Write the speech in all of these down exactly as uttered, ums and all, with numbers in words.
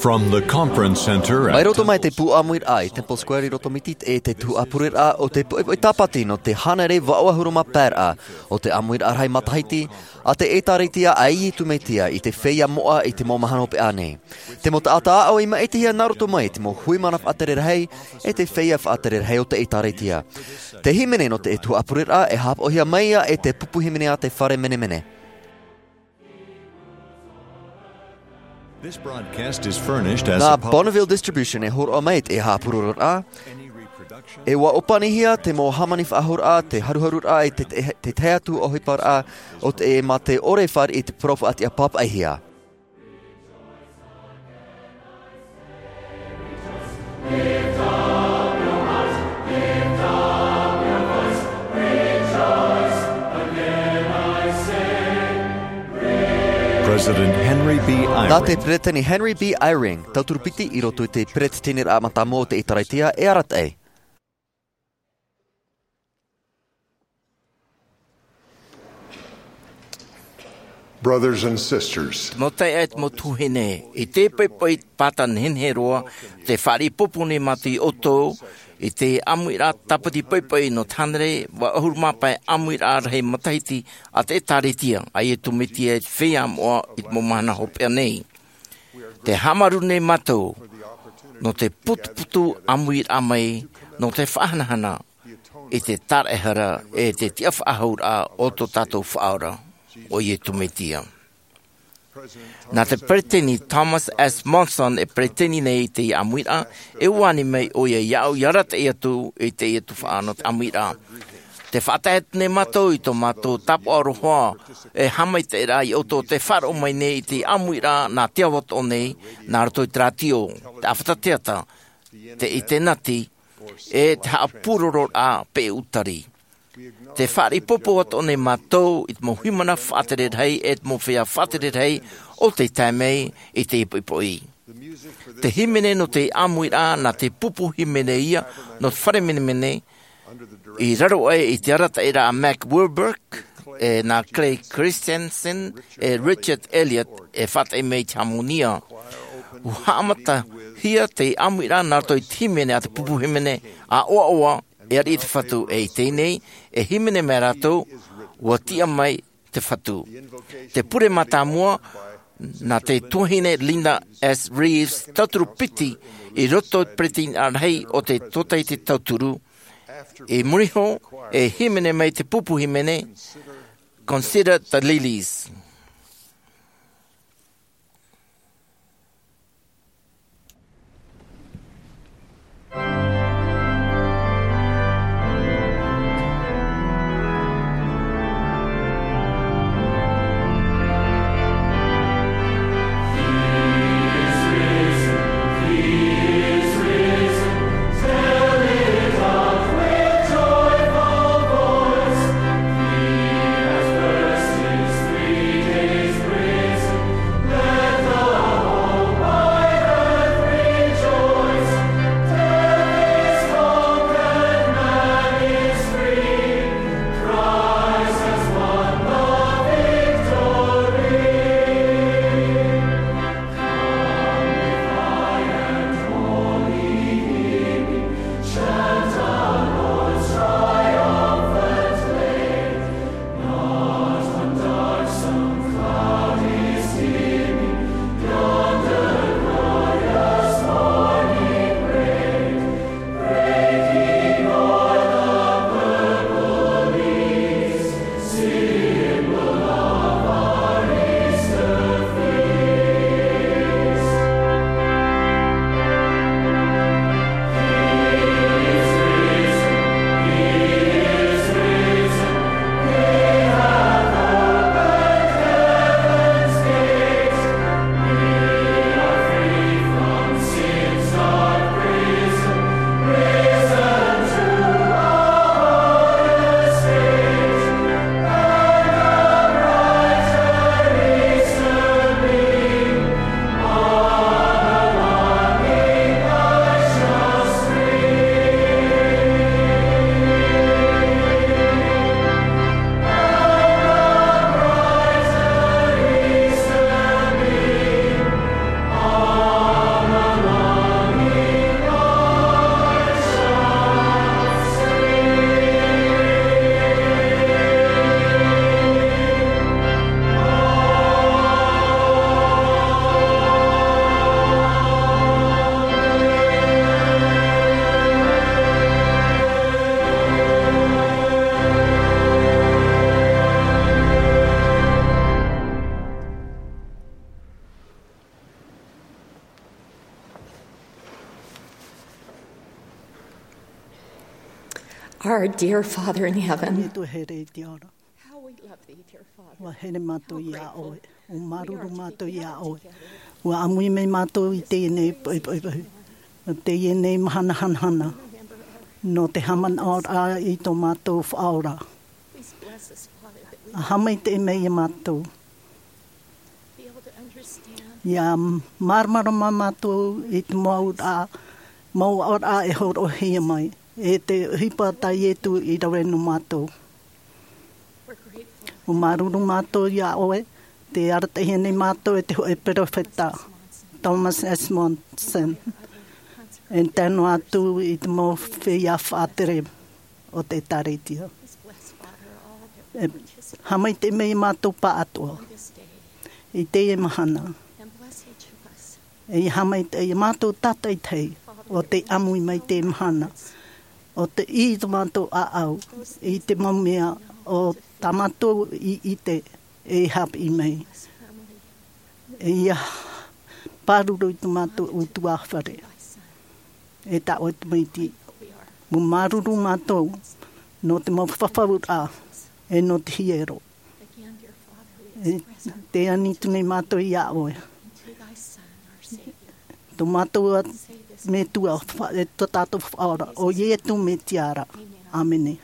From the conference center at Mai roto mai te pū ʻāmuiraʻa i Temple Square i Rotomiti, e te tuhaʻa pureraʻa o te poʻipoʻi tāpati nō te hānere vaʻu ʻahuru mā pae raʻa o te ʻāmuiraʻa rahi matahiti a te ʻĒtārētia a Iesu Mesia i te feiā moʻa i te mau mahana hopeʻa nei. Te mau taʻata aʻo i maʻitihia nā roto mai i te mau hui mana faʻatere rahi, e te feiā faʻatere rahi o te ʻĒtārētia. Te hīmene nō te tuhaʻa pureraʻa e haʻapaʻohia mai ia e te pupu hīmene a te fare menemene. This broadcast is furnished as Nā a pub- Bonneville Distribution e hōroʻa mai te haʻapurororaʻa. Any reproduction? E ʻua ʻōpanihia te mau hāmani faʻahouraʻa, te haruharuraʻa, e te, te, te tahi atu ʻohiparaʻa o te, mā te ʻore e fāriʻi i te parau faʻatiʻa pāpaʻihia. President Henry B. Eyring. Nā te Peretiteni Henry B. Eyring, tauturu piti i roto i te Peretiteniraʻa Mātāmua o te ʻĒtārētia, e arataʻi. Brothers and sisters, Te mau taeaʻe, te mau tuahine, i te poʻipoʻi pāta nehenehe roa, tē fāriʻi pōpō nei mātou ia ʻoutou i te ʻāmuiraʻa tāpati poʻipoʻi nō te hānere vaʻu ʻahuru mā pae ʻāmuiraʻa rahi matahiti a te ʻĒtārētia a Iesu Mesia i te feiā moʻa i te mau mahana hopeʻa nei. Tē haʻamāuruuru nei mātou nō te putuputu ʻāmuiraʻa mai, nō te faʻahanahana i te tāraʻehara e te tiʻafaʻahouraʻa o tō tātou Faʻaora, ʻo Iesu Mesia. Nā te Peretiteni Thomas S. Monson e peretiteni nei i te ʻāmuiraʻa, e ʻua ani mai ʻoia iāʻu ia arataʻi atu i teie tuhaʻa nō te ʻāmuiraʻa. Tē faʻatae atu nei mātou i tō mātou tāpaʻo aroha e haʻamaitaʻiraʻa ia ʻoutou tē faʻaroʻo mai nei i te ʻāmuiraʻa nā te ao atoʻa nei, nā roto i te rātio, te ʻāfata teata, te ʻinitēneti, e te haʻapurororaʻa peʻe ʻūtari. Tē fāriʻi pōpō atoʻa nei mātou i te mau hui mana faʻatere rahi, e te mau feiā faʻatere rahi o tē tae mai i teie poʻipoʻi. Te hīmene nō te ʻāmuiraʻa, nā te pupu hīmene ia nō te fare menemene, i raro aʻe i te arataʻiraʻa a Mack Wilberg, e nā Clay Christensen, e Richard Elliott, e faʻataʻi mai i te hāmōnia. ʻUa haʻamatahia te ʻāmuiraʻa nā roto i te hīmene a te pupu hīmene, ʻAʻoaʻoa, e ariʻi te Fatu, e i teie nei, e hīmene mai rātou, ʻUa tiʻa mai te Fatu. Te pure mātāmua, nā te tuahine Linda S. Reeves, tauturu piti i roto i te Peretiteni Rahi o te Tōtaiete Tauturu. I muri iho, e hīmene mai te pupu hīmene, Consider the Lilies. Our dear Father in heaven. Ietu here i te ao ra. How we love thee, dear Father. Ua here mātou iā ʻoe. Ua māuruuru mātou iā ʻoe. Ua ʻāmui mai mātou i teie nei poʻipoʻi. Nō teie nei mahana hanahana. Nō te haʻamanaʻoraʻa i tō mātou Faʻaora. Please bless us, Father, that we ʻA haʻamaitaʻi mai iā mātou. Be able to understand. ʻIa māramarama mātou i te mau aʻoraʻa, mau aʻoraʻa e hōroʻahia mai. E te ʻohipa tā Ietu i rave nō mātou. We're grateful. Ua māuruuru mātou iā ʻoe, tē arataʻihia nei mātou e te hōʻē peropheta, Thomas S. Monson, e tae noa atu i te mau feiā faʻatere o te ʻĒtārētia. E haʻamaitaʻi mai mātou pāʻatoʻa i teie mahana. E haʻamaitaʻi iā mātou tātaʻitahi ʻo tē ʻāmui mai i teie mahana, ʻo tē ʻī i tō mātou ʻāʻau i te mau mea ʻo tā mātou i ʻite e haʻapiʻi mai. E ʻia pāruru i tō mātou ʻutuāfare. E tā ʻoe Tamaiti. Ua māuruuru mātou nō te mau fafauraʻa, e nō te hiero. E tē ani atu nei mātou iā ʻoe. Tō mātou Metua, e tō tātou Faʻaora, ʻo Ietu Metia ra. ʻĀmene.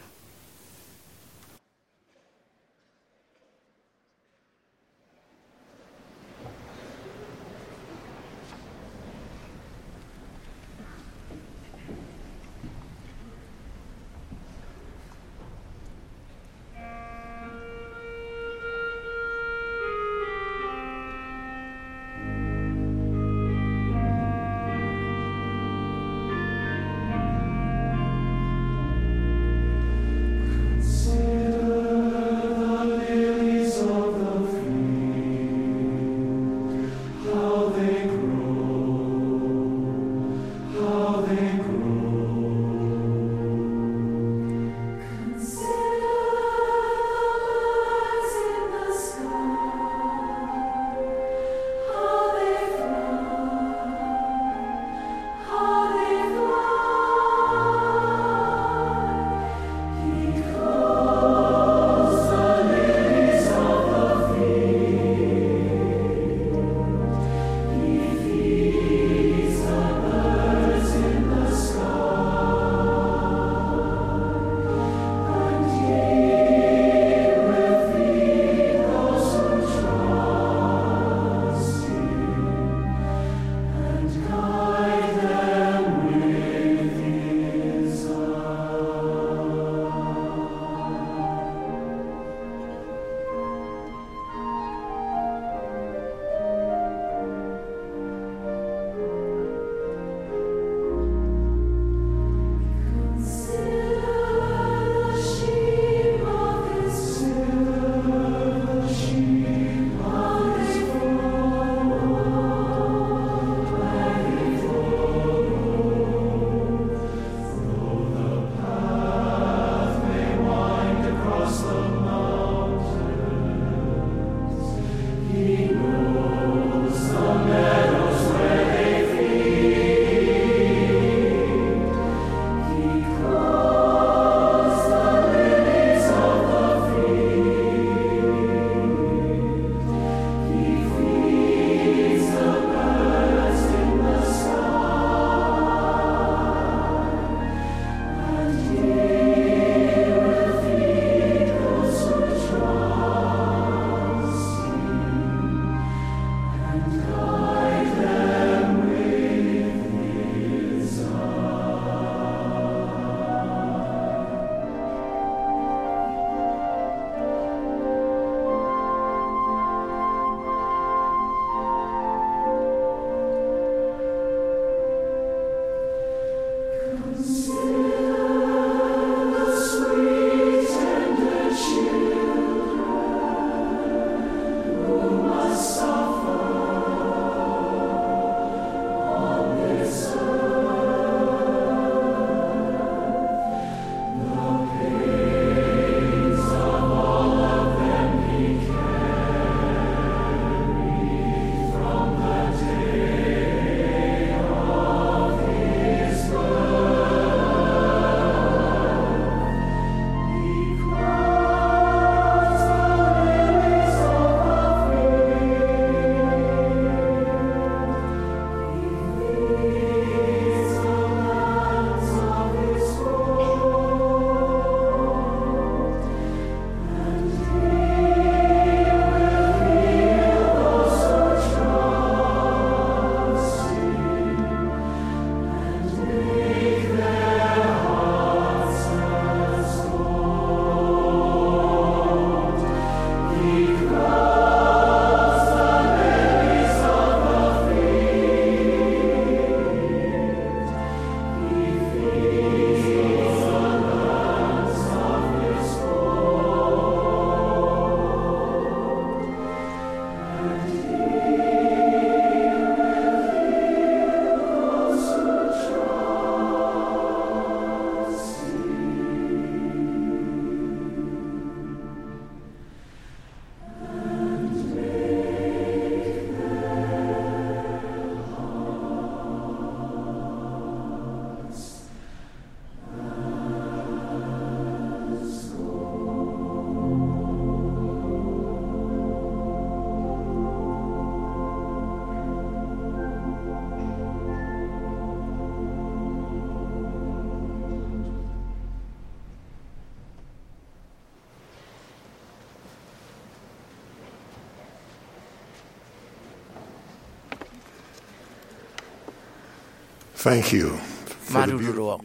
Thank you for the Māuruuru beautiful roa.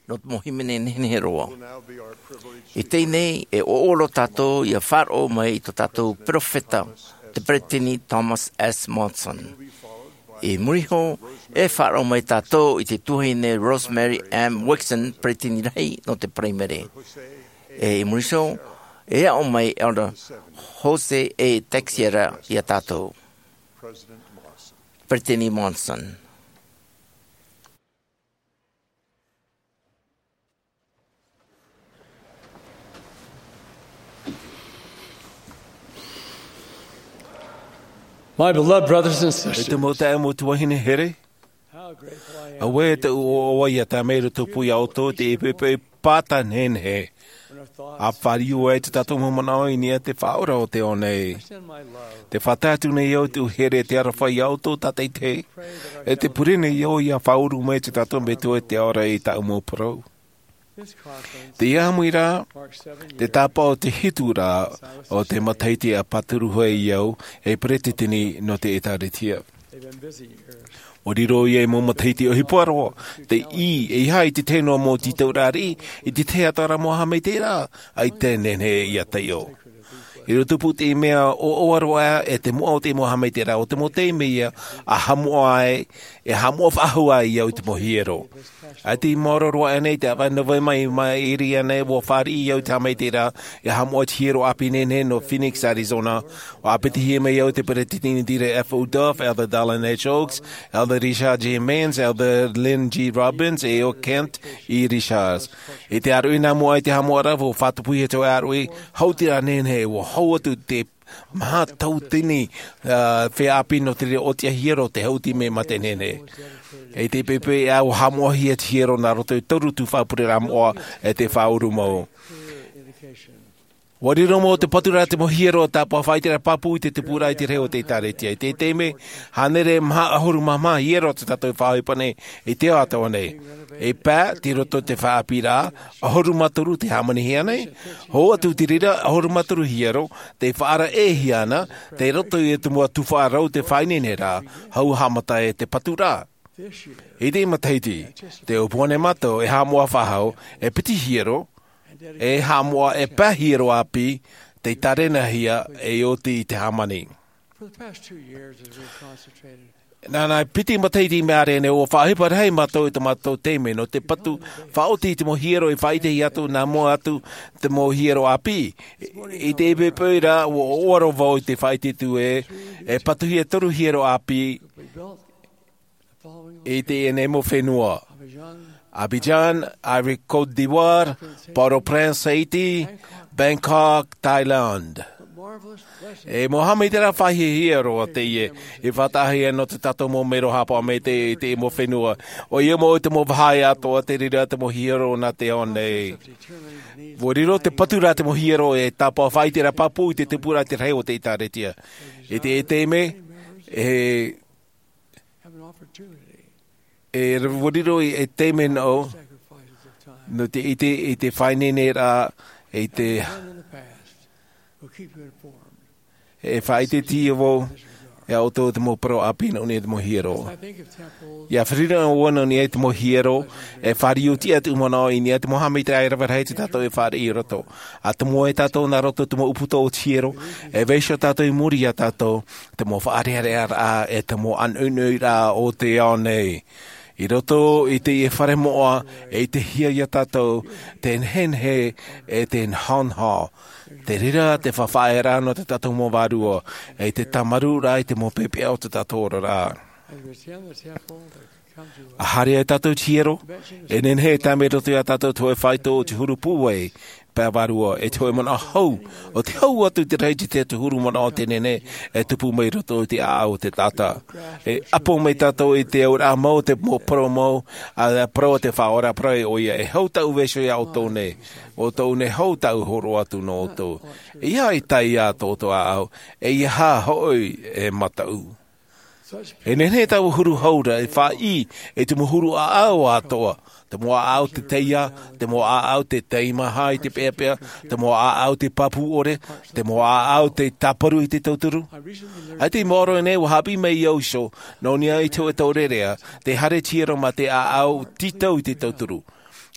Nō te mau hīmene nehenehe roa. I teie nei, e ʻōʻoro tātou ia faʻaroʻo mai i tō tātou peropheta, te Peresideni Thomas S. Monson. I muri iho, e faʻaroʻo mai tātou i te tuahine Rosemary M. Wixom, Peresideni rahi nō te Paraimere. E i muri iho, e aʻo mai Elder Jose A. Teixeira ia tātou. Peresideni Monson. My beloved brothers and sisters, e te mau taeaʻe, mau tuahine here, how grateful I am. Auē te ʻoaʻoa ia tāmau i roto pū ia ʻoutou i te ʻepeʻepe pāta nehenehe. A fāriu ai tō tātou mau manaʻo i niʻa i te Faʻaora o te ao nei. Te faʻatae atu nei au i te here e te aroha ia ʻoutou tātaʻitahi. E te pure nei au ia faʻaʻuru mai tō tātou Metua i te ao ra i tāʻu mau parau. Teie ʻāmui ra, te tāpaʻo o te hitu ra o te matahiti a pāturu ai au ei peresideni nō te ʻĒtāretia. ʻUa riro ia ei mau matahiti ʻohipa roa, te ʻī, ʻeiaha i te tahi noa mau tītauraʻa riʻi, i te tahi atoʻa ra mau haʻamaitaʻiraʻa, ʻaita e nehenehe ia taiʻo. I roto pū i te mea ʻoaʻoa roa e te moʻa o te mau haʻamaitaʻiraʻa, ʻo te mau taime ia, a haʻamoʻa ai, e haʻamoʻa faʻahou ai au i te mau hiero. ʻAita i maoro roa aʻenei i te ʻāvaʻe Novema i maʻiri aʻenei, ʻua fāriʻi au i te haʻamaitaʻiraʻa, e haʻamoʻa i te hiero ʻāpī nehenehe nō Phoenix, Arizona. ʻUa ʻāpitihia mai au e te peresideni Dieter F. Uchtdorf, Elder Dallin H. Oaks, Elder Richard J. Maynes, Elder Lynn G. Robbins, e ʻo Kent E. Richards. I te ʻāruʻi nā mua i te haʻamoʻaraʻa, ʻua fātupuhia te ʻāruʻi, haʻutiraʻa nehenehe, ʻua hau atu te maha tauatini, ā, feiā ʻāpī nō te reira ʻōtiʻa hiero, te haʻuti mea mate nehenehe. I te ʻepeʻepe ā, ʻua haʻamoʻahia te hiero nā roto i te toru tuhaʻa pureraʻa moʻa e te faʻaʻuru mau. ʻUa riro mau te patu ra te mau hiero, tāpaʻo faʻaʻiteraʻa pāpū i te tupuraʻa i te rahi o te ʻĒtāretia. I te taime, hānere maha ʻahuru mā maha hiero tō tātou e faʻaʻohipa nei i te ao atoʻa nei. E pae, tei roto i te feiā ʻāpī ra, ʻahuru mā toru tei hāmanihia nei. Hou atu i te reira, ʻahuru mā toru hiero, tei faʻaʻaraʻehia ana, tei roto i te mau tuhaʻa rau tei faʻaineineraʻa, hou haʻamata ai te patu ra. I teie matahiti, tē ʻōpua nei mātou, e haʻamoʻa faʻahou, e piti hiero, e haʻamoʻa e pae hiero ʻāpī, tei tārenahia, e oti i te hāmani. For the past two years, as we've concentrated Nā, nā, piti matahiti i maʻiri aʻenei, ʻua faʻaʻohipa rahi mātou i tō mātou taime nō te patu, faʻaoti i te mau hiero e faʻaʻitehia atu, nā mua atu te mau hiero ʻāpī. I te ʻepeʻepe ra, ʻua ʻoaʻoa roa vau i te faʻaʻite atu ē, e patuhia toru hiero ʻāpī i teie nei mau fenua. Abidjan, Ivory Coast, Côte d'Ivoire, Port-au-Prince, Haiti, Bangkok, Thailand. E mau haʻamaitaʻiraʻa faʻahiahia roa teie, e faʻataʻahia nō tō tātou mau mero haʻapaʻo maitaʻi i te mau fenua. ʻOia mau i te mau vāhi atoʻa tei reira te mau hiero nā te ao nei. ʻUa riro te patu ra te mau hiero e tāpaʻo faʻaʻiteraʻa pāpū i te tupuraʻa i te rahi o te ʻĒtāretia. I te taime, e have an opportunity E ʻua riro i te taime nō, sacrifices of time nō te ʻite i te faʻaineineraʻa, i te done in the past will keep you informed. E faʻaʻiteʻitehia vau, e ʻoutou te mau parau ʻāpī nō niʻa i te mau hiero. I think of temples. ʻIa fāriu noa vau nō niʻa i te mau hiero, e fāriu tiʻa tōʻu manaʻo i niʻa i te mau haʻamaitaʻiraʻa rave rahi tō tātou e fāriʻi i roto. ʻA tomo ai tātou nā roto i te mau ʻūputa o te hiero, e vaiiho tātou i muri iā tātou, te mau faʻarearearaʻa, e te mau ʻānoʻinoʻiraʻa o te ao nei. I roto i teie fare moʻa, e ʻitehia iā tātou, te nehenehe, e te nahonaho. Te reira te faʻaʻiteraʻa nō tō tātou mau vārua, e te tāmarūraʻa i te mau pepeʻa o tō tātou oraraʻa. As we attend the temple, there comes to us ʻA haere ai tātou i te hiero, e nehenehe e tae mai roto iā tātou te hōʻē faito o te huru pūai, pae vārua, e te hōʻē manaʻo hou, ʻo te hau atu i te rahi i te tahi atu huru manaʻo tē nehenehe e tupu mai roto i te ʻāʻau o te taʻata. E ʻapo mai tātou i te auraʻa mau, te mau parau mau, ʻa te parau a te Faʻaora, parau ʻoia, e hou tāʻu vaiiho iā ʻoutou nei, ʻo tōʻu nei hou tāʻu hōroʻa atu nō ʻoutou. ʻEiaha i tae iā tō ʻoutou ʻāʻau, ʻeiaha hoʻi e mataʻu. E nehenehe taua huru hau ra e faʻaʻī i te mau huru ʻāʻau atoʻa, te mau ʻāʻau te taiā, te mau ʻāʻau te taimaha i te peʻapeʻa, te mau ʻāʻau te pāpū ʻore, te mau ʻāʻau te tāparu i te tauturu. ʻAita i maoro nei ua haʻapiʻi mai iā ʻoutou nō niʻa i te hōʻē taureʻareʻa, te haere tiero mā te ʻāʻau tītau i te tauturu.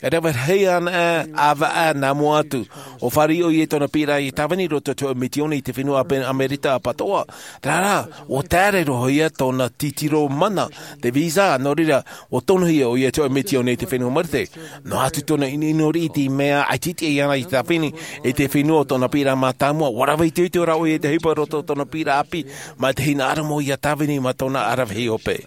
E rave rahi ana ʻāvaʻe nā mua atu, ʻua fāriʻi ʻoia i tōna piʻiraʻa i tāvini i roto i te hōʻē mitioni i te fenua ʻāpī Amerika ʻapatoʻa. Terā rā, ʻua taere roa ia tōna titiro mana, te visa, nō reira, ʻua tonohia ʻoia i te hōʻē mitioni i te fenua Marite. Noa atu tōna ʻinoʻino riʻi i te mea ʻaita e tiʻa iāna i tāvini i te fenua o tōna piʻiraʻa mātāmua, ʻua rave itoito rā ʻoia i te ʻohipa i roto i tōna piʻiraʻa ʻāpī, mā te hinaʻaro mau ia tāvini mā tōna ʻaravihi hope.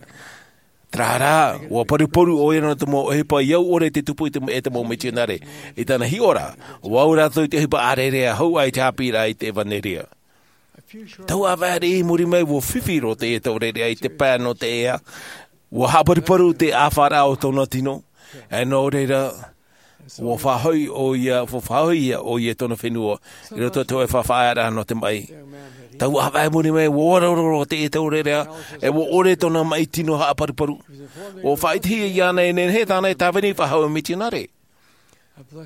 Terā rā, ʻua paruparu ʻoia nō te mau ʻohipa i au ʻore te tupu i te, e te mau mitionare. I tāna hiʻoraʻa, ʻua au rātou i te ʻohipa ʻārearea hou aʻe i te haʻapiʻiraʻa i te ʻevanelia. Tau ʻāvaʻe riʻi i muri mai ʻua fifi roa teie taureʻareʻa i te pae nō te ea, ʻua haʻaparuparu te ʻāfaʻaraʻa o tōna tino, e nō reira, ʻua faʻahoʻi ʻoia, ʻua faʻahoʻihia ʻoia i tōna fenua, i roto i te hōʻē faʻaearaʻa nō te maʻi. Tau ʻāvaʻe muri mai, ʻua ora roa teie taureʻareʻa, e ʻua ʻore tōna maʻi tino haʻaparuparu. ʻUa faʻaʻitehia iāna e nehenehe tāna e tāvini faʻahou mitionare.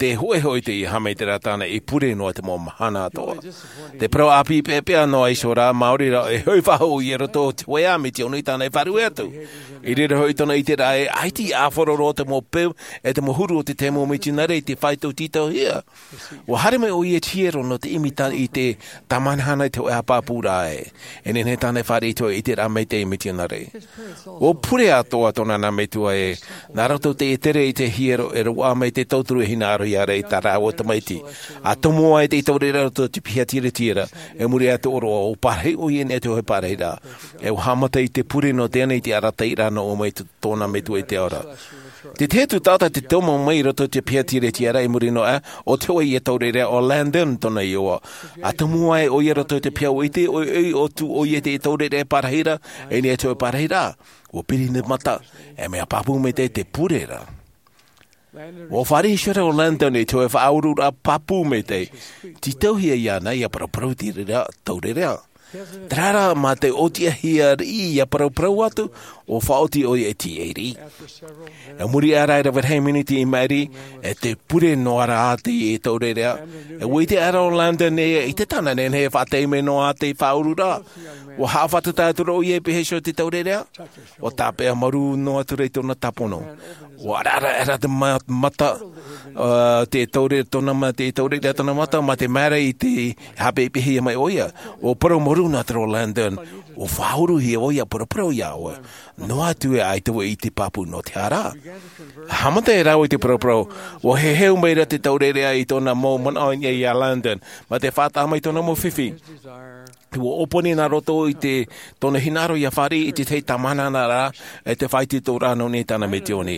Te hōʻē hoʻi teie haʻamaitaʻiraʻa tāna i pure noa i te mau mahana atoʻa. Te parau ʻāpī peʻapeʻa noa iho rā, maori rā, e hoʻi faʻahou ʻoia i roto i te hōʻē mitioni tāna e faʻaruʻe atu. I reira hoʻi tōna ʻiteraʻa ē, ʻaita i ʻāfaro roa te mau peu, e te mau huru o te tahi mau mitionare i te faito tītauhia. ʻUa haere mai ʻoia i te hiero nō te ʻimi i te tāmāhana i te hōʻē haʻapāpūraʻa ē. E nehenehe tāna e fāriʻi i te hōʻē ʻiteraʻa maitaʻi mitionare. ʻUa pure atoʻa tōna nā metua ē, nā roto i te ʻitere i te hiero e roaʻa mai te tauturu e hinaʻaro ia rā i tā rāua tamaiti. ʻA tomo ai te taureʻareʻa i roto i te piha tiretire, e muri aʻe i te ʻōroʻa, ʻua parahi ʻoia i niʻa i te hōʻē parahiraʻa. E ʻua haʻamata i te pure nō teie nei te arataʻiraʻa nō ʻō mai tō tōna metua i te ao ra. Te tahi atu taʻata tei tomo mai i roto i te piha tiretire i muri noa aʻe, ʻo te hōʻē taureʻareʻa ʻo Landon tōna iʻoa. ʻA tomo ai ʻoia i roto i te piha, ʻua ʻite ʻoia, ʻoia atu ʻoia i te taureʻareʻa parahiraʻa, i niʻa i te hōʻē parahiraʻa. ʻUa piri te mata, e mea pāpū maitaʻi te pure ra. ʻUa fāriʻi iho ra ʻo Landon i te hōʻē faʻaururaʻa pāpū maitaʻi, tītauhia iāna ia paraparau i te reira taureʻareʻa. Terā rā, mā te ʻōtiʻahia riʻi ia paraparau atu, ʻua faʻaoti ʻoia i te ʻēʻa riʻi. E muri aʻe rā e rave rahi miniti i maʻiri, e tē pure noa ra teie taureʻareʻa, e ʻua ʻite aʻera ʻo Landon ē, ʻaita tāna e nehenehe e faʻatae mai noa te faʻaururaʻa. ʻUa haʻafātata atu ra ʻoia e pēhea iho te taureʻareʻa. ʻUa tāpeʻa marū noa atu ra i tōna tāpono. ʻUa ʻaraʻara aʻera te ma-, mata, ā, te taure-, tōna ma-, te taureʻareʻa tōna mata, mā te mea ra i te haʻapeʻapeʻahia mai ʻoia. ʻUa parau marū noa atu ra ʻo Landon, ʻua faʻauruhia ʻoia, paraparau iā ʻoe. Noa atu ē ʻaita vau i ʻite pāpū nō te aha rā. Haʻamata rāua i te paraparau, ʻua heheu mai ra te taureʻareʻa i tōna mau manaʻo i niʻa iā Landon, mā te faʻataʻa mai tōna mau fifi. ʻUa ʻōpani nā roto i te, tōna hinaʻaro ia fāriʻi i te tahi tāmāhana ra, e te faʻaitoitoraʻa nō niʻa i tāna mitioni.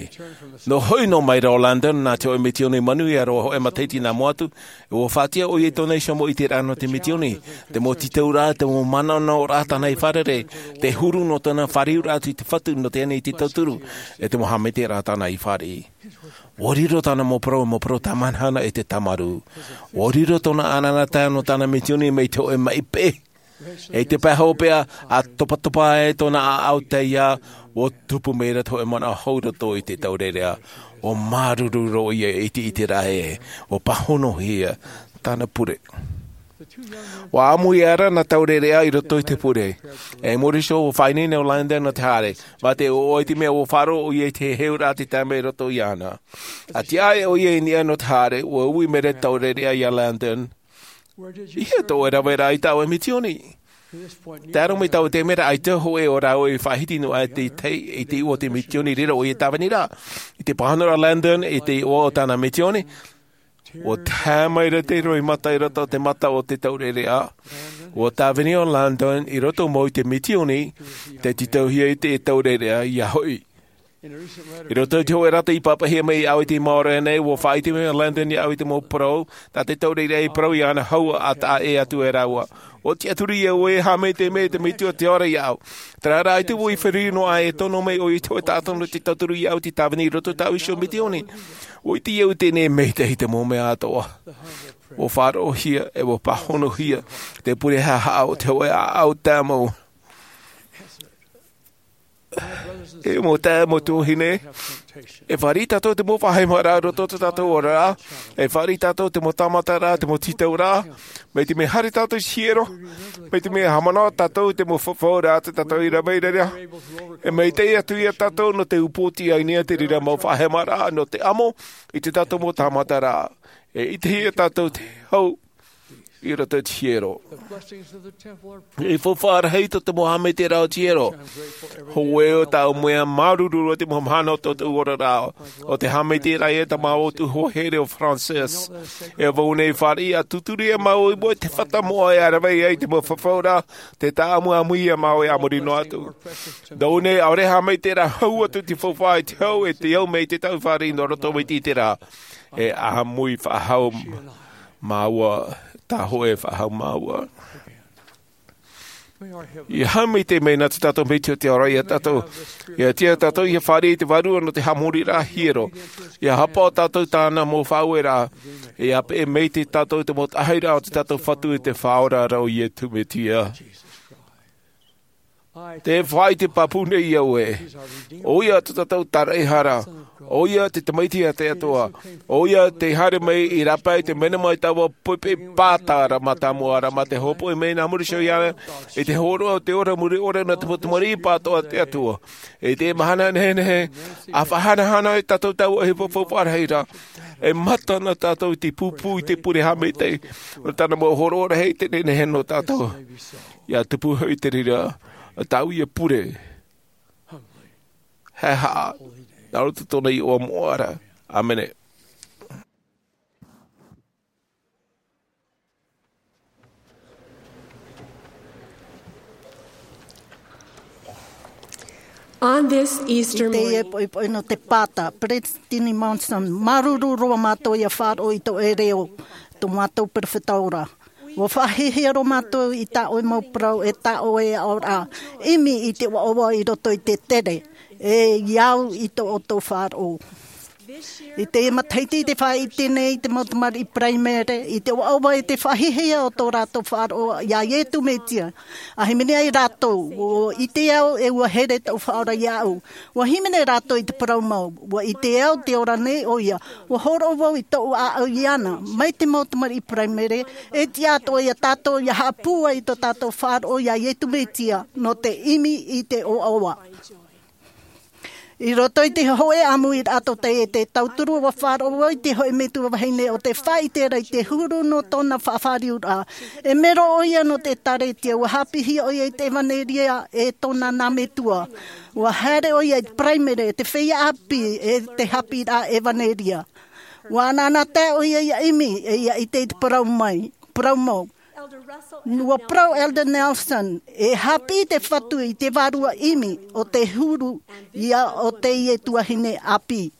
Nō hoʻi noa mai ra ʻo Landon nā te hōʻē mitioni manuia roa, hōʻē matahiti nā mua atu, ʻua faʻatiʻa ʻoia i tōna iho mau ʻiteraʻa nō te mitioni, te mau tītauraʻa, te mau manaʻonaʻoraʻa tāna i fārerei, te huru nō tōna fāriuraʻa atu i te Fatu nō teie nei te tauturu, e te mau haʻamaitaʻiraʻa tāna i fāriʻi. ʻUa riro tāna mau parau, mau parau tāmāhana e te tāmarū. ʻUa riro tōna ʻanaʻanatae nō tāna mitioni mai te hōʻē maʻi peʻe. I te pae hopeʻa, ʻa topatopa ai tōna ʻāʻau taiā, ʻua tupu mai ra te hōʻē manaʻo hou i roto i te taureʻareʻa. ʻUa māuruuru roa ʻoia i te ʻiteraʻa ē, ʻua pāhonohia tāna pure. ʻUa ʻāmui aʻera nā taureʻareʻa i roto i te pure. E muri iho, ʻua faʻaineine ʻo Landon nō te haere, mā te ʻoaʻoa i te mea ʻua faʻaroʻo ʻoia i te heheuraʻa tei tae mai i roto iāna. ʻA tiʻa aʻe ʻoia i niʻa nō te haere, ʻua ui mai ra te taureʻareʻa iā Landon. I hea tō ʻoe raveraʻa i taua mitioni? Tae roa mai i taua taime ra, ʻaita hōʻē o rāua i faʻahiti noa aʻe i te, i te iʻoa o te mitioni i reira ʻoia e tāvini ra. I te pāhonoraʻa o Landon i te iʻoa o tāna mitioni, ʻua tae mai ra te roimata i roto i te mata o te taureʻareʻa. ʻUa tāvini ʻo Landon i roto mau i te mitioni, tei tītauhia i te taureʻareʻa ia hoʻi. I roto i te hōʻē rata i pāpaʻihia mai iāʻu i te maoro nei, ʻua faʻaʻite mai ʻo Landon iāʻu i te mau parau, tā te taureʻareʻa i parau iāna hou ʻa taʻa ʻē atu e rāua. ʻUa tiʻaturi au ē, e aha mai te mea, te metua te ora iāʻu. Terā rā, ʻaita vau i feruri noa aʻe e tono mai ʻoia i te hōʻē taʻata nō te tauturu iāʻu tei tāvini i roto i tāʻu iho mitioni. ʻUa ʻite au teie nei, e maitaʻi te mau mea atoʻa. ʻUa faʻaroʻohia, e ʻua pāhonohia te pure haʻahaʻa o te hōʻē ʻāʻau tāmau. E mau taeaʻe, mau tuahine, e fāriʻi tātou te mau faʻahemaraʻa i roto i tō tātou oraraʻa. E fāriʻi tātou te mau tāmataraʻa, te mau tītauraʻa. Mai te mea haere tātou i te hiero, mai te mea haʻamanaʻo tātou i te mau fafauraʻa tō tātou i rave i reira, e maitaʻi atu ia tātou nō te upootiʻa i niʻa i te reira mau faʻahemaraʻa nō te amo i tō tātou mau tāmataraʻa. E ʻitehia tātou te hau i roto i te hiero. E faufaʻa rahi tō te mau haʻamaitaʻiraʻa o te hiero. Hōʻē ʻo tāʻu mea māuruuru roa te mau mahana o tō tāʻu oraraʻa, ʻo te haʻamaitaʻiraʻa ia tā māua tuahine here ʻo Frances. E vau nei fāriʻi ʻia tūturi ʻia māua i mua i te fata moʻa e rave ai i te mau fafauraʻa, te tāʻamuʻamu ia māua e a muri noa atu. Tō nei ʻaore haʻamaitaʻiraʻa hau atu te faufaʻa i te hau e te au mai te tāʻu fāriʻi nō roto mai te iteraʻa. E ʻāmui faʻahou māua, tā hōʻē faʻahou māua. ʻIa haʻamaitaʻi mai nā tō tātou Metua i te ao ra ia tātou. ʻIa tiʻa tātou ʻia fāriʻi i te Vārua nō te haʻamoriraʻa hiero. ʻIa haʻapaʻo tātou i tāna mau faʻaueraʻa. ʻIa peʻe maitaʻi tātou i te mau taʻahiraʻa o tō tātou Fatu e te Faʻaora ra ʻo Iesu Mesia. Tē faʻaʻite pāpū nei au ē, ʻoia tō tātou Taraehara, ʻoia te Tamaiti a te Atua, ʻoia tē haere mai i rāpae i te mea mai taua poʻipoʻi pāta ra mātāmua ra, mā te hopoiʻa mai nā muri iho iāna i te hōroʻa o te ora mure ʻore nā te mau tamariʻi pātoʻa a te Atua. I te mahana nehenehe, ʻa faʻahanahana ai tātou taua ʻohipa faufaʻa rahi ra, e mata na tātou i te pūpū i te pure haʻamaitaʻi o tāna mau hōroʻa rahi i te nehenehe nō tātou. ʻIa tupu hoʻi te reira tāʻu ia pure haʻehaʻa nā roto i tōna iʻoa moʻa ra. ʻĀmene. On this Easter morning, poʻipoʻi nō te pāta, Peresideni Monson, māuruuru roa mātou ʻia faʻaroʻo i tō ʻoe reo, tō mātou perofeta ora. ʻUa faʻahiahia roa mātou i tā ʻoe mau parau e tā ʻoe aʻoraʻa, ʻimi i te ʻoaʻoa i roto i te tere, e ʻia au i tō ʻoutou faʻaroʻo. I teie matahiti, i te faʻaʻite nei te mau tamariʻi Paraimere i te ʻoaʻoa e te faʻahiahia o tō rātou faʻaroʻo iā Iesu Mesia. ʻA hīmene ai rātou, ʻua ʻite au e ʻua here tōʻu Faʻaora iāʻu. ʻUa hīmene rātou i te parau mau, ʻua ʻite au tē ora nei ʻoia. ʻUa hōroʻa vau i tōʻu ʻāʻau iāna, mai te mau tamariʻi Paraimere, e tiʻa atoʻa ia tātou ʻia haʻapūai i tō tātou faʻaroʻo iā Iesu Mesia, nō te ʻimi i te ʻoaʻoa. I roto i te hōʻē ʻāmuiraʻa tōtaʻi e te tauturu, ʻua faʻaroʻo vau i te hōʻē metua vahine ʻo tē faʻaʻite ra i te huru nō tōna faʻafāriuraʻa. E mero ʻoia nō te ʻĒkālesia, ʻua haʻapiʻihia ʻoia i te ʻevanelia e tōna nā metua. ʻUa haere ʻoia i te Paraimere, e te feiā ʻāpī, e te haʻapiʻiraʻa ʻevanelia. ʻUa ʻanaʻanatae ʻoia ʻia ʻimi, e ʻia ʻite i te parau mai, parau mau. ʻUa parau Elder Nelson, e haʻapiʻi te Fatu i te vārua ʻimi o te huru ia o teie tuahine ʻāpī.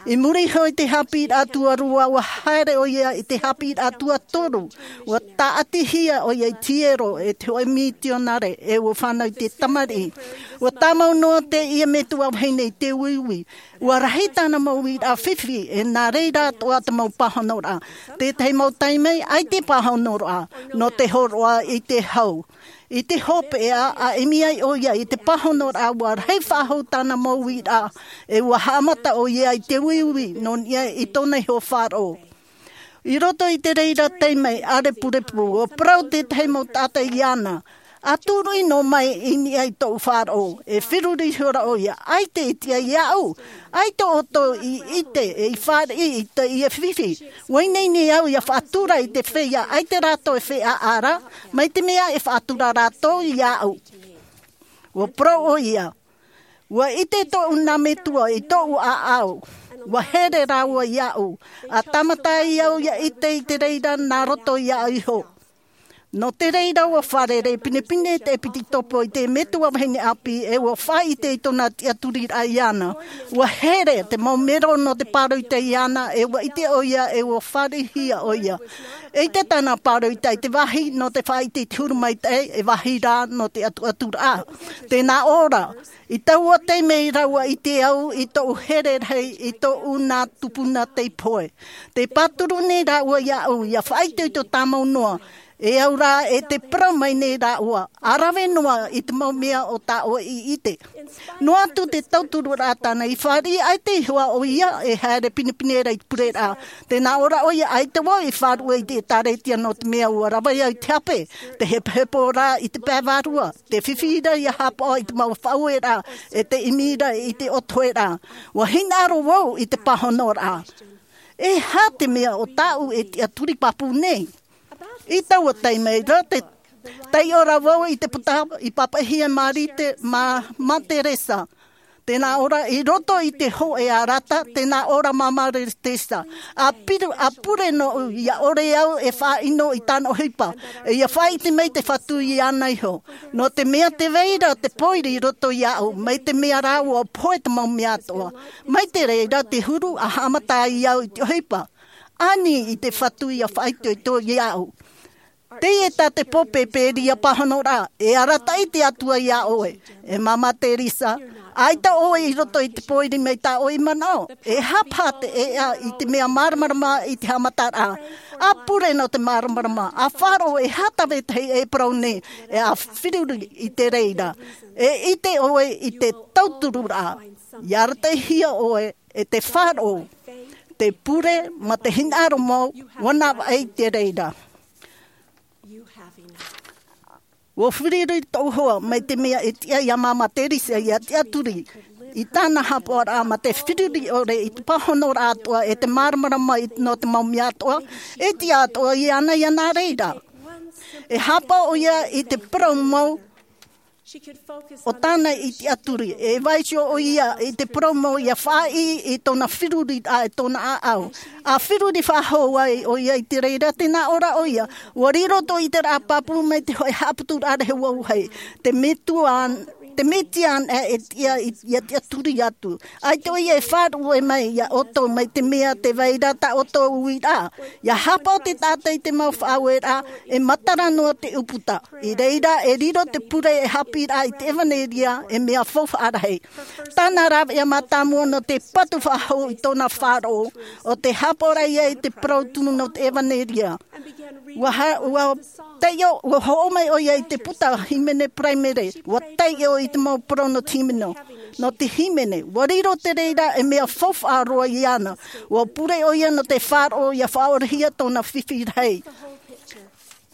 I muri iho i te haʻapiʻiraʻa tuarua, ʻua haere ʻoia i te haʻapiʻiraʻa tuatoru, ʻua tāʻatihia ʻoia i te hiero e te hōʻē mitionare, e ʻua fānau i te tamariʻi. ʻUa tāmau noa teie metua vahine i te uiui. ʻUa rahi tāna mau uiraʻa fifi, e nā reira atoʻa te mau pāhonoraʻa. Tētahi mau taime, ʻaita e pāhonoraʻa, nō te hōroʻa i te hau. I te hopeʻa, ʻa ʻimi ai ʻoia i te pāhonoraʻa, ʻua rahi faʻahou tāna mau uiraʻa, e ʻua haʻamata ʻoia i te uiui, nō niʻa i tōna iho faʻaroʻo. I roto i te reira taime ʻārepurepu, ʻua parau tētahi mau taʻata iāna, ʻa tūruʻi noa mai i niʻa i tōʻu faʻaroʻo, e feruri ihora ʻoia, ʻaita e tiʻa iāʻu, ʻaita ʻoutou i ʻite, e i fāriʻi i teie fifi. ʻUa ineine au ʻia faʻatura i te feiā, ʻaita rātou e feiā ra, mai te mea e faʻatura rātou iāʻu. ʻUa parau ʻoia, ʻua ʻite tōʻu nā metua i tōʻu ʻāʻau, ʻua here rāua iāʻu, ʻa tāmata ai au ʻia ʻite i te reira nā roto iāʻu iho. Nō te reira ʻua fārerei pinepine te ʻēpitokopo i te metua vahine ʻāpī, e ʻua faʻaʻite i tōna tiʻaturiraʻa iāna. ʻUa here te mau mero nō te pāroita iāna, e ʻua ʻite ʻoia, e ʻua fāriʻihia ʻoia. E ʻite tāna pāroita i te vāhi nō te faʻaʻite i te huru maitaʻi, e vāhi rā nō te ʻatuʻaturaʻa. Tēnā ʻō ra, i taua taime ra ʻua ʻite au i tōʻu here rahi i tōʻu nā tupuna tei pohe. Tē pāturu nei rāua iāʻu ʻia faʻaitoito tāmau noa, E au rā e te parau mai nei rāua, ʻa rave noa i te mau mea o tā ʻoe i ʻite. Noa atu te tauturuʻraʻa tāna i fāriʻi, ʻaita i hoa ʻoia e haere pinepine ra i te pureraʻa. Tē nā ʻō ra ʻoia, ʻaita vau i faʻaruʻe i te ʻĒtārētia nō te mea ʻua rave au i te hape, te hepohepo rā i te pae vārua, te fifi ra ʻia haʻapaʻo i te mau faʻaueraʻa, e te ʻimi ra i te ʻotoheraʻa. ʻUa hinaʻaro vau i te pāhonoraʻa. E aha te mea ʻo tāʻu e tiʻaturi pāpū nei? I taua taime ra, taiʻo ra vau i te puta i pāpaʻihia e Marite, mā, mā Teresa. Tē nā ʻō ra, i roto i te hōʻē arata, tē nā ʻō ra mā Mā Teresa, ʻa piru, ʻa pure noʻu, ʻia ʻore au e faʻaʻino i tāna ʻohipa, e ʻia faʻaʻite mai te Fatu iāna iho. Nō te mea tē vai ra te pōiri i roto iāʻu, mai te mea rā ʻua pohe te mau mea atoʻa. Mai te reira te huru ʻa haʻamata ai au i te ʻohipa. Ani i te Fatu ʻia faʻaitoito iāʻu. Teie tā te pōpēpēria pāhonoraʻa, e arataʻi te Atua iā ʻoe. E mā Mā Teresa, ʻaita ʻoe i roto i te pōiri mai tā ʻoe i manaʻo. E aha paha te ʻēʻa i te mea māramarama i te haʻamataraʻa? ʻA pure nō te māramarama, ʻa faʻaroʻo e aha tā vetahi e parau nei, e ʻa feruri i te reira. E ʻite ʻoe i te tauturuʻraʻa. ʻIa arataʻihia ʻoe e te faʻaroʻo, te pure, mā te hinaʻaro mau, ʻua navaʻi i te reira. ʻUa feruri tōʻu hoa, mai te mea e tiʻa iā mā Mā Teresa ʻia tiʻaturi i tāna haʻapaʻoraʻa mā te feruri ʻore i te pāhonoraʻa atoʻa e te māramarama i, nō te mau mea atoʻa, e tiʻa atoʻa iāna ʻia nā reira. E haʻapaʻo ʻoia i te parau mau o tāna i tiʻaturi, e vaiiho ʻoia i te parau mau ʻia faʻaʻī i tōna feruriraʻa e tōna ʻāʻau. ʻA feruri faʻahou ai ʻoia i te reira, tē nā ʻō ra ʻoia, ʻua riro tō ʻĪteraʻa pāpū mai te hōʻē haʻaputuraʻa rahi ʻua vāhi. Te Metua, te Mesia anaʻe e tiʻa i, ʻia tiʻaturi atu. ʻAita ʻoia e faʻaruʻe mai iā ʻoutou mai te mea tē vai ra tā ʻoutou uiraʻa. ʻIa haʻapaʻo te taʻata i te mau faʻaueraʻa, e matara noa te ʻūputa. I reira e riro te pure e haʻapiʻiraʻa i te ʻevanelia, e mea faufaʻa rahi. Tāna rāveʻa mātāmua nō te patu faʻahou i tōna faʻaroʻo, ʻo te haʻapaʻoraʻa i te parau tumu nō te ʻevanelia. ʻUa ha-, ʻua taiʻo, ʻua hoʻo mai ʻoia i te puta hīmene paraimere, ʻua taiʻo i te mau parau nō te hīmene. Nō te hīmene, ʻua riro te reira e mea faufaʻa roa iāna. ʻUa pure ʻoia nō te faʻaroʻo ʻia faʻaorehia tōna fifi rahi.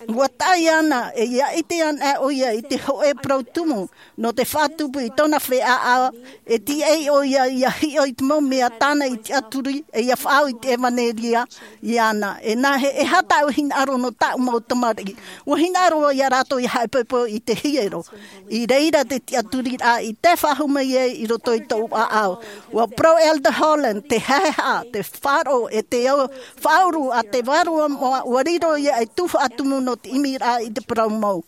ʻUa tae iāna, e ʻia ʻite anaʻe ʻoia i te hōʻē parau tumu, nō te faʻatupu i tōna feiā, e tiʻa ʻoia ʻia hiʻo i te mau mea tāna i tiʻaturi, e ʻia faʻaau i te ʻevanelia iāna. E nā hea, e aha tāʻu hinaʻaro nō tāʻu mau tamariʻi? ʻUa hinaʻaro iā rātou ʻia haʻepohepohe i te hiero. I reira te tiʻaturiraʻa i tae faʻahou mai ai i roto i tōʻu ʻāʻau. ʻUa parau Elder Holland, te haʻehaʻa, te faʻaroʻo, e te au, faʻauru a te Vārua Moʻa, ʻua riro ia ei tuhaʻa tumu nō te ʻimiraʻa i te parau mau.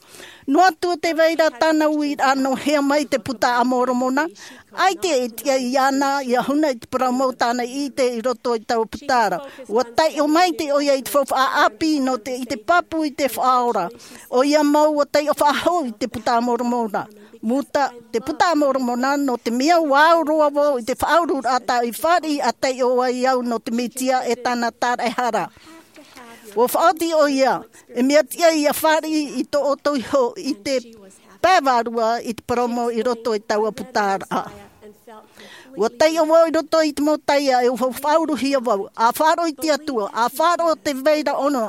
Noa atu tē vai ra tāna uiraʻa nō hea mai te Puta a Moromona, ʻaita e tiʻa iāna ʻia huna i te parau mau tāna i ʻite i roto i taua puta ra. ʻUa taiʻo maitaʻi ʻoia i te faufaʻa ʻāpī nō te, i te pāpū i te Faʻaora. ʻOia mau ʻua taiʻo faʻahou i te Puta a Moromona. Muta, te Puta a Moromona, nō te mea ʻua au roa vau i te faʻaururaʻa tāʻu i fāriʻi ʻa taiʻo ai au nō te Mesia e tāna tāraʻehara. ʻUa faʻaoti ʻoia, e mea tiʻa ʻia fāriʻi i tō ʻoutou iho i te pae vārua i te parau mau i roto i taua puta ra. ʻUa taiʻo vau i roto i te mau taiā, e ʻua faʻauruhia vau, ʻa faʻaroʻo i te Atua, ʻa faʻaroʻo tē vai ra ʻōna,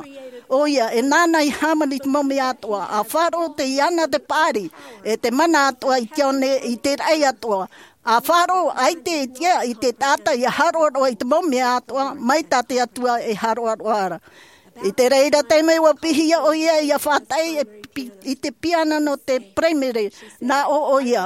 ʻoia, e nāna i hāmani i te mau mea atoʻa, ʻa faʻaroʻo tē iāna te paʻari, e te mana atoʻa i te ao nei, i te raʻi atoʻa, ʻa faʻaroʻo ʻaita e tiʻa i te taʻata ʻia haroʻaroʻa i te mau mea atoʻa, mai tā te Atua e haroʻaroʻa ra. I te reira taime ʻua piʻihia ʻoia ʻia faʻataʻi e pi-, i te piana nō te paraimere, nā ʻō ʻoia,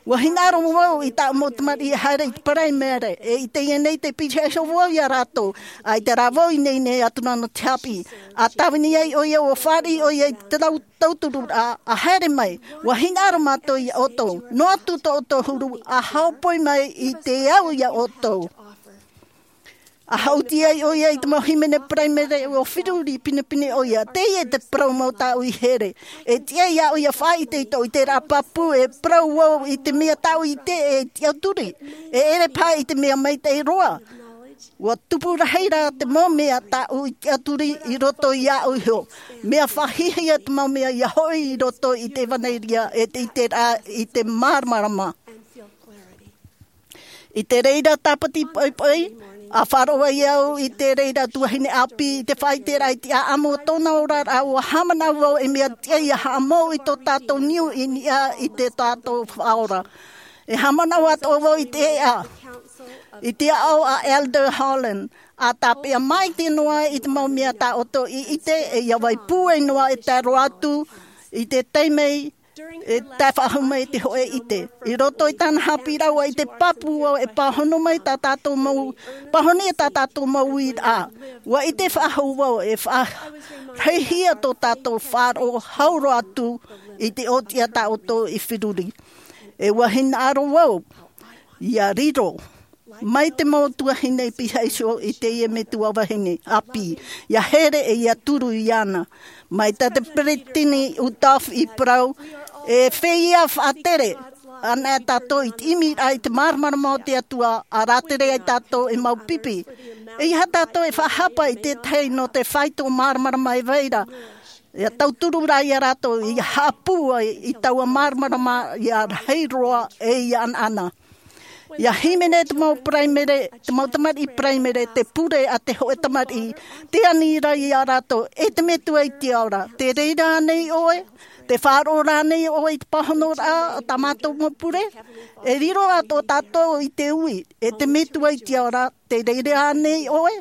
ʻua hinaʻaro vau i tāʻu mau tamariʻi e haere i te paraimere, e i teie nei tē pīhaʻi iho vau iā rātou, ʻaita rā vau i ineine atu ra nō te haʻapiʻi. ʻA tāvini ai ʻoia, ʻua fāriʻi ʻoia i te tau-, tautururaʻa, ʻa haere mai, ʻua hinaʻaro mātou iā ʻoutou, noa atu tō ʻoutou huru, ʻa hāʻopoi mai i te au iā ʻoutou. ʻA haʻuti ai ʻoia i te mau hīmene paraimere, ʻua feruri pinepine ʻoia, teie te parau mau tāʻu i here. E tiʻa iāʻu ʻia faʻaʻite i tōʻu ʻiteraʻa pāpū, e parau vau i te mea tāʻu i ʻite e tiʻaturi. E ʻere paha i te mea maitaʻi roa. Ua tupu rahi rā te mau mea tāʻu i tiʻaturi i roto iāʻu iho. Mea faʻahiahia te mau mea ia hoʻi i roto i te ʻevanelia e te iteraʻa i te māramarama. I te reira tāpati poʻipoʻi, a faʻaroʻo ai au i te reira tuahine ʻāpī i te faʻaiteraʻa i te ʻaʻamu o tōna oraraʻa, ua haʻamanaʻo vau e mea tiʻa ia haʻamou i tō tātou niu i niʻa i tō tātou Faʻaora. E haʻamanaʻo atoʻa vau i te ʻēʻa, i te aʻo a Elder Holland, a tāpeʻa maite noa i te mau mea tā ʻoutou i ʻite, e ia vai pūai noa e tae roa atu i te taime e tae faʻahou mai te hōʻē ʻite. I roto i tāna haʻapiʻiraʻa ʻua ʻite pāpū vau e pāhono mai tā tātou mau, pāhono e tā tātou mau uiraʻa. Ua ʻite faʻahou vau e faʻarahihia tō tātou faʻaroʻo hau roa atu i te ʻōtiʻa tā ʻoutou i feruri. E ua hinaʻaro vau ia riro mai te mau tuahine i pihaʻi iho i teie metua vahine ʻāpī, ia here e ia turu iāna. Mai tā te peresideni Uchtdorf i parau, e feiā faʻatere anaʻe tātou i te ʻimiraʻa i te māramarama o te Atua, a rātere ai tātou e mau pipi. E ʻeiaha tātou e faʻahapa i te tahi nō te faito māramarama e vai ra. Ia tauturu rā ia rātou ia haʻapūai i taua māramarama ia rahi roa e ia ʻanaʻana. Ia hīmene te mau paraimere, te mau tamariʻi paraimere, te pure a te hōʻē tamariʻi, te ani ra ia rātou, e te Metua i te ao ra, tē reira ānei ʻoe? Tē faʻaroʻo rānei ʻoe i te pāhonoraʻa a tā mātou mau pure? E riro atoʻa tātou i te ui, e te Metua i te ao ra, tē reira ānei ʻoe?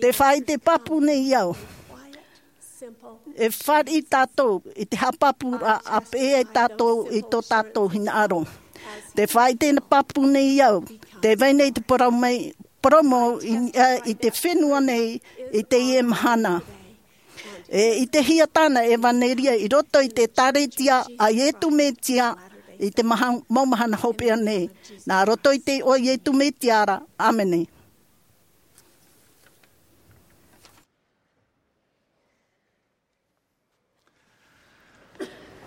Tē faʻaʻite pāpū nei au. E fāriʻi tātou i te haʻapāpūraʻa a peʻe ai tātou i tō tātou hinaʻaro. Tē faʻaʻite pāpū nei au, tē vai nei te parau mai, parau mau i niʻa i te fenua nei i teie mahana. E ʻitehia tāna ʻevanelia i roto i te ʻĒkālesia a Iesu Mesia i te maha-, mau mahana hopeʻa nei. Nā roto i te iʻoa o Iesu Mesia ra. ʻĀmene.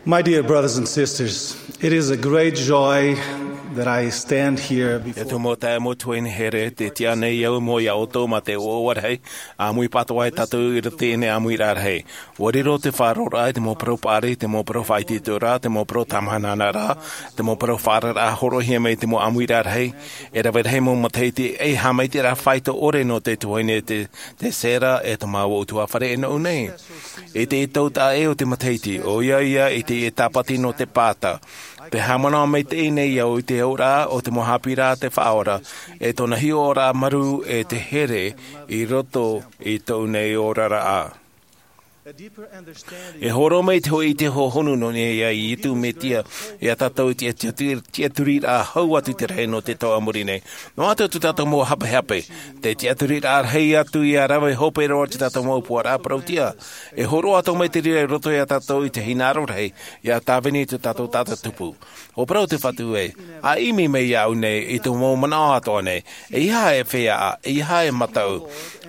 My dear brothers and sisters, it is a great joy that I stand here before. E tō mau taeaʻe, mau tuahine here, tē tiʻa nei au i mua ia ʻoutou ma te ʻoaʻoa rahi, ʻāmui pātoʻa tātou i roto i teie ʻāmuiraʻa rahi. ʻUa riro te faʻaroʻoraʻa i te mau parau paʻari, te mau parau faʻaitoitoraʻa, te mau parau tāmāhanahanaraʻa, te mau parau faʻaararaʻa hōroʻahia mai i te mau ʻāmuiraʻa rahi. E rave rahi mau matahiti, e haʻamaitaʻiraʻa faito ʻore nō te tuahine te, te Sarah e te mau ʻutuāfare e nō ʻō nei. I te tautaʻa ʻē o te matahiti, ʻoia ia i te tāpati nō te pāta. Tē haʻamanaʻo maitaʻi nei au i te auraʻa o te mau haʻapiʻiraʻa a te Faʻaora, e tōna hiʻoraʻa marū e te here i roto i tōʻu nei oraraʻa. E hōroʻa mai te hōʻē ʻite hohonu nō niʻa ia Iesu Mesia, ia tātou i te tiʻa-, tiʻaturiraʻa hau atu i te rahi nō te tau a muri nei. Noa atu tō tātou mau hapehape, te tiʻaturiraʻa rahi atu ia rave hope roa tō tātou mau ʻōpuaraʻa parauʻtiʻa. E hōroʻa atoʻa mai te reira i roto ia tātou i te hinaʻaro rahi, ia tāvini tō tātou taʻata tupu. ʻUa parau te Fatu ē, ʻa ʻimi mai iāʻu nei i tō mau manaʻo atoʻa nei, ʻeiaha e feiā, ʻeiaha e mataʻu.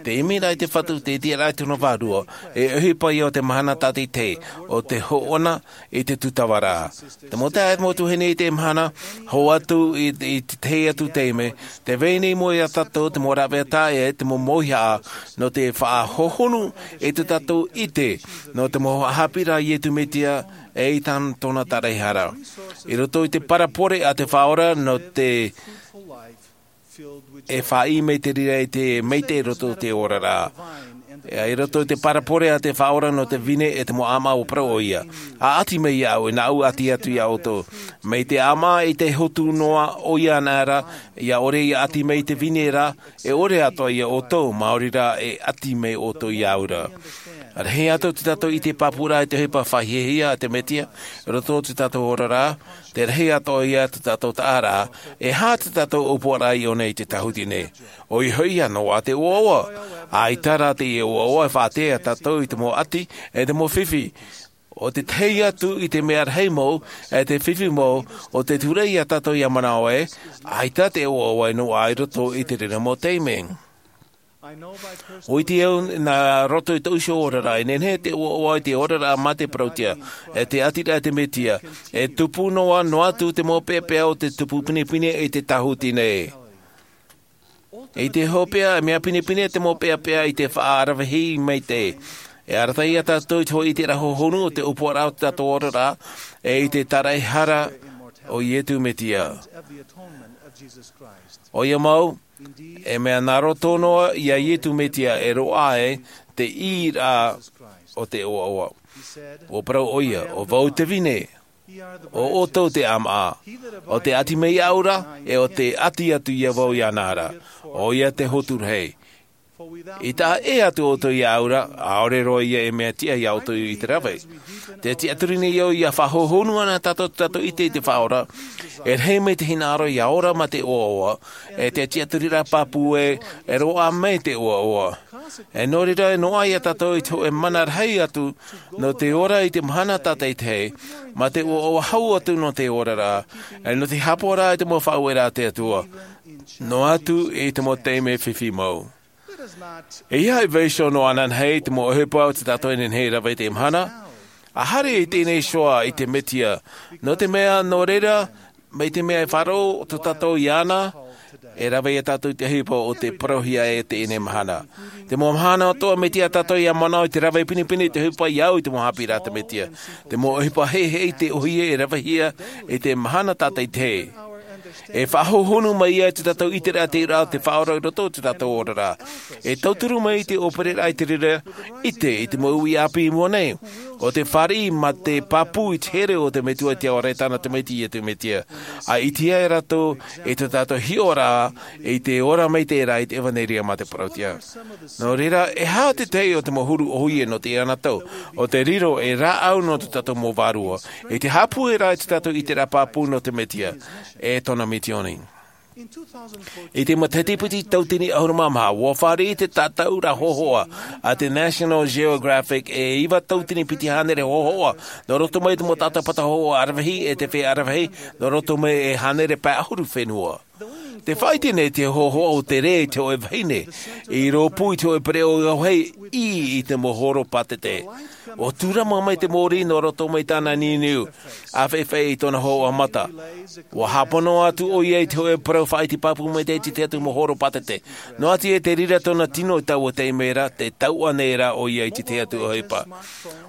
Te ʻimiraʻa i te Fatu, te tiʻaraʻa i tōna Vārua, e ʻohipa ia o te mahana tātaʻitahi, ʻo te hoʻona i te tūtavaraʻa. Te mau taeaʻe, mau tuahine, i teie mahana, hou atu i, i te tahi atu taime, tē vai nei i mua ia tātou te mau rāveʻa taeaʻe, te mau mauhaʻa, nō te faʻahohonu i tō tātou ʻite, nō te mau haʻapiʻiraʻa a Iesu Mesia, e i tāna, tōna taraehara. I roto i te parabole a te Faʻaora nō te, e faʻaʻī mai te reira i te maitaʻi i roto i te oraraʻa. E, i roto i te parabole a te Faʻaora nō te vine e te mau ʻāmaʻa, ʻua parau ʻoia, ʻa ʻati mai iāʻu, e nāʻu ʻati atu ia ʻoutou. Mai te ʻāmaʻa i te hotu noa ʻoia anaʻe ra, ʻia ʻore ia ʻati mai i te vine ra, e ʻore atoʻa ia ʻoutou, maori rā e ʻati mai ʻoutou iāʻu ra. Rahi atoʻa tō tātou ʻite pāpūraʻa i te ʻohipa faʻahiahia a te Mesia, i roto i tō tātou oraraʻa, tē rahi atoʻa ia tō tātou taʻaraʻa, e aha tō tātou ʻōpuaraʻa i ʻō nei i te tāhuti nei. ʻOia hoʻi ia, noaʻa te ʻoaʻoa. ʻAita rā teie ʻoaʻoa e faʻaʻite ia tātou i te mau ʻati, e te mau fifi. ʻO te tahi atu i te mea rahi mau, e te fifi mau, ʻo te ture ia tātou ʻia manaʻo ē, ʻaita te ʻoaʻoa e noaʻa i roto i te reira mau taime. ʻUa ʻite au, nā roto i tōʻu iho oraraʻa, e nehenehe te ʻoaʻoa i te oraraʻa mā te parauʻtiʻa, e te ʻatiraʻa a te Mesia, e tupu noa, noa atu te mau peʻapeʻa o te tupu pinepine i te tāhuti nei. I te hopeʻa, e mea pinepine te mau peʻapeʻa i te faʻaaravihi maitaʻi. E arataʻi ia tātou i te hoʻi i te rā hohonu o te ʻōpuaraʻa o te tātou oraraʻa, e i te taraehara o Ietu Metia. ʻOia mau, e mea nā roto noa ia Ietu Metia e roaʻa ai te ʻīraʻa o te ʻoaʻoa. ʻUa parau ʻoia, ʻo vau te vine, ʻo ʻoutou te ʻāmaʻa. ʻO tē ʻati mai iāʻu ra, e ʻo tē ʻati atu ia vau iāna ra, ʻoia te hotu rahi. I taʻa ʻē atu ʻoutou iāʻu ra, ʻaore roa ia e mea tiʻa ia ʻoutou i te rave. Tē tiʻaturi nei au ia faʻahohonu ana tātou, tātou ʻite i te Faʻaora, e rahi mai te hinaʻaro ia ora mā te ʻoaʻoa, e te tiʻaturiraʻa pāpū ē, e roaʻa mai te ʻoaʻoa. E nō reira, e noaʻa ia tātou i te hōʻē mana rahi atu, nō te ora i te mahana tātaʻitahi, mā te ʻoaʻoa hau atu nō te oraraʻa, e nō te haʻapaʻoraʻa i te mau faʻaueraʻa a te Atua, noa atu i te mau taime fifi mau. E ʻeiaha e vaiiho noa ananahi te mau ʻohipa o tā tātou e nehenehe e rave i teie mahana, ʻa haere i teie nei iho ā i te Metia, nō te mea, nō reira, mai te mea e faʻaroʻo tō tātou iāna, e rave ia tātou i te ʻohipa o tē parauhia ai i teie nei mahana. Te mau mahana atoʻa, mea tiʻa tātou ia manaʻo i te rave pinepine i te ʻohipa ia au i te mau haʻapiʻiraʻa a te Metia. Te mau ʻohipa heheʻe i te ʻōhie e ravehia i te mahana tātaʻitahi. E faʻahohonu mai ia i tō tātou ʻiteraʻa te ʻīraʻa o te Faʻaora i roto i tō tātou oraraʻa. E tauturu mai i te ʻōpereraʻa i te reira ʻite i te mau uʻi ʻāpī i mua nei, ʻo tē fāriʻi mā te pāpū i te here o te Metua i te Ao Ra i tāna Tamaiti, Ietu Metia. ʻA ʻitehia e rātou i tō tātou hiʻoraʻa i te ora maitaʻi ra i te ʻevanelia mā te parauʻtiʻa. Nō reira, e aha te tahi o te mau huru ʻōhie nō teie nei tau, ʻo te riro ei rāʻau nō tō tātou mau vārua, i te haʻapūairaʻa i tō tātou ʻiteraʻa pāpū nō te Metia, e tōna misioni. I te matahiti piti tautini ʻahuru mā maha, ʻua fāriʻi te tātaʻuraʻa hōhoʻa a te National Geographic e iva tautini piti hānere hōhoʻa, nō roto mai i te mau tātāpata hōhoʻa aravihi e te feiā aravihi, nō roto mai e hānere pae ʻahuru fenua. Tē faʻaʻite nei te hōhoʻa o te rē i te hōʻē vahine, i rōpū i te hōʻē pereʻoʻo ʻāvahi, ʻī i te mau horo pātete. ʻUa tūrama mai te mōrī nō roto mai tāna niuniu, ʻāfaʻifaʻi i tōna hōhoʻa mata. ʻUa hāpono atu ʻoia i te hōʻē parau faʻaʻite pāpū maitaʻi i te tahi atu mau horo pātete. Noa atu ia i te reira tōna tino i taua taime ra, tē tauʻa nei rā ʻoia i te tahi atu ʻohipa.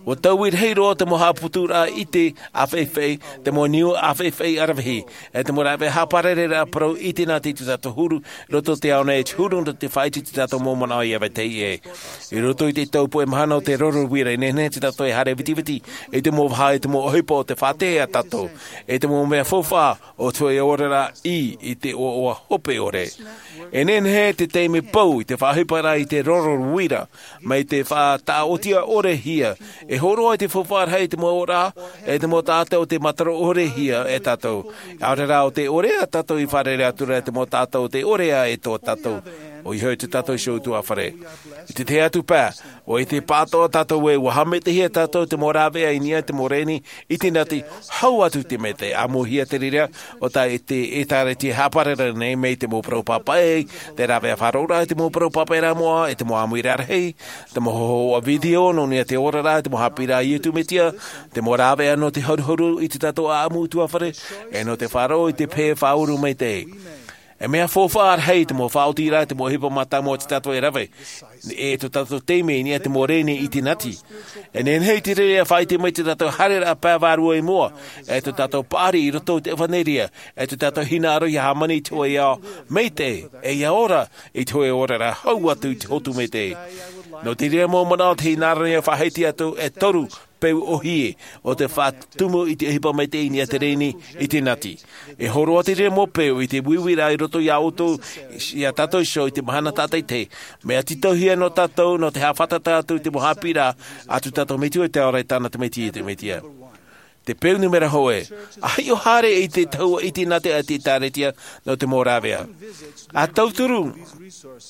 ʻUa taui rahi roa te mau haʻaputuraʻa ʻite ʻāfaʻifaʻi, te mau niu ʻāfaʻifaʻi aravihi, e te mau rāveʻa haʻaparareraʻa parau i te nati i tō tātou huru, roto i te ao nei, e te huru nō te faʻaʻite i tō tātou mau manaʻo ia vetahi ʻē. I roto i te tau puʻe mahana o te Roto Uira, e nehenehe tō tātou e haere vitiviti i te mau vaha, i te mau ʻohipa o tē faʻatae ia tātou, i te mau mea faufaʻa o te hōʻē oraraʻa ʻī i te ʻoaʻoa hope ʻore. E nehenehe te taime pou i te faʻaʻohiparaʻa i te Roto Uira, mai te faʻataʻotiʻa ʻore hia, e hōroʻa i te faufaʻa rahi i te mau ora, e te mau taʻata o tē mātaro ʻore hia e tātou. ʻAore rā ʻo tē ʻorea tātou i fārerei atu ra i te mau taʻata o tē ʻorea e tō tātou. ʻOia hoʻi tō tātou iho ʻutuāfare. I te tahi atu pae, ʻua ʻite pāʻatoʻa tātou ē, ʻua haʻamaitaʻihia tātou te mau rāveʻa i niʻa i te mau reni, i te nati, hau atu i te maitaʻi, ʻāmuhia te reira, ʻo tā te ʻĒtārētia e haʻapararau nei mai te mau parau pāpaʻi, te rāveʻa faʻaroʻoraʻa i te mau parau pāpaʻi ra moʻa, i te mau ʻāmuiraʻa rahi, te mau hōhoʻa video nō niʻa i te oraraʻa, te mau haʻapiʻiraʻa a Ietu Metia, te mau rāveʻa nō te haruharu i tō tātou ʻāʻamu ʻutuāfare, e nō te faʻaroʻo i te pehe faʻauru maitaʻi. E mea faufaʻa rahi te mau faʻaotiraʻa, te mau ʻohipa mātāmua o tō tātou e rave, e tō tātou taime i niʻa i te mau reni i te nati. E nehenehe i te reira e faʻaʻite mai tō tātou haereraʻa pae vārua i mua, e tō tātou paʻari i roto i te ʻevanelia, e tō tātou hinaʻaro ia hāmani i te hōʻē ao maitaʻi, e ia ora i te hōʻē oraraʻa hau atu i te hotu maitaʻi. Nō te reira mau manaʻo te hinaʻaro ia faʻahiti atu e toru peu ʻōhie o te faʻatumu i te ʻohipa maitaʻi i niʻa i te reni, i te nati. E hōroʻa te reira mau peu i te uiuiraʻa i roto ia ʻoutou, ia tātou iho i te mahana tātaʻitahi. Mea tītauhia nō tātou, nō te haʻafātata atu i te mau haʻapiʻiraʻa a tō tātou Metua i te Ao Ra i tāna Tamaiti, Ietu Metia. Te peu nūmera hōʻē, ʻa hiʻo haere i te tahua ʻite nā te, te ʻĒtārētia nō te mau rāveʻa. ʻA tauturu,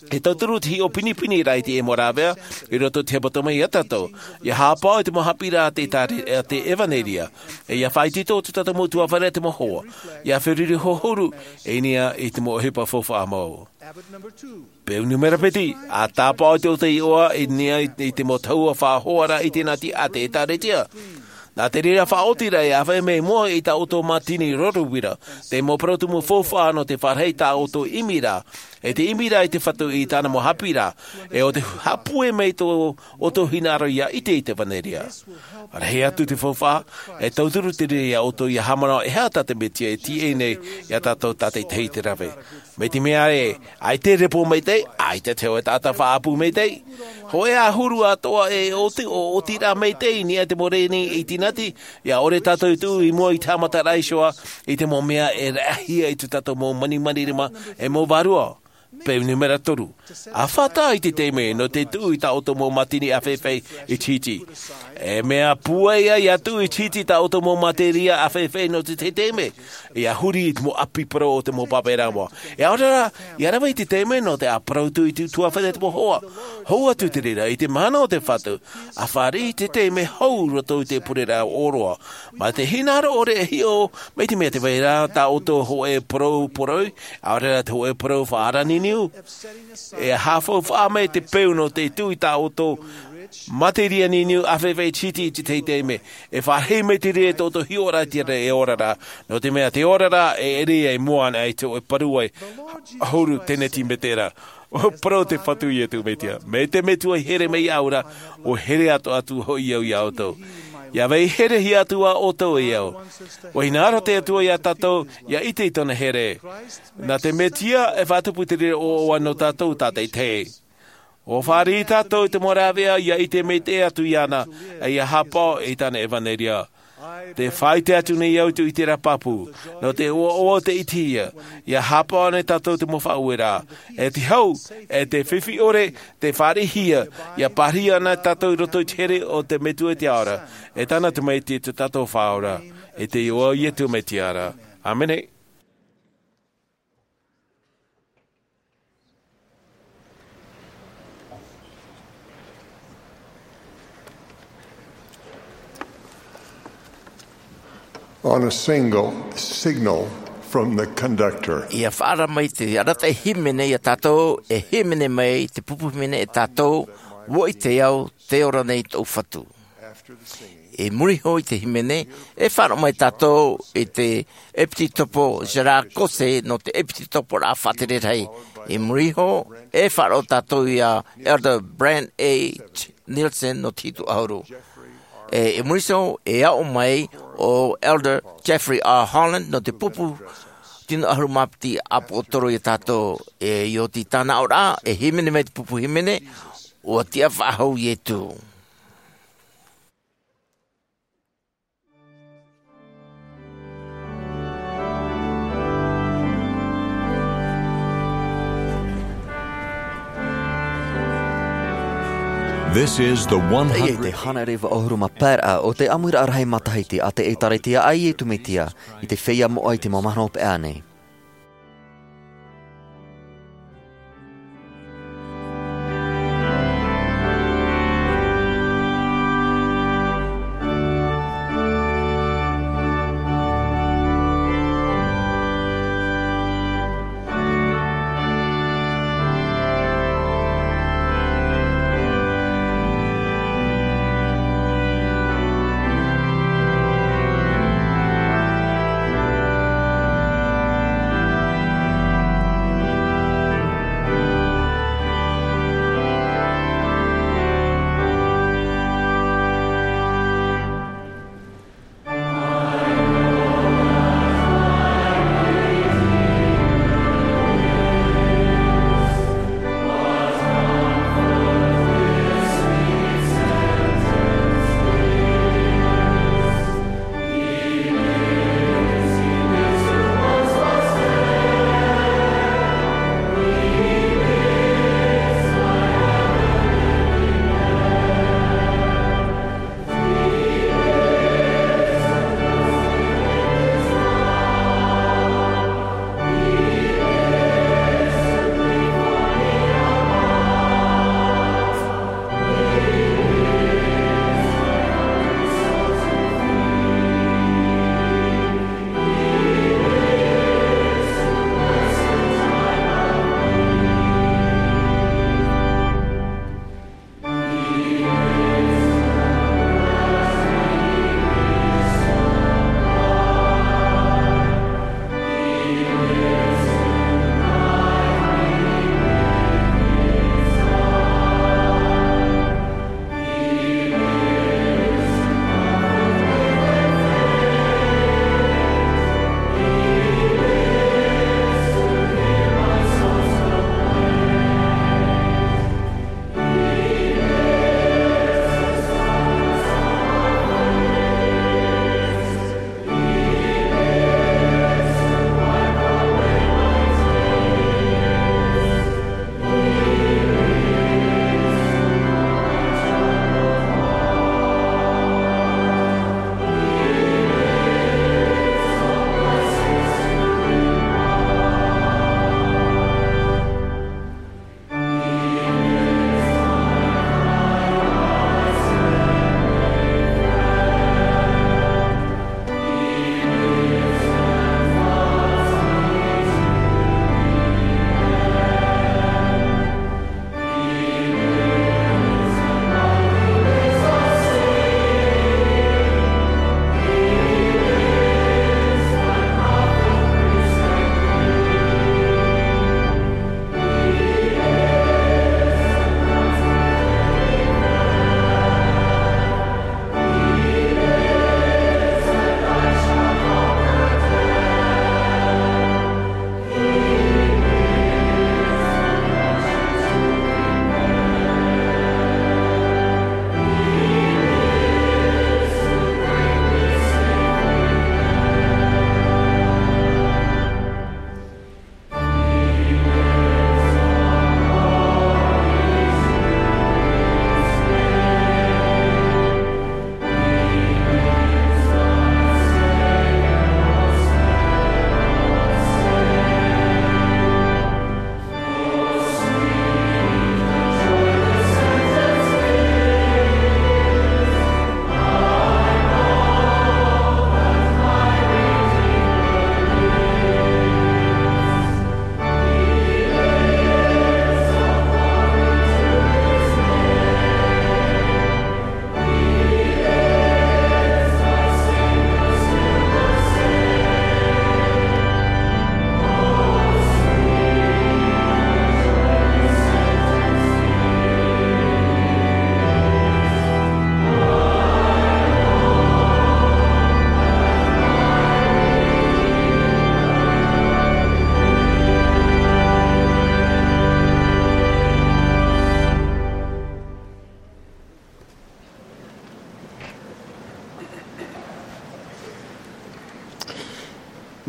e tauturu te hiʻo pinepine ra i te mau rāveʻa, i roto i te hepetoma ia tātou. Ia haʻapaʻo i te mau haʻapiʻiraʻa a te ʻĒtāre-, a te ʻEvaneria. E ia faʻaitoito tō tātou mau ʻutuāfare te mau hoa. Ia feruri hohonu, i niʻa i te mau ʻohipa faufaʻa mau. Peu nūmera piti, ʻa tāpaʻo i te ʻōtaiʻoa i niʻa i, i te mau tahua faʻahoaraʻa i te nati a te ʻĒtārētia. Nā te reira faʻaotiraʻa e ʻāfaʻi mai mua i tā ʻoutou mātini roro uira, te mau parau tumu faufaʻa nō te fāriʻi tā ʻoutou ʻimiraʻa, e te ʻimiraʻa i te Fatu i tāna mau haʻapiʻiraʻa, e ʻo te haʻapūai mai tō ʻoutou hinaʻaro ʻia ʻite i te ʻevanelia. Rahi atu te faufaʻa, e tauturu te reira iā ʻoutou ʻia haʻamanaʻo e aha tā te Mesia e tīaʻi nei iā tātou tātaʻitahi i te rave. Mai te mea ē, ʻaita e repo maitaʻi, ʻaita te hōʻē taʻata faʻaʻapu maitaʻi. Hōʻē ʻahuru atoʻa e ʻoti, ʻo ʻotiraʻa maitaʻi i niʻa i te mau reni i tīnati, ʻia ʻore tātou i tuʻu i mua i te haʻamataraʻa iho ā, i te mau mea e raʻahia i tō tātou mau manimanirima, e mau vārua. Peu numera toru. ʻA fātata i te taime nō te tuʻu i tā ʻoutou mau mātini ʻāfaʻifaʻi i te hiti. E mea pūai ʻia tuʻu i te hiti tā ʻoutou mau mātini ʻāfaʻifaʻi nō te tahi taime. ʻIa huri i te mau ʻapi parau o te mau pāpaʻiraʻa moʻa. E ʻaore rā, ʻia rave i te taime nō te ʻāparau atu i te tuatāpaparaʻa te mau hoa. Hou atu te reira i te mahana o te Fatu, ʻa fāriʻi i te taime hou roto i te pureraʻa ʻōroʻa. Mā te hinaʻaro ʻore e hiʻo, mai te mea tē vai ra tā ʻoutou hōʻē parau parau, ʻaore rā te hōʻē parau faʻaara niniu. E haʻafaufaʻa mai te peu nō te tuʻu i tā ʻoutou mātini niniu ʻāfaʻifaʻi i te hiti i te tahi taime. E fāriʻi mai te reira tō ʻoutou hiʻoraʻa i te reira e ora ra. Nō te mea te ora ra, e ʻere ia i mua ana i te hōʻē parau ʻahuru tēneti mētera. ʻUa parau te Fatu iā Iesu Mesia. Mai te Metua i here mai iāʻu ra, ʻua here atoʻa atu hoʻi au iā ʻoutou. ʻIa vai herehia atu ā ʻoutou e au. ʻUa hinaʻaro te Atua iā tātou, ʻia ʻite i tōna here. Nā te Mesia e faʻatupu te reira ʻoaʻoa nō tātou tātaʻitahi. ʻUa fāriʻi tātou i te mau rāveʻa, ʻia ʻite maitaʻi atu iāna, e ʻia haʻapaʻo i tāna ʻevanelia. Tē faʻaʻite atu nei au i te ʻiteraʻa pāpū, nō te ʻoaʻoa o te ʻitehia, ʻia haʻapaʻo ana tātou te mau faʻaueraʻa. E te hau, e te fifi ʻore, tē fāriʻihia, ʻia pārahi ana tātou i roto i te here o te Metua i te Ao ra, e tāna Tamaiti tō tātou Faʻaora, i te iʻoa o Iesu Mesia ra. ʻĀmene. On a single signal from the conductor. ʻIa faʻaara mai te arataʻi hīmene iā tātou, e hīmene mai te pupu hīmene e tātou, ʻUa ʻite au, tē ora nei tōʻu Fatu. I muri iho i te hīmene, e faʻaroʻo mai tātou i te ʻEpitopo Gerard Caussé nō te ʻEpitoporaʻa Faʻatere Rahi. I muri iho, e faʻaroʻo tātou iā Elder Brian H. Nielsen nō te hitu ʻahuru. E, i muri iho, e aʻo mai ʻo Elder Jeffrey R. Holland nō te pupu tino ʻahuru mā piti ʻāpōsetolo iā tātou. E, i ʻō i tāna aʻoraʻa, e hīmene mai te pupu hīmene, ʻUa tiʻa faʻahou Iesu. This is the Teie te one hundred hānere vaʻu ʻahuru mā pae raʻa o te ʻāmuiraʻa rahi matahiti a te ʻĒtārētia a Iesu Mesia i te feiā moʻa i te mau mahana hopeʻa nei.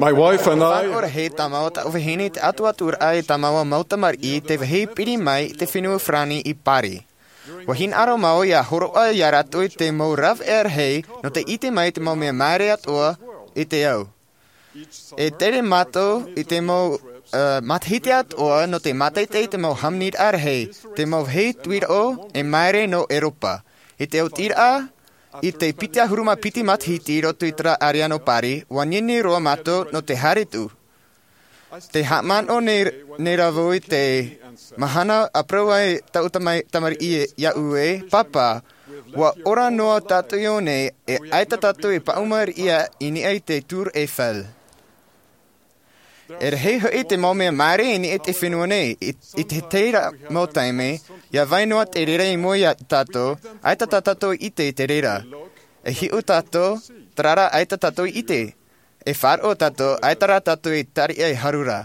My wife and I. Faʻaroʻo rahi tā māua taʻu vahine i te ʻatuʻaturaʻa i tā māua mau tamariʻi i te vāhi piri mai i te fenua farani i Pari. ʻUa hinaʻaro māua ʻia hōroʻa ia rātou i te mau rāveʻa rahi nō te ʻite mai i te mau mea māere atoʻa i te ao. E tere mātou i te mau matahiti atoʻa nō te mātaʻitaʻi i te mau hāmaniraʻa rahi, te mau vāhi tuiraʻo e māere nō ʻeuropa. I te oti raʻa, i te piti ʻahuru mā piti matahiti i roto i te rā ʻāreano pari, ʻua nini roa mātou nō te haere tuʻu. Te haʻamanaʻo nei rā vau i te mahana a parau ai taʻu tamariʻi iāʻu ē, pāpā, ʻua ora noa tātou i ʻō nei, e ʻaita tātou e paʻuma riʻi i niʻa i te tour eiffel. E rahi hoʻi te mau mea māere i niʻa i te fenua nei. I te reira mau taime, ia vai noa te reira i mua iā tātou, ʻaita tā tātou i ʻite i te reira. E hiʻo tātou, terā rā ʻaita tātou i ʻite. E faʻaroʻo tātou, ʻaita rā tātou i tariʻa e haru rā.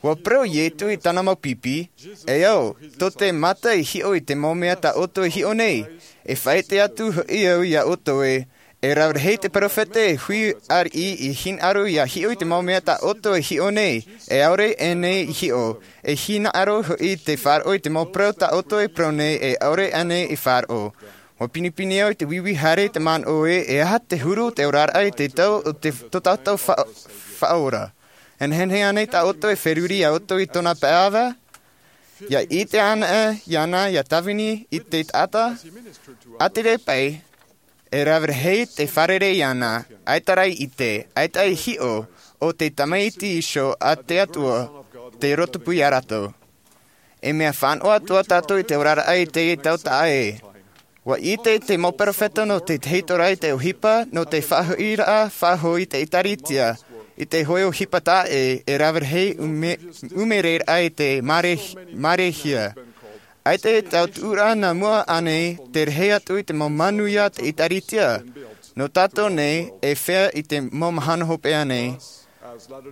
ʻUa parau iesu i tāna mau pipi, e ao, tō te mata i hiʻo i te mau mea tā ʻoutou e hiʻo nei. E faʻaʻite atu hoʻi au iā ʻoutou ē, e rave rahi te peropheta e hui ariʻi i hinaʻaro ʻia hiʻo i te mau mea tā ʻoutou e hiʻo nei, e ʻaore ʻānei i hiʻo. E hinaʻaro hoʻi te faʻaroʻo i te mau parau tā ʻoutou e parau nei, e ʻaore ʻānei i faʻaroʻo. ʻUa pinepine au i te vīvī haere i te manaʻo ē, e aha te huru o te oraraʻa i te tau o tō tātou faʻaora. E nehenehe ānei tā ʻoutou e feruri iā ʻoutou i tōna pae ʻāvae? ʻIa ʻite anaʻe iāna ʻia tāvini i te taʻata? ʻA te reira paʻi, e rave rahi te fārerei iāna, ʻaita rā i ʻite, ʻaita i hiʻo, ʻo te tamaiti iho a te atua, te roto pū iā rātou. E mea fānaʻo atoʻa tātou i te oraraʻa i teie tau taʻa ē. ʻUa ʻite te mau peropheta nō te tahito rā i te ʻohipa nō te faʻahoʻiraʻa faʻahou i te ʻēkālesia i te hoʻē ʻohipa taʻa ē, e rave rahi ʻūmereraʻa i te māreihia. ʻAita e tau tuʻuraʻa nā mua ānei te rahi atu i te mau manuia a te ʻēkālesia? Nō tātou nei, e fea i te mau mahana hopeʻa nei?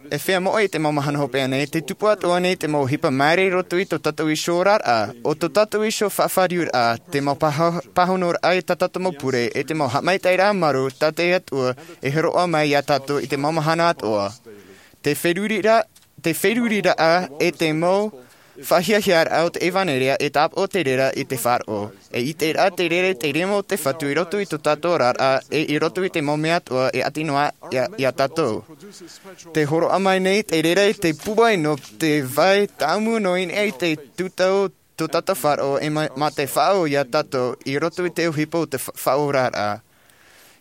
E fea moʻe i te mau mahana hopeʻa nei, te tupu atu ānei te mau ʻohipa māere i roto i tō tātou iho oraraʻa, ʻo tō tātou iho faʻafāriuraʻa, te mau pāhonoraʻa i tā tātou mau pure, e te mau haʻamaitaʻiraʻa marū tā te atua e hōroʻa mai iā tātou i te mau mahana atoʻa. Te feruriraʻa, te feruriraʻa e te mau faʻahiahiaraʻa o te ʻevanelia e tāpaʻo te reira i te faʻaroʻo. E ʻiteraʻa te reira i te rima o te fatu i roto i tō tātou oraraʻa e i roto i te mau mea atoʻa e ʻati noa iā tātou. Te hōroʻa mai nei te reira i te pūai nō te vai tāʻamu nō ʻīnaʻi i te tūtau tō tātou faʻaroʻo e mā te faʻaʻau iā tātou i roto i te ʻohipa o te faʻaoraraʻa.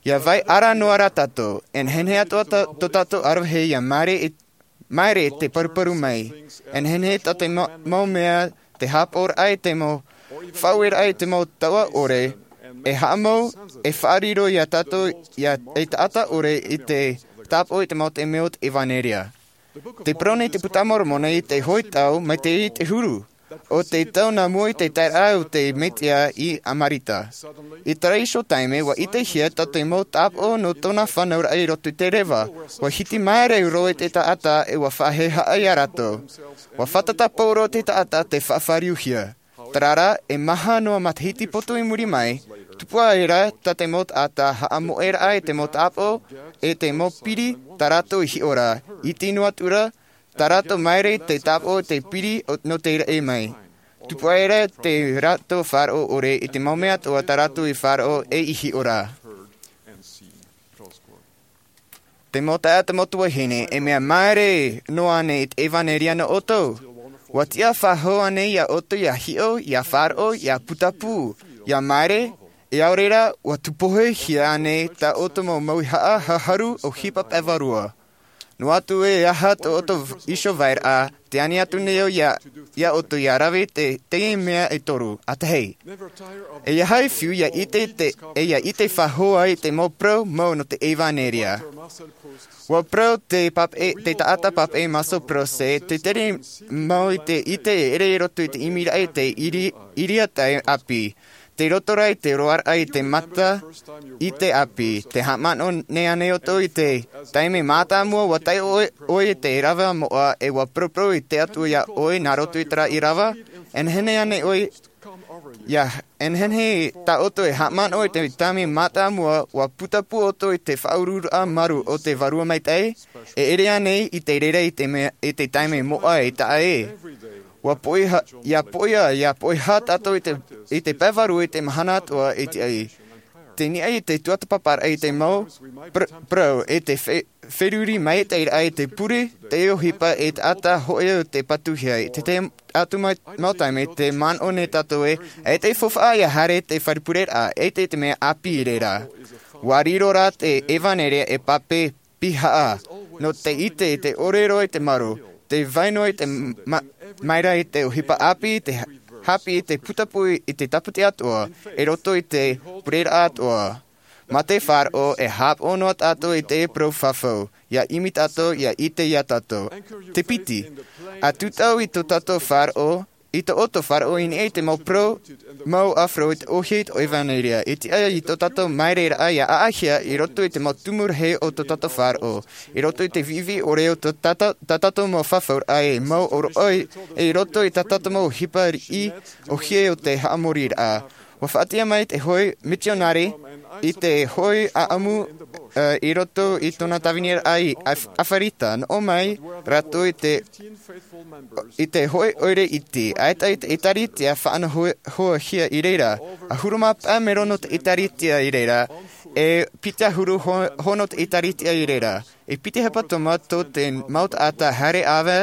ʻIa vai ara noa rā tātou, e nehenehe atoʻa tō tātou ʻaravihi ʻia māere i māere te paruparu mai. E nehenehe tā te mau mea te hāpaʻoraʻa i te mau faʻaueraʻa i te mau taua ʻore, e haʻamau e faʻariro iā tātou e taʻata ʻore i te tāpaʻo i te mau taime o te ʻevanelia. Te parau nei te puta a moromona i te hoʻi tau mai te ʻī i te huru, ʻo te tau nā mua i te taeraʻa o te mesia i amarita. I terā iho taime ʻua ʻitehia tā te mau tāpaʻo nō tōna fānauraʻa i roto i te reva. ʻUa hiti māere roa i te taʻata e ʻua faʻahehaʻa iā rātou. ʻUa fātata pauroa te taʻata te faʻafāriuhia. Terā rā, e maha noa matahiti poto i muri mai, tupu aʻe rā tā te mau taʻata haʻamoʻeraʻa i te mau tāpaʻo e te mau piri tā rātou i hiʻo ra, iti noa atu rā tā rātou māere i te tāpaʻo i te piri nō te raʻi mai. Tupu aʻe rā te rātou faʻaroʻo ʻore i te mau mea atoʻa tā rātou i faʻaroʻo e i hiʻo ra. Te mau taeaʻe, te mau tuahine, e mea māere noa ānei i te ʻevanelia nō ʻoutou? ʻUa tiʻa faʻahou ānei iā ʻoutou ʻia hiʻo, ʻia faʻaroʻo, ʻia putapū, ʻia māere? E ʻaore rā, ʻua tūpohehia ānei tā ʻoutou mau mauhaʻa haʻaharu ʻohipa pae vārua? Noa atu e aha tō ʻoutou iho vairaʻa, te ani atu nei au iā ʻoutou ʻia rave i te, teie mea e toru. ʻA tahi, e ʻaita e fiu ʻia ʻite, e ʻia ʻite faʻahou ai i te mau parau mau nō te ʻevanelia. ʻUa parau te taʻata pāpaʻi Marcel Proust, te tere mau i te ʻite e ʻere i roto i te ʻimiraʻa i te ʻiriatai ʻāpī, tei roto rā i te roaraʻa i te mata i te ʻāpī. Te haʻamanaʻo nei ānei ʻoutou i te taime mātāmua ʻua taiʻo ʻoe i te rave moʻa e ʻua paraparau i te atua iā ʻoe nā roto i terā rave? E nehenehe ānei ʻoe Ia nehenehe tā ʻoutou e haʻamanaʻo i te taime mātāmua, ua putapū ʻoutou i te faʻaururaʻa marū o te Vārua Maitaʻi, e ʻere ānei i te reira i te mea, i te taime moʻa e taʻa ē. Ua poʻiha, ia poʻia, ia poʻiha tātou i te, i te pae vārua i te mahana atoʻa i te ai. Te niʻa i te tuatāpaparaʻa i te mau pr-, parau, e te fe-, feruri mai te iraʻa i te pure, te ʻohipa e te taʻata hoʻi o te patuhia. Te, te atu mai, mau taime, te manaʻo nei tātou ē, e te faufaʻa ia haere te fare pureraʻa, e te, te mea ʻāpī i reira. Ua riro rā te ʻevanelia e pape pihaʻa. Nō te ʻite, te ʻōrero i te marū, te vai noa i te ma-, maira i te ʻohipa ʻāpī, te ha-, haʻapiʻi i te putapū i te tāpati atoʻa, i roto i te pureraʻa atoʻa. Mā te faʻaroʻo e haʻapaʻo noa tātou i te parau fafau, ia ʻimi tātou, ia ʻite ia tātou. Te piti, ʻa tūtau i tō tātou faʻaroʻo, i tō ʻoutou faʻaroʻo i niʻa i te mau parau, mau ʻāfaro i te ʻōhie i te ʻevanelia, i te ʻaia i tō tātou maireraʻa ia ʻaʻahia i roto i te mau tumu rahi o tō tātou faʻaroʻo, i roto i te viʻiviʻi ʻore o tō tātou, tā tātou mau fafauraʻa e mau ʻōroʻa, e i roto i tā tātou mau ʻohipa riʻi ʻōhie o te haʻamoriraʻa. Ua faʻaʻite mai te hōʻē mitionare i te hōʻē ʻāʻamu, ā, i roto i tōna tāviniraʻa i Af-, Afarita. Nō ʻō mai rātou i te, i te hōʻē ʻoire iti, ʻaita i te ʻĒtārētia faʻanaho-, hoahia i reira. ʻAhuru mā pae mero nō te ʻĒtārētia i reira, e piti ʻahuru ho-, hōʻē nō te ʻĒtārētia i reira. E piti hepetoma tō te mau taʻata haere ʻāvae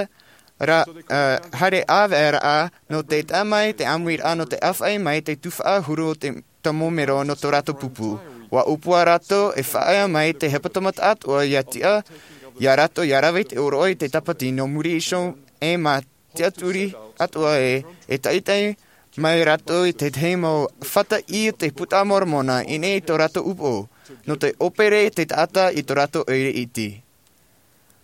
ra-, ā, haere ʻāvaeraʻa nō te tae mai te ʻāmuiraʻa nō te ʻāfaʻi mai te tuhaʻa ʻahuru o te, te mau mero nō tō rātou pupu. Ua ʻōpua rātou e faʻaea mai te hepetoma atoʻa ia tiʻa, ia rātou ia rave i te ʻōroʻa i te tāpati nō muri iho e mā tiʻaturi atoʻa ē, e taʻitaʻi mai rātou i te tahi mau fata i te Puta a Moromona i niʻa i tō rātou upoʻo, nō te ʻōpere i te taʻata i tō rātou ʻoire iti.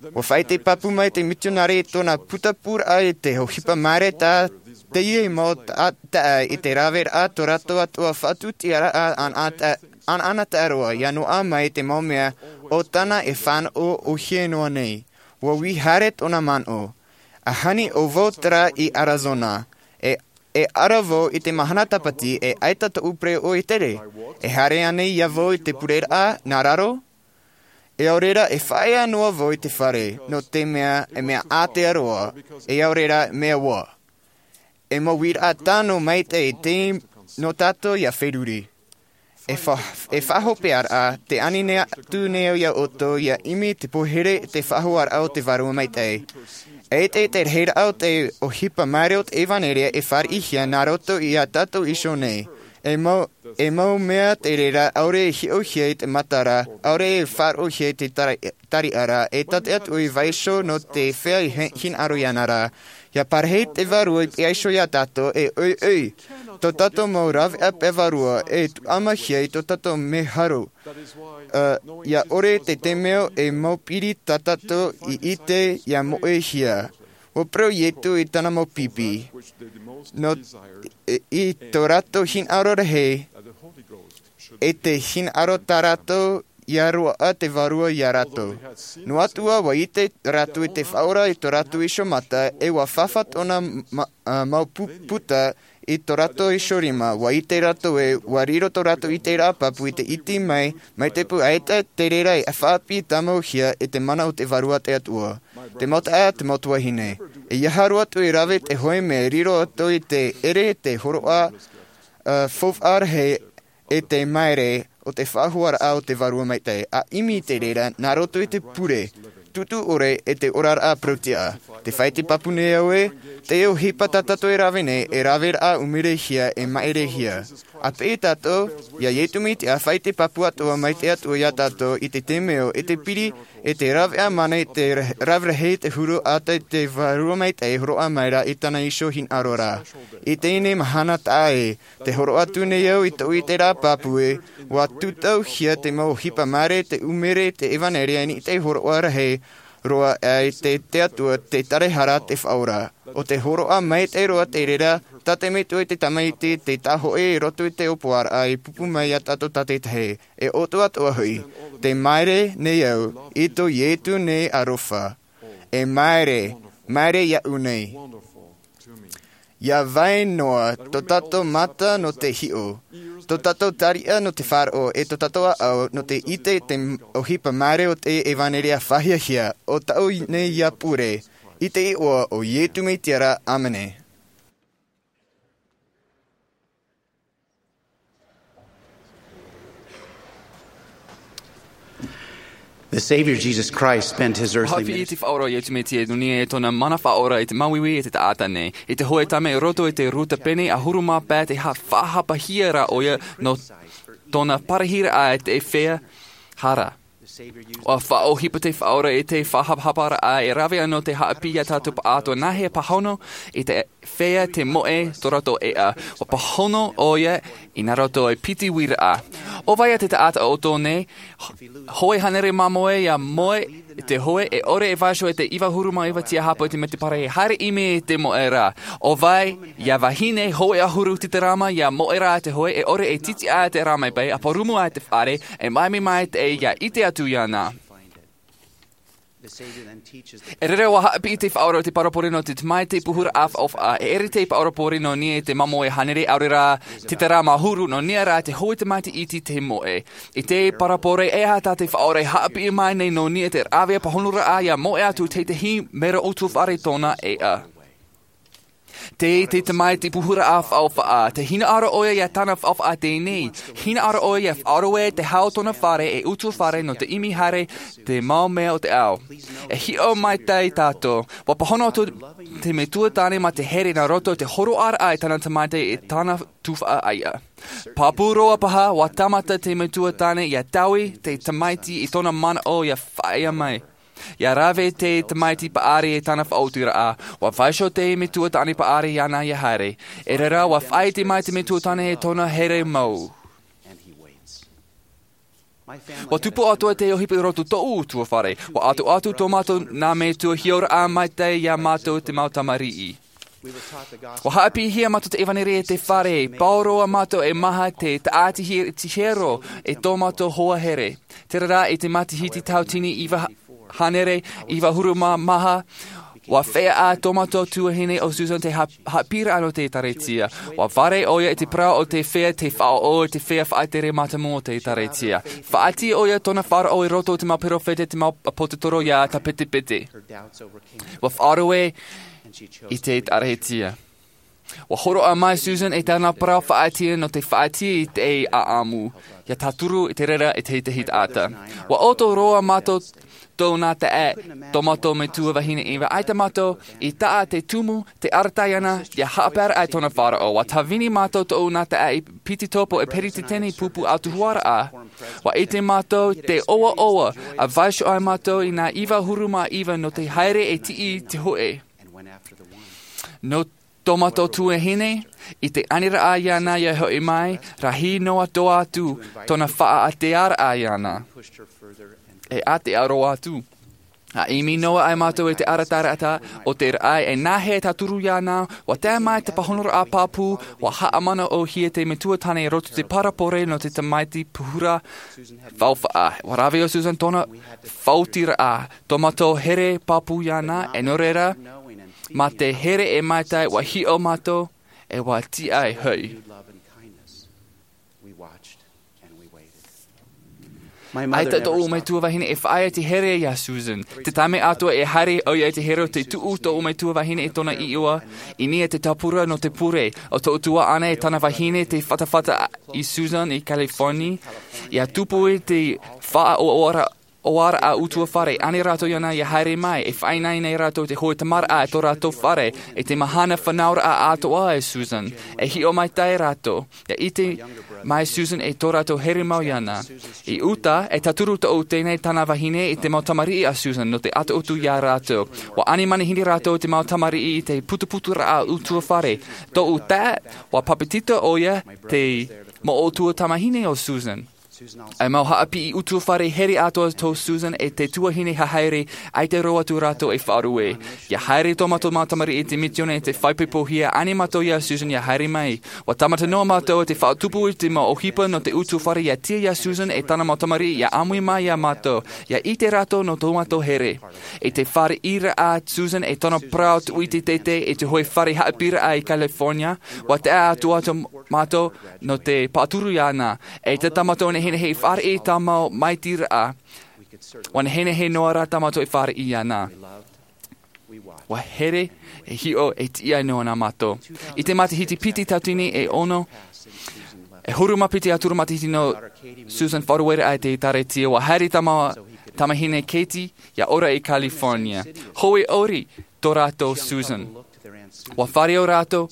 Ua faʻaʻite pāpū mai te mitionare i tōna putapūraʻa i te ʻohipa maere tā teie mau ta-, taʻata i te raveraʻa tō rātou atoʻa faʻatūtiaraʻa anaana ta-, anaana taʻaroa, ia noaʻa mai te mau mea o tāna e fānaʻo ʻōhie noa nei. Ua ui haere tōna manaʻo. ʻA hani ʻo vau terā i Arizona. E, e ara vau i te mahana tāpati e ʻaita tōʻu pereʻoʻo i tere. E haere ānei ia vau i te pureraʻa nā raro? E au reira e faʻaea noa vau i te fare, nō te mea, e mea ātea roa, e au reira mea ua. E mau uiraʻa tano maitaʻi te nō tātou ia feruri. E fa-, e faʻahopearaʻa, te ani nei atu nei au ia ʻoutou, ia ʻimi te pohere te faʻahoaraʻa o te Vārua Maitaʻi. E te, te rahiraʻa o te ʻohipa maere o te ʻevanelia e fāriʻihia nā roto ia tātou iho nei. E mau, e mau mea te reira, ʻaore e hiʻohia i te matara, ʻaore e faʻaroʻohia i te tari-, tariʻa ra, e tae atu i vaiiho nō te feiā hi-, hinaʻaro iāna ra. Ia parahi te Vārua i te vaiiho ia tātou, e ʻoiʻoi, tō tātou mau raveʻa pae vārua, e tuʻamahia i tō tātou mea haro. Ā, ia ʻore te taime e mau piri tā tātou i ʻite ia moʻehia. Ua parau Ietu i tāna mau pipi. Nō, e, i tō rātou hinaʻaro rahi, e te hinaʻaro tā rātou ia roaʻa te Vārua ia rātou. Noa atu ā, ua ʻite rātou i te Faʻaora i tō rātou iho mata, e ua fāfā tōna ma-, ā, mau pu-, puta i tō rātou iho rima. Ua ʻite rātou ē, ua riro tō rātou ʻiteraʻa pāpū i te iti mai, mai te pū ʻaita te reira e faʻaʻāpī tāmauhia e te mana o te Vārua te Atua. Te mau taeaʻe, te mau tuahine. E ʻeiaha roa atu e rave te hōʻē mea e riro atu i te ʻere, te hōroʻa, ā, faufaʻa rahi, e te maere o te faʻahoaraʻa o te Vārua Maitaʻi, ʻa ʻimi i te reira, nā roto i te pure, tūtū ʻore, e te oraraʻa parau-tiʻa. Tē faʻaʻite pāpū nei au ē, te ʻohipa tā tātou e rave nei, e raveraʻa ʻumerehia, e māʻerehia. ʻA peʻe tātou ia Ietu Mesia, ʻa faʻaʻite pāpū atoʻa mai te Atua ia tātou, i te taime e te piri, e te raveʻa mana i te ra-, rave rahi te huru ʻaita i te Vārua Maitaʻi e hōroʻa mai ra i tāna iho hinaʻaro ra. I teie mahana taʻa ē, tē hōroʻa atu nei au i tōʻu ʻiteraʻa pāpū ē, ua tūtauhia te mau ʻohipa maere, te ʻumere, te ʻevanelia i niʻa i te hōroʻa rahi roa, ā, i te, te Atua, te taraehara, te Faʻaora. ʻO te hōroʻa maitaʻi roa te reira, tā te Metua i te Tamaiti, te Tāhōʻē i roto i te ʻōpuaraʻa, i pūpū mai ia tātou tātaʻitahi. E ʻoutou atoʻa hoʻi, tē maere nei au, i tō Ietu nei aroha. E maere, maere iāʻu nei. ʻIa vai noa tō tātou mata nō te hiʻo, tō tātou tariʻa nō te faʻaroʻo, e tō tātou ʻāʻau nō te ʻite i te ʻohipa māere o te ʻevanelia faʻahiahia o tāʻu nei ʻia pure. I te iʻoa o Iesu Mesia ra, ʻāmene. The Savior Jesus Christ spent his earthly Haʻapiʻi i te Faʻaora o Iesu Mesia nō niʻa i tōna mana faʻaora i te māuiui e te taʻata nei. I te hōʻē taime i roto i te rūta pene ʻahuru mā pae, tē faʻahapahia ra ʻoia nō tōna parahiraʻa i te feiā hara. ʻUa faʻaʻohipa te Faʻaora i te faʻahapahaparaʻa e rave ana nō te haʻapiʻi ia tātou pāʻatoʻa nāhea e pāhono i te feiā te moʻe tō rātou ʻēʻa. ʻUa pāhono ʻoia i nā roto i te piti uiraʻa. ʻO vai ā te taʻata ʻo tō nei, hōʻē hānere māmoe ʻia moe i te hoe, e ʻore e vaiiho i te iva ʻahuru mā iva tiahapa i te mētēpare e haere ʻimi i te moʻe ra. ʻO vai ā vahine hōʻē ʻahuru titerama ʻia moe ra i te hoe, e ʻore e titiʻa i te rāmai pae, ʻa pārumu i te fare, e maitaʻi mai te ʻia ʻite atu iāna. E rere ʻua haʻapiʻi te Faʻaora i te parabole nō te tamaiti puhuraʻa faʻaʻofaʻa. E ʻere te parabole nō niʻa i te māmoe hānere, ʻaore rā, titerama ʻahuru, nō niʻa rā te hōʻē tamaiti iti te moʻe. I te parabole, e aha tā te Faʻaora e haʻapiʻi mai nei nō niʻa i te rāveʻa pāhonoraʻa ʻia moe atu i te tahi mero ʻutuāfare tōna ʻēʻa? Tei te tamaiti puhuraʻa faʻaʻofaʻa, tē hinaʻaro ʻoia ia tāna faʻaʻofaʻa teie nei. Hinaʻaro ʻoia ia faʻaroʻo i te hau o tōna fare ei ʻutuāfare nō te ʻimi haere i te mau mea o te ao. E hiʻo maitaʻi tātou, ʻua pāhono atu te metua tāne mā te here nā roto i te hōroʻaraʻa i tāna tamaiti e tāna tuhaʻa ʻaiʻa. Pāpū roa paha, ʻua tāmata te metua tāne ʻia taui te tamaiti i tōna manaʻo ʻia faʻaea mai. ʻIa rave te tamaiti paʻari i tāna faʻaotiraʻa, ʻua vaiiho te metua tāne paʻari iāna ʻia haere. E rere, ʻua faʻaʻite mai te metua tāne i tōna here mau. ʻUa tupu atoʻa te ʻohipa i roto i tōʻu ʻutuāfare. ʻUa ʻatoʻa atu tō mātou nā metua hiʻoraʻa maitaʻi ia mātou te mau tamariʻi. ʻUa haʻapiʻihia mātou te ʻevanelia i te fare, pauroa mātou e maha te taʻati hiero i tō mātou hoa here. Terā rā, i te matahiti tauatini iva hānere iva ʻahuru mā maha, ʻua feiā ʻā tō mātou tuahine ʻo Susan te ha-, haʻapiʻiraʻa nō te ʻĒkālesia. ʻUa fāriʻi ʻoia i te parau o te feiā tei faʻaʻō i te feiā faʻatere mātāmua o te ʻĒkālesia. Faʻaʻite ʻoia tōna faʻaroʻo i roto i te mau perofeta, te mau ʻāpōsetolo ʻia tāpetepete. ʻUa faʻaroʻo i te ʻĒkālesia. ʻUa hōroʻa mai Susan i tāna parau faʻaʻite nō te faʻaʻite i te ʻāʻamu, ʻia tauturu i te reira i te tahi taʻata. ʻUa ʻoto roa mātou tōna taʻa, tō mātou metua vahine Eva, ʻaita mātou i taʻa te tumu, te arataʻi ana, ʻia haʻapaeraʻa i tōna faʻaroʻo. ʻUa tāvini mātou tōna taʻa i piti topo e peretiteni pupu ʻautuharaʻa. ʻUa ʻite mātou te ʻoaʻoa, ʻa vaiiho ai mātou i nā iva ʻahuru mā iva nō te haere e tiʻi i te hoe. Nō tō mātou tuahine, i te aniraʻa iāna ʻia hoʻi mai, rahi noa atoʻa atu tōna faʻaʻātearaʻa iāna. E ʻātea roa atu. ʻA ʻimi noa ai mātou i te arataʻi o te raʻi, e nāhea e tauturu iāna, ʻua tae mai te pāhonoraʻa pāpū, ʻua haʻamanaʻohia te metua tāne i roto i te parabole nō te tamaiti puhuraʻa faʻaʻofaʻa. ʻUa rave ʻo Susan tōna faʻaotiraʻa, tō mātou here pāpū iāna, e nō reira, mā te here e maitaʻi ʻua hiʻo mātou, e ʻua tiʻa hoʻi. ʻAita tōʻu metua vahine e faʻaea te here iā Susan. Te taime atoʻa e haere ʻoia i te here, tē tuʻu tōʻu metua vahine i tōna iʻoa, i niʻa i te tāpura nō te pure. ʻO tōʻu tuaʻana e tāna vahine tei fatafata i Susan i California, ʻia tupu i te faʻaʻoaraʻa ʻutuāfare, ʻānei rātou iāna ʻia haere mai, e faʻaʻite nei rātou te hōʻē tamariʻi i tō rātou fare, i te mahana fānauraʻa atoʻa e Susan. E hiʻo maitaʻi rātou, ʻia ʻite mai Susan i tō rātou here mau iāna. I uta, e tauturu tōʻu teie nei tāna vahine i te mau tamariʻi a Susan nō te ʻatoʻotu iā rātou. ʻUa ani manihini rātou i te mau tamariʻi i te putuputuraʻa ʻutuāfare. Tōʻu taeaʻe, ʻua papetito ʻoia te mau ʻutuāfare tamāhine o Susan. E mau haʻapiʻi ʻutuāfare here atoʻa tō Susan e te tuahine haere, ʻaita roa atu rātou e faʻaruʻe. ʻIa haere tō mātou mau tamariʻi i te misiōni e te faʻaipoipohia ānei mātou iā Susan ʻia haere mai. ʻUa tāmata noa mātou e te faʻatupu i te mau ʻohipa nō te ʻutuāfare ʻia tia iā Susan e tāna mau tamariʻi ʻia ʻāmui mai iā mātou, ʻia ʻite rātou nō tō mātou here. I te fāriʻiraʻa a Susan e tōna parau tuʻu i te teitei i te hōʻē fare haʻapiʻiraʻa i California, ʻua tae atu atu mātou nō te pāturu iāna. E te tāmata o nehenehe i fāriʻi i tā mau māitiraʻa. ʻUa nehenehe noa rā tā mātou e fāriʻi iāna. ʻUa here, e hiʻo, e tiʻa noa nā mātou. I te matahiti piti tauatini e ono, e huru mā piti ʻahuru matahiti nō Susan faʻarueraʻa i te ʻĒtārētia, ʻua haere tā mau tamāhine Katie ʻia ora i California. Hōʻē ʻori tō rātou Susan. ʻUa fāriʻi rātou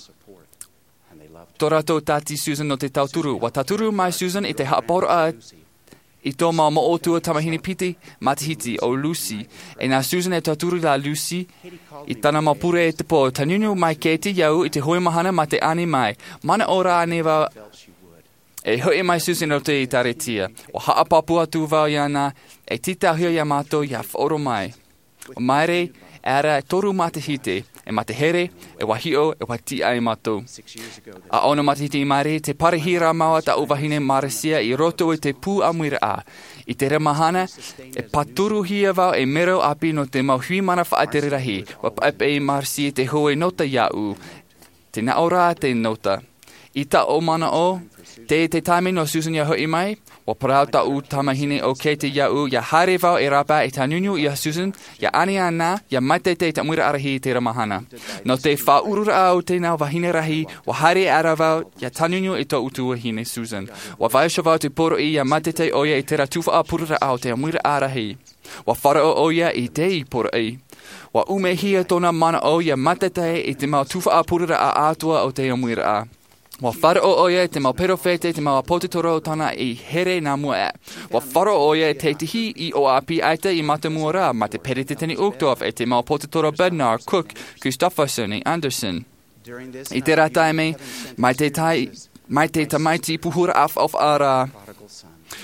tō rātou tāti Susan nō te tauturu. ʻUa tauturu mai Susan i te haʻapaʻoraʻa i tō mau moʻotua tamāhine piti matahiti ʻo Lucy. E nā Susan e tauturu iā Lucy i tāna mau pure i te pō. Tānunu mai Katie iāʻu i te hōʻē mahana mā te ani mai. Manaʻo rā ānei vau e hoʻi mai Susan i roto i te ʻĒtārētia? ʻUa haʻapāpū atu vau iāna e tītauhia iā mātou ʻia faʻaroʻo mai. ʻUa maere ʻera toru matahiti, e mā te here, e ʻua hiʻo, e ʻua tiʻa ai mātou. ʻA ono matahiti i maere, tē pārahi ra mau tāʻu vahine Marcia i roto i te pū ʻāmuiraʻa. I terā mahana, e pāturuhia vau ei mero ʻāpī nō te mau hui mana faʻatere rahi. ʻUa paʻepaʻe Marcia i te hōʻē nota iāʻu. Tē nā ʻō ra te nota. I tāʻu manaʻo, teie te taime nō Susan ʻia hoʻi mai. ʻUa parau tāʻu tamāhine ʻo Katie iāʻu ʻia haere vau e rāpae e tānunu iā Susan, ʻia ani ana, ʻia mātaitai i te ʻāmuiraʻa rahi i terā mahana. Nō te faʻaururaʻa o tēnā vahine rahi, ʻua haere ʻera vau ʻia tānunu i tōʻu tuahine Susan. ʻUa vaiiho vau te poroʻi ʻia mātaitai ʻoia i terā tuhaʻa pureraʻa o te ʻāmuiraʻa rahi. ʻUa faʻaroʻo ʻoia i te poroʻi. ʻUa ʻumehia tōna manaʻo ʻia mātaitai i te mau tuhaʻa pureraʻa atoʻa o te ʻāmuiraʻa. ʻUa faʻaroʻo ʻoia i te mau perofeta, i te mau ʻāpōsetolo tāna i here nā mua aʻe. ʻUa faʻaroʻo ʻoia i te tahi ʻoaʻoa ʻāpī ʻaita i mātāmua ra, mā te peresideni Uchtdorf, e te mau ʻāpōsetolo Bednar, Cook, Christofferson, e Andersen. I terā taime, mai te tai-, mai te tamaiti pūhuraʻa faʻaʻofaʻa ra,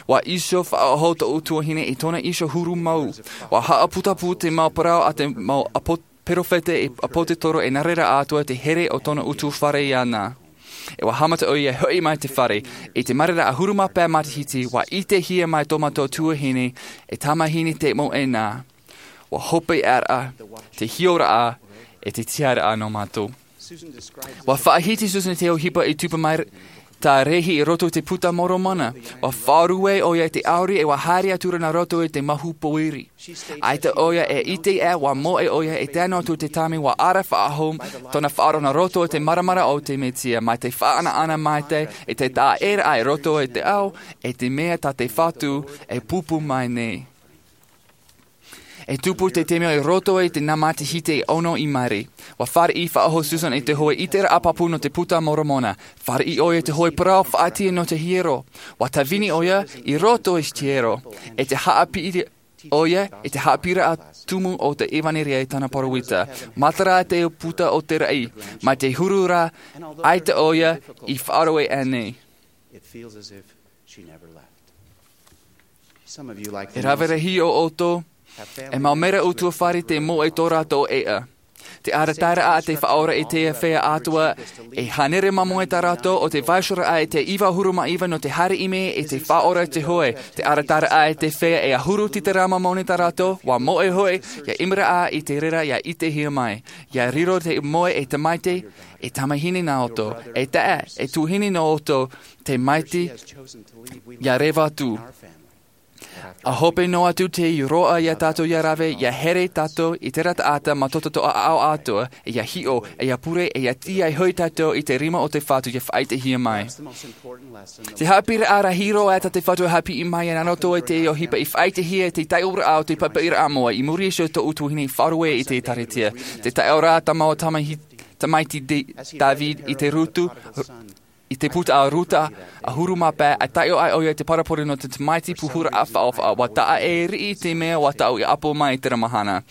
ʻua iho faʻahou tōʻu tuahine i tōna iho huru mau. ʻUa haʻaputapū te mau parau a te mau ʻāpō-, perofeta e ʻāpōsetolo e nā reira atoʻa te here o tōna ʻutuāfare iāna. E ʻua haʻamata ʻoia e hoʻi mai te fare, i te maere ra ʻahuru mā pae matahiti, ʻua ʻitehia mai tō mātou tuahine, e tamāhine te mau ʻēnā. ʻUa hope ʻera, te hiʻoraʻa, e te tiʻaraʻa nō mātou. ʻUa faʻahiti Susan te ʻohipa i tupu mai tā Lehi i roto i te Puta Moromona. ʻUa faʻaruʻe ʻoia i te ʻauri e ʻua haere atu ra nā roto i te mahu pōiri. ʻAita ʻoia e ʻite ē ʻua moʻe ʻoia i te ano atu te taime ʻua ara faʻahou tōna faʻaroʻo nā roto i te māramarama o te Mesia, mai te faʻaʻanaʻana maitaʻi i te taʻa ʻē ra i roto i te ao, e te mea tā te Fatu e pūpū mai nei. E tupu te taime i roto i te nā matahiti e ono i maere. ʻUa fāriʻi faʻahou Susan i te hōʻē ʻiteraʻa pāpū nō te Puta Moromona. Fāriʻi ʻoia i te hōʻē parau faʻaʻite nō te hiero. ʻUa tāvini ʻoia i roto i te hiero. E te haʻapiʻi ʻoia i te haʻapiʻiraʻa tumu o te ʻevanelia i tāna parau ʻita. Matara te puta o te raʻi. Mai te huru ra, ʻaita ʻoia i faʻaroʻo ānei. It feels as if she never left. Some of you, like E rave rahi o ʻoutou, e mau mera ʻutuāfare te moʻe tō rātou ʻēʻa. Te arataʻiraʻa a te Faʻaora i te feiā atoʻa, e hānere māmoe tā rātou o te vaiihoraʻa i te iva ʻahuru mā iva nō te haere i mea i te Faʻaora i te hoe. Te arataʻiraʻa i te feiā e ʻahuru tītara māmani tā rātou, ʻua moʻe hoʻi, ʻia ʻimiraʻa i te reira ʻia ʻitehia mai. ʻIa riro te moʻe e tamaiti, e tamāhine nā ʻoutou, e taeaʻe, e tuahine nō ʻoutou, tamaiti, ʻia reva atu. ʻA hope noa atu te roaʻa iā tātou ʻia rave, ʻia here tātou i terā taʻata mā tō tātou ʻāʻau atoʻa, e ʻia hiʻo, e ʻia pure, e ʻia tīaʻi hoʻi tātou i te rima o te Fatu ʻia faʻaʻitehia mai. Te haʻapiʻiraʻa rahi roa tā te Fatu e haʻapiʻi mai nā roto i te ʻohipa i faʻaʻitehia te taiʻoraʻa o te papaʻiraʻa moʻa, i muri iho i tōʻu tuahine i faʻaruʻe i te ʻĒtārētia. Te taiʻoraʻa tā mau tamahi-, tamaiti de-, Dāvida i te Rutu, i te puta a Ruta, ʻahuru mā pae, ʻa taiʻo ai ʻoia i te parabole nō te tamaiti pūhuraʻa faʻaʻofaʻa. ʻUa taʻa e riʻi te mea ʻua taʻu i ʻapo mai i terā mahana.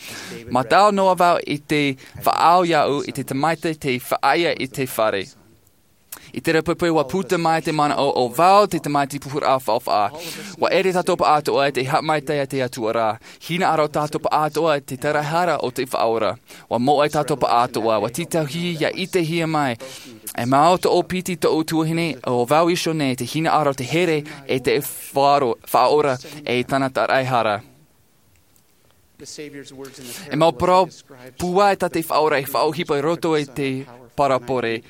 Mātao noa vau i te faʻaau iāʻu i te tamaiti tei faʻaea i te fare. I terā poipoi ua puta mai te manaʻo ʻo vau te tamaiti puhuraʻa faʻaʻofaʻa. Ua ʻere tātou pāʻātoʻa i te haʻamaitaʻi a te Atua ra. Hinaʻaro tātou pāʻātoʻa i te taraehara o te Faʻaora. Ua moʻe tātou pāʻātoʻa, ua tītauhia ʻia ʻitehia mai. E mau tōʻu piti, tōʻu tuahine, ʻo vau iho nei, te hinaʻaro, te here, e te faʻaro-, Faʻaora, e tāna taraehara. E mau parau pūai tā te Faʻaora e faʻaʻohipa i roto i te parabole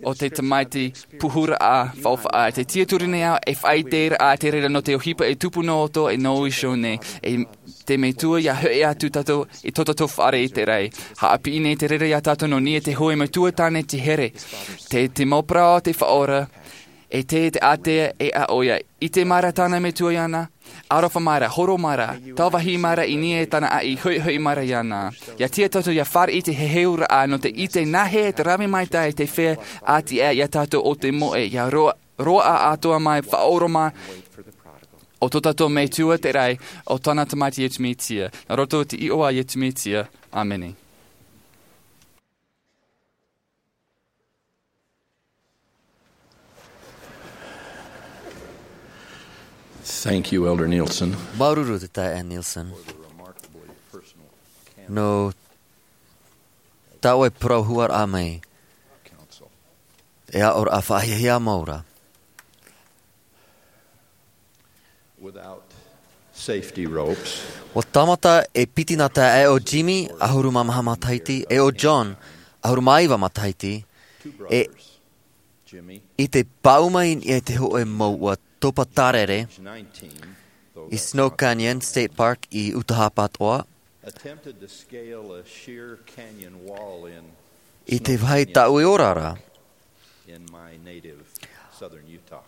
o te tamaiti puhuraʻa faʻaʻofaʻa. Te tiaturi nei au e faʻaʻite ra ā te reira nō te ʻohipa e tupu noa atoʻa e nō iho nei. E te Metua, ʻia hoʻi atu tātou i tō tātou fare i te raʻi. Haʻapiʻi nei te reira iā tātou nō niʻa i te hōʻē metua tāne te here. Te, te mau parau a te Faʻaora, e te, te ātea e a ʻoia. ʻIte mai ra tāna metua iāna, aroha mai ra, horo mai ra, tāvāhi mai ra i niʻa i tāna ʻāʻī, hoʻihoʻi mai ra iāna. ʻIa tiʻa tātou ʻia fāriʻi i te heheuraʻa nō te ʻite nāhea te rave maitaʻi te feiā ʻāti ʻē iā tātou o te moʻe, ʻia roa-, roaʻa atoʻa mai, faʻaʻoromaʻi o tō tātou Metua te raʻi, ʻo tāna Tamaiti Iesu Mesia. Nā roto i te iʻoa a Iesu Mesia. ʻĀmene. Thank you, Elder Nielsen. Māuruuru te taeaʻe Nielsen. Nō tā ʻoe parau huaraʻa mai. E aʻoraʻa faʻahiahia mau ra. Without safety ropes. Ua tāmata e piti nā taeaʻe ʻo Jimmy, ʻahuru mā maha matahiti, e ʻo John, ʻahuru mā iva matahiti, e i te pāʻuma i niʻa i te hōʻē mouʻa topa tārere, i Snow Canyon State Park i Utah pāʻātoʻa, attempted to scale a sheer canyon wall in i te vāhi tauiora ra. In my native southern Utah.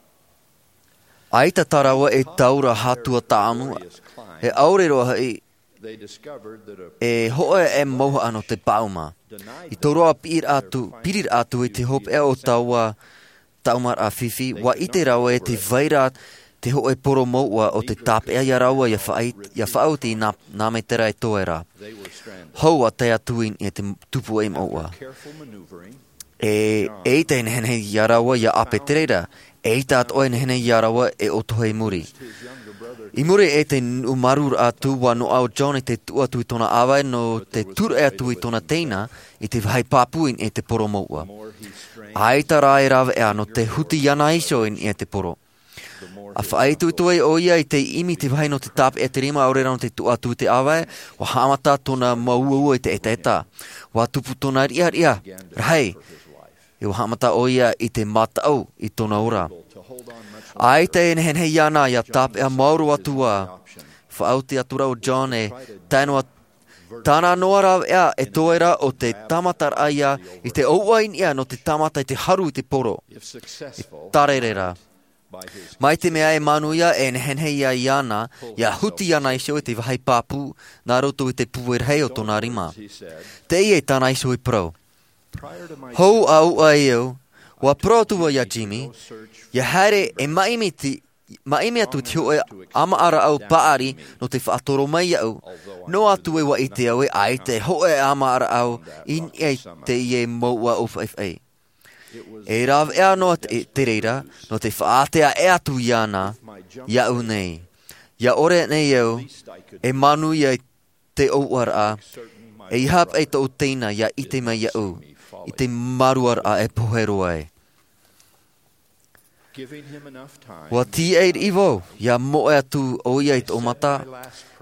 ʻAita tā rāua e taura hātua tāʻamu, e ʻaore roa hoʻi, e hōʻē mauhaʻa nō te pāʻuma. I tō rāua piri atu, piri atu i te hopeʻa o taua tāʻamuraʻa fifi, ua ʻite rāua e te vai ra te hōʻē poro mouʻa o te tāpeʻa iā rāua ʻia faʻaʻi-, ʻia faʻaoti i nā, nā metera e toe ra. Hou ā tae atu i niʻa i te tupuaʻi mouʻa. E, eʻita e nehenehe iā rāua ʻia ʻape te reira, eʻita atoʻa e nehenehe iā rāua e ʻotohe i muri. I muri i te nuʻu marū atu, ua noaʻa ʻo John i te tuʻu atu i tōna ʻāvae nō te tūraʻi atu i tōna teina i te vāhi pāpū i niʻa i te poro mouʻa. ʻAita rā e rāveʻa nō te huti iāna iho i niʻa i te poro. ʻA faʻaitoito ai ʻoia i te ʻimi i te vāhi nō te tāpeʻa i te rima, ʻaore rā nō te tuʻu atu i te ʻāvae, ua haʻamata tōna mauʻauʻa i te ʻetaʻeta. Ua tupu tōna riʻariʻa rahi, e ua haʻamata ʻoia i te mataʻu i tōna ora. ʻAita e nehenehe iāna ʻia tāpeʻa maoro atu ā, faʻaoti atu ra ʻo John e tae noa tāna noa rāveʻa e toe ra ʻo te tāmataraʻa ia i te ʻouʻa i niʻa nō te tāmata i te haru i te poro. E tārere ra. Mai te mea e manuia e nehenehe ia iāna, ʻia huti iāna iho i te vāhi pāpū, nā roto i te pūai rahi o tōna rima. Teie tāna iho i parau. Hou ʻa ʻouʻa e au, ua parau atu vau iā Jimmy, ʻia haere e maʻimi te, maʻimi atu te hōʻē ʻāmaʻaraʻau paʻari nō te faʻatoro mai iaʻu. Noa atu ē ua ʻite au ē ʻaita e hōʻē ʻāmaʻaraʻau i niʻa i teie mouʻa ʻōfaʻifaʻi. E rāveʻa noa te, te reira, nō te faʻaātea atu iāna, iaʻu nei. ʻIa ʻore nei au e manuia i te ʻouʻaraʻa, e ʻeiaha paʻi tōʻu teina ʻia ʻite mai iaʻu i te māruaraʻa e pohe roa ai. Ua tīaʻi riʻi vau ʻia moʻe atu ʻoia i tōʻu mata,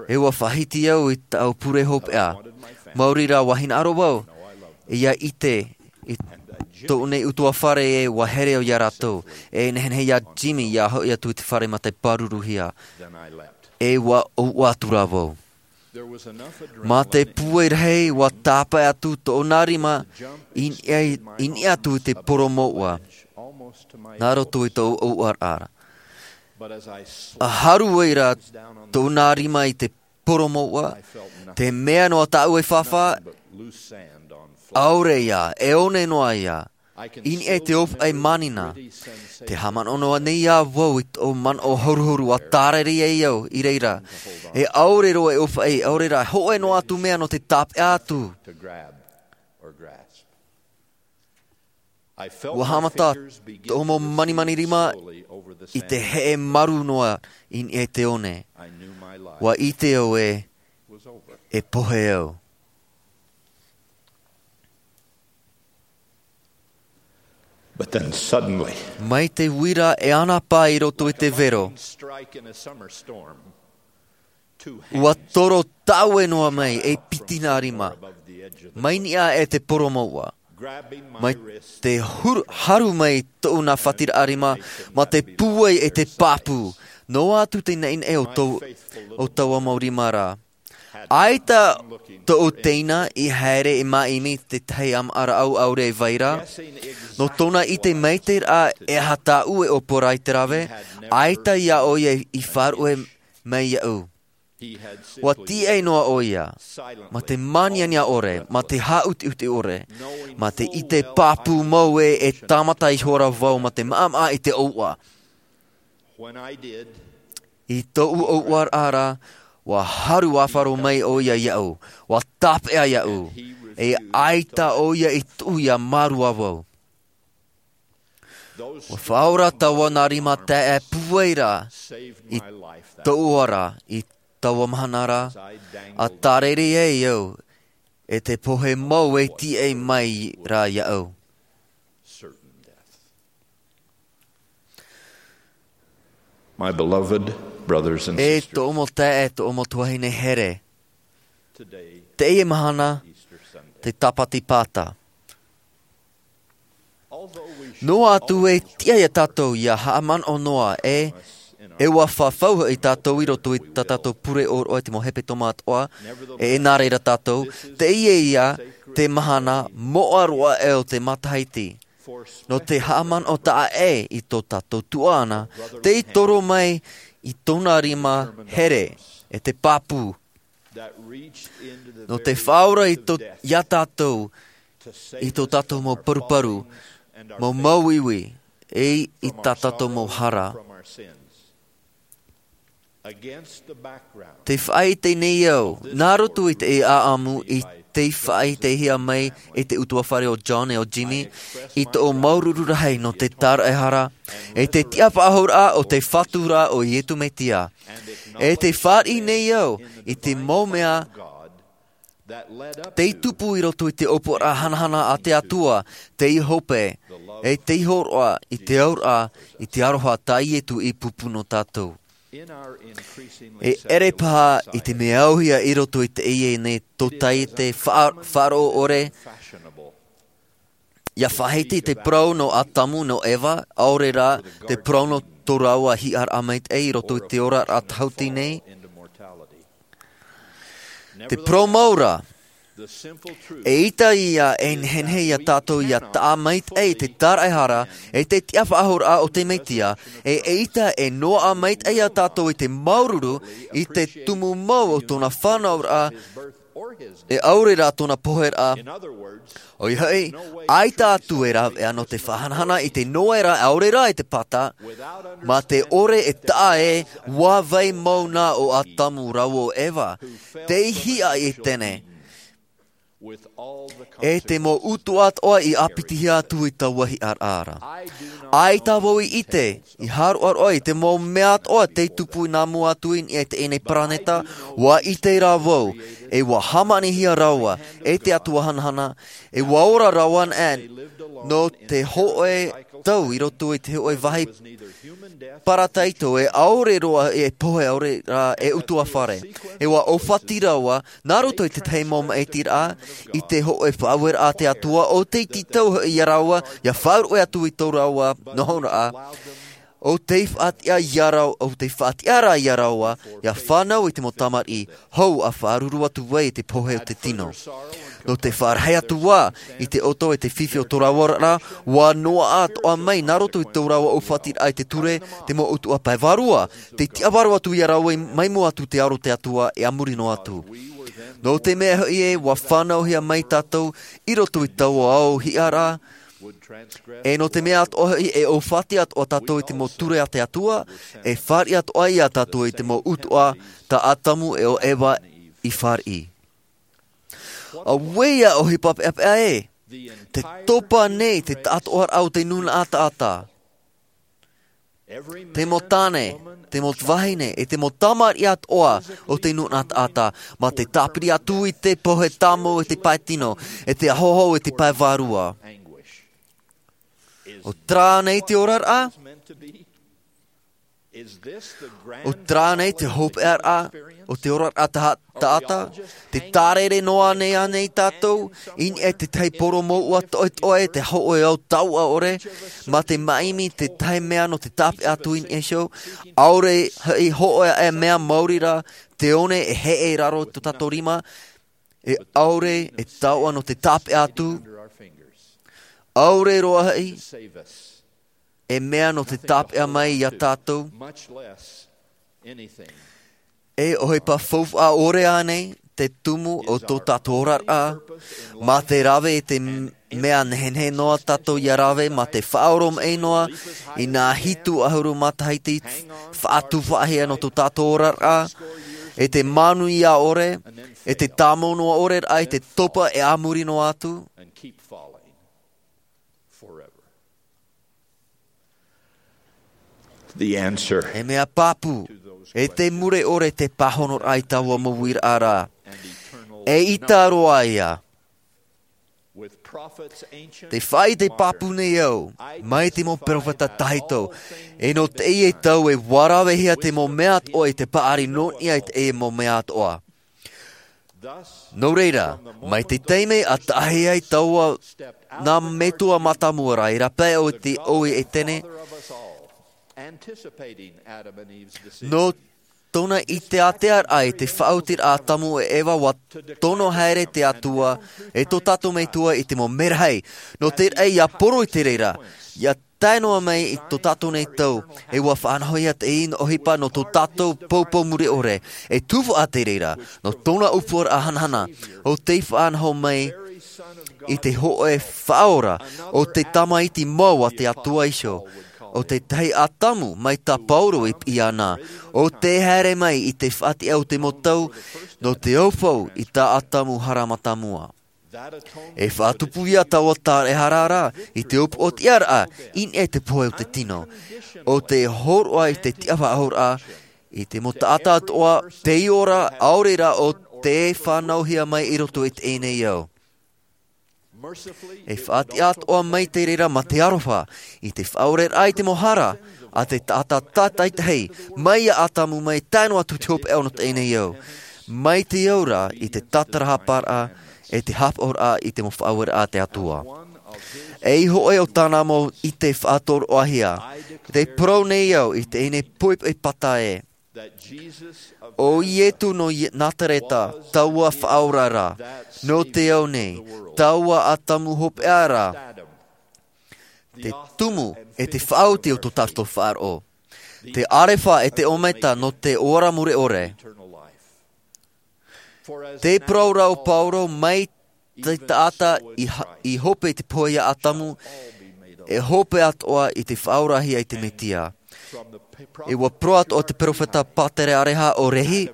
e ua faʻahiti au i tāʻu pure hopeʻa. Maori rā ua hinaʻaro vau ʻia ʻite i tōʻu nei ʻutuāfare ē ua here au iā rātou, e nehenehe iā Jimmy ʻia hoʻi atu i te fare mā te pāruruhia. E ua ʻouʻa atu rā vau. Mā te pūai rahi ua tāpae atu tōna rima i niʻa, i niʻa atu i te poro mouʻa. Nā roto i tōʻu ʻouʻaraʻa. ʻA haru ai rā tōna rima i te poro mouʻa, te mea noa tāʻu e fāfā, ʻaore ia, e one noa ia. I niʻa i te ʻōfaʻi mānina. Te haʻamanaʻo noa nei ā vau i tōʻu manaʻo horuhoru ʻa tārere ai au i reira. E ʻaore roa e ʻōfaʻi, ʻaore rā, hōʻē noa atu mea nō te tāpeʻa atu. To grab or grasp. Ua haʻamata tōʻu mau manimani rima i te heʻe maru noa i niʻa i te one. Ua ʻite au ē, e pohe au. But then suddenly, mai te uira e anapā i roto i te vero, strike in a summer storm, ua toro taue noa mai e piti nā rima. Mai niʻa e te poromouʻa. Mai te huru, haru mai tōʻu nā fatiraʻa rima, mā te pūai e te pāpū. Noa atu te naʻinaʻi o tō, o taua mau rima rā. ʻAita tōʻu teina i haere i māʻimi te tahi ʻāmaʻa rāʻau ʻaore e vai ra. Nō tōna ʻite mai te rā e aha tāʻu e ʻōpuaraʻa i te rave, ʻaita iā ʻoia i faʻaruʻe mai iaʻu. Ua tīaʻi noa ʻoia, mā te māniania ʻore, mā te haʻutiʻuti ʻore, mā te ʻite pāpū mau ē, e tāmata ihora vau mā te maʻamaʻa i te ʻōuʻa. I tōʻu ʻōuʻa rā, ua haru ʻāfaro mai ʻoia iaʻu, ua tāpeʻa iaʻu, e ʻaita ʻoia i tuʻu ia mārua vau. Ua faʻaora taua nā rima taeaʻe pūai ra i tōʻu ara i taua mahana ra, a tārere ai au e te pohe mau e tīaʻi mai ra iaʻu. My beloved brothers and sisters, e tōʻu mau taeaʻe, tōʻu mau tuahine here, teie mahana, te tāpati pāta. Noa atu e tiʻa iā tātou ia haʻamanaʻo noa e, e ua fafau hoʻi tātou i roto i tā tātou pure ʻōroʻa i te mau hepetoma atoʻa, e, e nā reira tātou, teie ia te mahana moʻa roa ʻē o te matahiti. Nō te haʻamanaʻo taʻa ʻē i tō tātou tuaʻana, tei toro mai i tōna rima here, e te pāpū. Nō te faʻaora i tō, iā tātou, i tō tātou mau paruparu, mau mauiui, e i tā tātou mau hara. Te faʻaʻite nei au, nā roto i te ʻāʻamu i te faʻaʻitehia mai e te ʻutuāfare o John e o Jimmy, i tōʻu māuruuru rahi nō te tāraʻehara, e te tiʻafaʻahouraʻa o te Fatu ra ʻo Iesu Mesia. E te fāriʻi nei au i te mau mea, tei tupu i roto i te ʻōpuaraʻa hanahana a te Atua, tei hope, e tei hōroʻa i te auraʻa, i te aroha tā Iesu i pūpū nō tātou. E ʻere paha i te mea auhia i roto i teie nei tōtaiete faʻa-, faʻaroʻo ʻore, ia faʻahiti te parau nō Atamu, nō Eva, ʻaore rā te parau nō tō rāua hiʻaraʻa maitaʻi i roto i te oraraʻa tāhuti nei. Te parau mau ra, eʻita ia e nehenehe iā tātou ia taʻa maitaʻi i te tāraʻehara, e te tiʻafaʻahouraʻa o te Mesia, e eʻita e noaʻa maitaʻi iā tātou i te māuruuru, i te tumu mau o tōna fānauraʻa, e ʻaore rā tōna poheraʻa. ʻOia hoʻi, ʻaita atu e rāveʻa nō te faʻahanahana i te noera ʻaore rā i te pata, mā te ʻore e taʻa ē, ua vai mau na ʻo Atamu rāua ʻo Eva, tei hiʻa i Etene. E te mau ʻutuʻa atoʻa i ʻāpitihia atu i taua hiʻaraʻa ra. ʻAita vau i ʻite, i hāroʻaroʻa i te mau mea atoʻa tei tupu nā mua atu i niʻa i teie nei paraneta, ua ʻite rā vau, e ua hāmanihia rāua, e te Atua hanahana, e ua ora rāua, ʻe, nō te hōʻē tau i roto i te hōʻē vāhi parataito, e ʻaore roa e pohe ʻaore rā e ʻutuāfare. E ua ʻōfati rāua, nā roto i te tahi mau maʻitiraʻa, i te hōʻē faʻaueraʻa a te Atua, ʻo tei tītau hoʻi iā rāua, ia faʻaruʻe atu i tō rāua nohoraʻa. ʻO tei faʻatiʻa iā rāua, ʻo tei faʻatiʻa rā iā rāua, ia fānau i te mau tamariʻi, hou ʻa faʻaruru atu ai i te pohe o te tino. Nō te faʻarahi atu ā, i te ʻoto e te fifi o tō rāua oraraʻa, ua noaʻa atoʻa mai nā roto i tō rāua ʻōfatiraʻa i te ture, te mau ʻutuʻa pae vārua, tei tiʻavāro atu iā rāua i, mai mua atu te aro o te Atua, e a muri noa atu. Nō te mea hoʻi ē, ua fānauhia mai tātou, i roto i taua ao hiʻaraʻa, e nō te mea atoʻa hoʻi, e ʻōfati atoʻa tātou i te mau ture a te Atua, e fāriʻi atoʻa iā tātou i te mau ʻutuʻa, tā Atamu e ʻo Eva i fāriʻi. Auē ia ʻohipa peʻapeʻa ē, Te topa nei te taʻatoʻaraʻa o te nūnaʻa taʻata. Te mau tāne, te mau vahine, e te mau tamariʻi atoʻa o te nūnaʻa taʻata, mā te tāpiri atu i te pohe tāmau e te pae tino, e te ahoaho e te pae vārua. ʻO terā nei te oraraʻa? ʻO terā nei te hopeʻaraʻa o te oraraʻa taʻata? Te tārere noa nei ānei tātou i niʻa i tētahi poro mouʻa toʻetoʻe, te hōʻē au tauʻa ʻore, mā te māʻimi tētahi mea nō te tāpeʻa atu i niʻa iho? ʻAore hoʻi hōʻē mea maori rā, te one e heʻe i raro i tō tātou rima, e ʻaore e tauʻa nō te tāpeʻa atu, ʻaore roa hoʻi e mea nō te tāpeʻa mai iā tātou. E ʻohipa faufaʻa ʻore ānei te tumu o tō tātou oraraʻa, mā te rave i te mea nehenehe noa tātou ia rave, mā te faʻaoromaʻi noa i nā hitu ʻahuru matahiti faʻatupu faʻahia nō tō tātou oraraʻa, e te manuia ʻore, e te tāmau noa ʻore rā i te topa e a muri noa atu. E mea pāpū, e te mure ʻore te pāhonoraʻa i taua mau uiraʻa ra. E ʻita roa ia. Te faʻaʻite pāpū nei au mai te mau peropheta tahito, e nō teie tau e ua ravehia te mau mea atoʻa i te paʻari nō niʻa i teie mau mea atoʻa. Nō reira, mai te taime a taʻahi ai taua nā metua mātāmua ra i rāpae o te ʻoe e tēnei, nō tōna ʻite ātea raʻa i te faʻaotiraʻa a ʻatamu e eva, ua tono haere te atua e tō tātou metua i te mau merahi, nō te raʻi ia poro i te reira, ia tae noa mai i tō tātou nei tau, e ua faʻanahohia te ʻino ʻohipa nō tō tātou poupou mure ʻore, e tufaʻa te reira nō tōna ʻōpuaraʻa hanahana, o te faʻanaho mai i te hōʻē faʻaora, o te tamaiti mau a te atua iho, o tētahi ʻatamu mai tā paulo i piʻi ana, o te haere mai i te faʻatiʻa o te mau tau, nō te aupau i tā ʻatamu hara mātāmua. E faʻatupu ia taua taraehara ra i te upoʻotiʻaraʻa i niʻa i te pohe o te tino, o te hōroʻa i te tiʻafaʻahoraʻa i te mau taʻata atoʻa, tei ora ʻaore rā o te fānauhia mai i roto i teie nei ao. E faʻatiʻa atoʻa mai te reira mā te aroha i te faʻaoreraʻa i te mau hara a te taʻata tātaitahi, mai iā ʻatamu mai tae noa atu te hopeʻa o teie nei ao, mai te aura i te tātarahaparaʻa e te hāpaʻoraʻa i te mau faʻaueraʻa a te atua. E iho ʻoe o tāna mau ʻite faʻatoroʻahia, te parau nei au i teie nei poʻipoʻi pata ē, o iesu nō nazareta, taua faʻaora ra, nō te ao nei, taua ʻatamu hopeʻa ra, te tumu e te faʻaoti o tō tātou faʻaroʻo, te ʻarefa e te ʻōmeta nō te ora mure ʻore. Te parau ra o paulo mai te taʻata i hope i te pohe iā ʻatamu, e hope atoʻa i te faʻaorahia i te mesia. E ua parau atoʻa te peropheta pātere areha o lehi,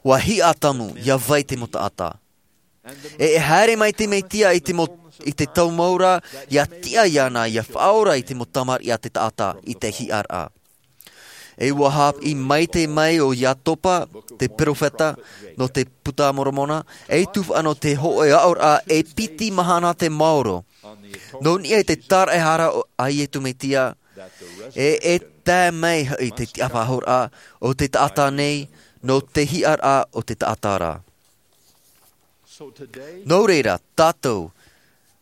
ua hiʻa ʻatamu ia vai te mau taʻata. E e haere mai te mesia i te mau i te tau mau ra, ia tiʻa iāna ia faʻaora i te mau tamariʻi a te taʻata i te hiʻaraʻa. E ua hāpiʻi maite mai o iakoba te peropheta nō te puta a moromona, e tupu ana te hōʻē aʻoraʻa e piti mahana te maoro nō niʻa i te taraehara a iesu mesia, e e tae mai hoʻi te tiʻafaʻahoraʻa o te taʻata nei nō te hiʻaraʻa o te taʻata ra. Nō reira tātou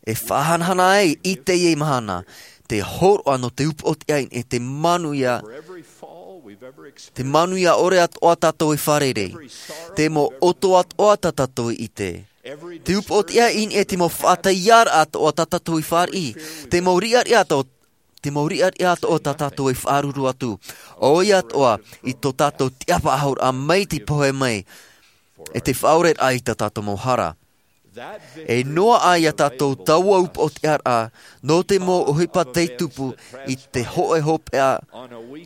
e faʻahanahana ai i teie mahana te hōroʻa nō te upoʻotiʻa e te manuia, te manuia ʻore atoʻa tātou e fārerei, te mau ʻoto atoʻa tā tātou i ʻite, te upoʻotiʻa i niʻa i te mau faʻaʻiteʻaraʻa atoʻa tā tātou i fāriʻi, te mau riʻariʻa atoʻa te mau riʻariʻa atoʻa tā tātou e faʻaruru atu, ʻoia atoʻa i tō tātou tiʻafaʻahoraʻa mai te pohe mai e te faʻaoreraʻa i tā tātou mau hara. E noaʻa iā tātou taua upoʻotiʻaraʻa nō te mau ʻohipa tei tupu i te hōʻē hopeʻa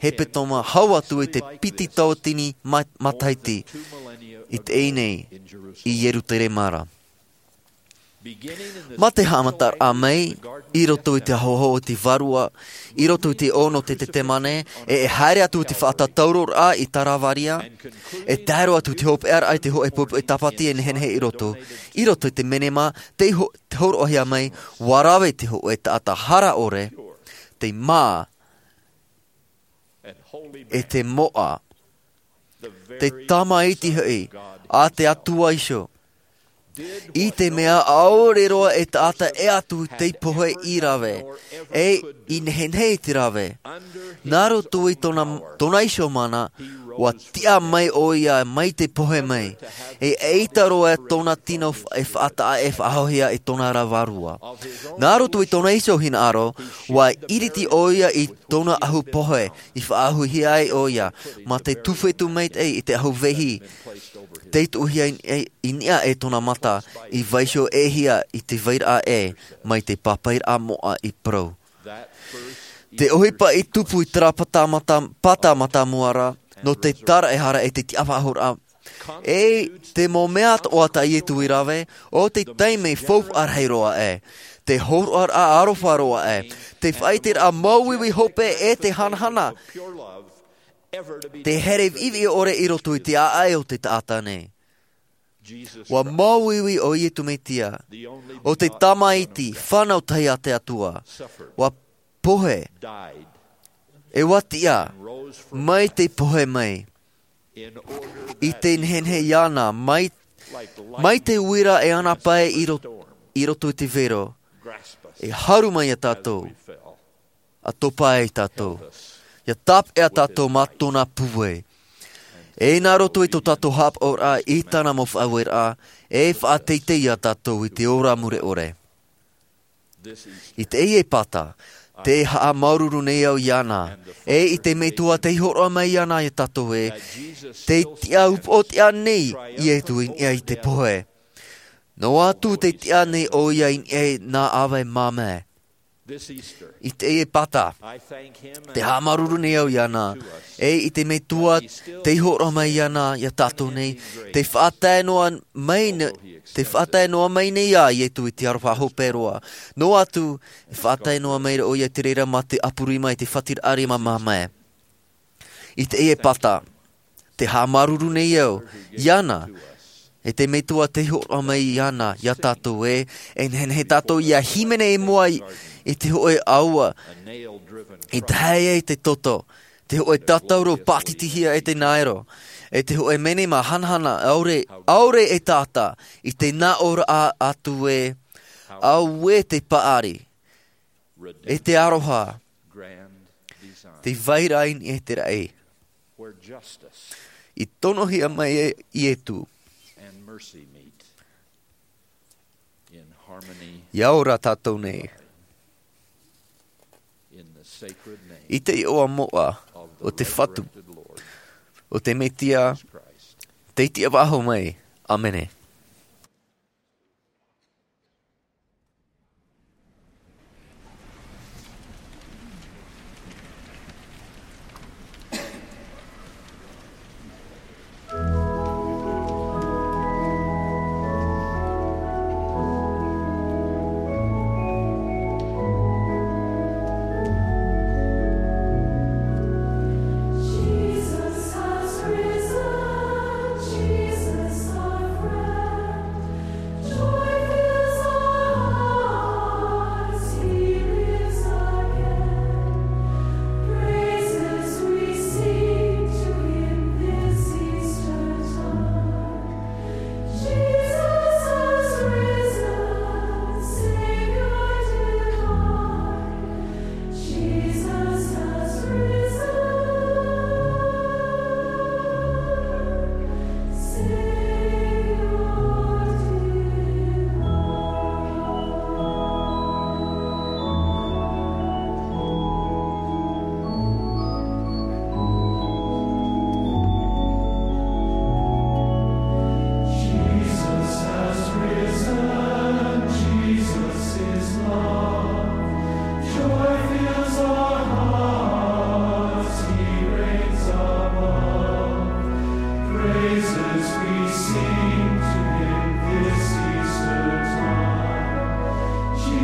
hepetoma hau atu i te piti tauatini ma- matahiti i teie nei i ierusalema ra. Mā te haʻamataraʻa mai i roto i te ahoaho o te vārua, i roto i te ʻō nō te ʻetemane, e e haere atu i te faʻatātauroraʻa i Taravaria, e tae roa atu i te hopeʻaraʻa i te hōʻē pupu e tāpati e nehenehe i roto, i roto i te menema, te ho-, te hōroʻahia mai, ʻua rave te hōʻē taʻata hara ʻore, te mā, e te moʻa, te tamaiti hoʻi a te Atua iho. I te mea ʻaore roa e taʻata e atu te pohe i rave, e i nehenehe i te rave. Nā roto i tōna, tōna iho mana, ʻua tiʻa mai ʻoia mai te pohe mai. E ʻeita roa tōna tino f-, e faʻataʻa e faʻahoʻihia i tōna ra vārua. Nā roto i tōna iho hinaʻaro, ʻua iriti ʻoia i tōna ʻahu pohe, i faʻahoʻihia ai ʻoia, mā te tuwhetu maitaʻi i te ʻahu vehi, tei tuʻuhia i, i, i niʻa e tōna mata, i vaiiho ʻē hia i te vairaʻa ʻē, mai te pāpaʻiraʻa moʻa i parau. Te ʻohipa i tupu i terā pata mata, pata matamua ra, nō te taraehara e te tiʻafaʻahoraʻa. E te mau mea atoʻa tā Ietu i rave, ʻo te taime faufaʻa rahi roa ē, te hōroʻaraʻa aroha roa ē, te faʻaʻiteraʻa māuiui hope e te hanahana, te here viʻiviʻi ʻore i roto i te ʻāʻai o te taʻata nei. ʻUa māuiui ʻo Ietu Metia, ʻo te tamaiti fānau tahi a te Atua, ʻua pohe, e ʻua tiʻa, mai te pohe mai, i te nehenehe iāna, mai, mai te uira e ana pae i ro-, i roto i te vero, e haru mai iā tātou, ʻa topa ai tātou, ʻia tāpeʻa tātou mā tōna pūai. E nā roto i tō tātou haʻapaʻoraʻa i tāna mau faʻaueraʻa, e faʻateitei iā tātou i te ora mure ʻore. I teie pata, tē haʻamāuruuru nei au iāna, e i te Metua tei hōroʻa mai iāna iā tātou ē, tē tiʻa upoʻotiʻa nei Ietu i niʻa i te pohe. Noa atu tē tiʻa nei ʻoia i niʻa i nā ʻāvae māmā. I teie pata, tē haʻamāuruuru nei au iāna, e i te Metua tei hōroʻa mai iāna iā tātou nei, tē faʻatae noa mai ne-, tē faʻatae noa mai nei ā Ietu i te aroha hope roa. Noa atu, e faʻatae noa mai ra ʻoia i te reira mā te ʻapu rima i te faʻatiraʻa rima māmā. I teie pata, tē haʻamāuruuru nei au iāna, e te Metua tei hōroʻa mai iāna iā tātou ē, e nehenehe tātou ʻia hīmene i mua i, i te hōʻē ʻāua, i tae ai te toto, te hōʻē tātauro pātitihia e te naero, e te hōʻē menema hanahana ʻaore, ʻaore e taʻata, i te nāʻōraʻa atu ē, auē te paʻari, e te aroha, te vairaʻa i niʻa i te raʻi. I tonohia mai e Ietu. ʻIa ora tātou nei. I te iʻoa moʻa o te Fatu, o te Metia, tei tiʻa faʻahou mai. ʻĀmene.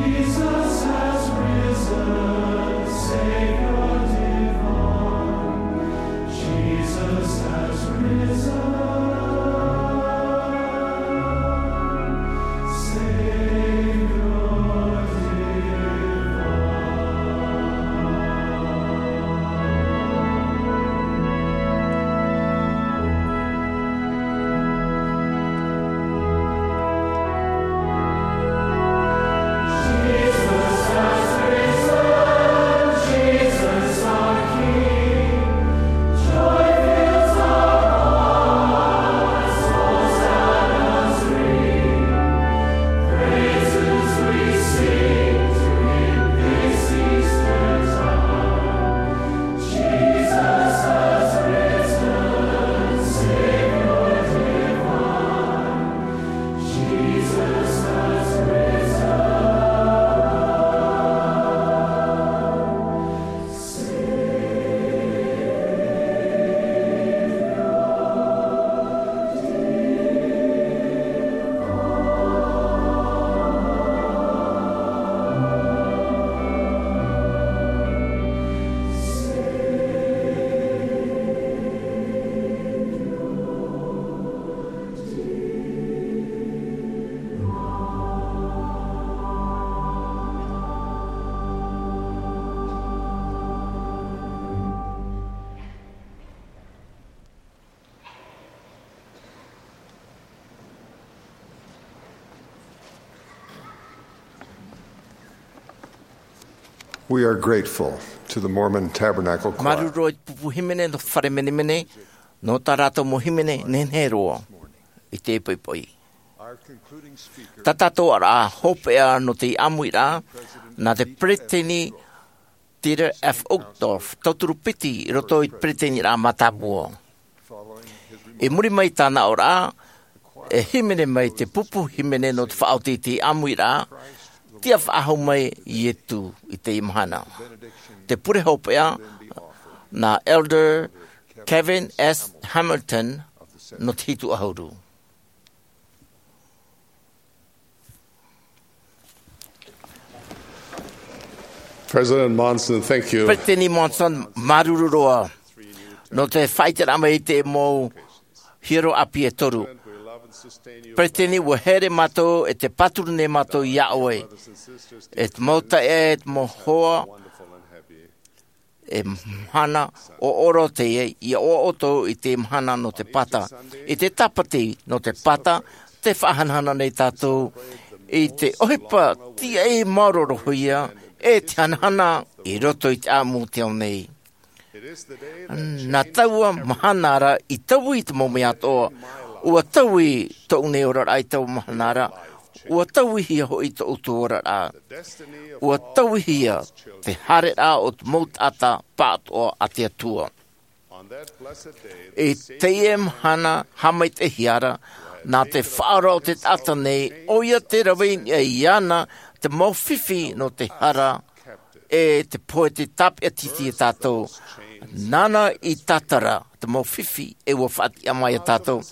Jesus has risen, Savior divine. Jesus has risen, Savior divine. We are grateful to the Mormon Tabernacle Choir. Māuruuru i te pupu hīmene nō te fare menemene, nō tā rātou mau hīmene nehenehe roa i teie poʻipoʻi. Tā tātou ʻāraʻa hopeʻa nō te ʻāmuiraʻa, nā te peresideni Dieter F. Uchtdorf, tauturu piti i roto i te peresideni mātāmua. I muri mai i tāna aʻoraʻa, e hīmene mai te pupu hīmene nō te faʻaoti i te ʻāmuiraʻa, Tiʻa Faʻahou Mai Ietu i teie mahana. Te pure hopeʻa, nā Elder Kevin S. Hamilton nō te hitu ʻahuru. President Monson, thank you. Peresideni Monson, māuruuru roa nō te faʻaʻiteraʻa mai i te mau hiero ʻāpī e toru. Peresideni, ʻua here mātou e te pāturu nei mātou iā ʻoe. E te mau taeaʻe, e te mau hoa, e mahana ʻoʻoro teie, ʻia ʻoaʻoa ʻoutou i te mahana nō te pata. I te tāpati nō te pata, tē faʻahanahana nei tātou i te ʻohipa tiaʻi maoroorohia, e te hanahana i roto i te ʻāʻamu o te ao nei. Nā taua mahana ra i taui i te mau mea atoʻa, ʻua taui tōʻu nei oraraʻa i taua mahana ra, ʻua tauihia hoʻi tō ʻoutou oraraʻa. ʻUa tauihia te haereraʻa o te mau taʻata pāʻatoʻa a te Atua. I teie mahana haʻamaitaʻihia ra, nā te Faʻaora o te taʻata nei, ʻoia tē rave i niʻa iāna te mau fifi nō te hara, e te pohe tē tāpeʻatiti iā tātou. Nāna i tātara te mau fifi e ʻua faʻatiʻa mai iā tātou.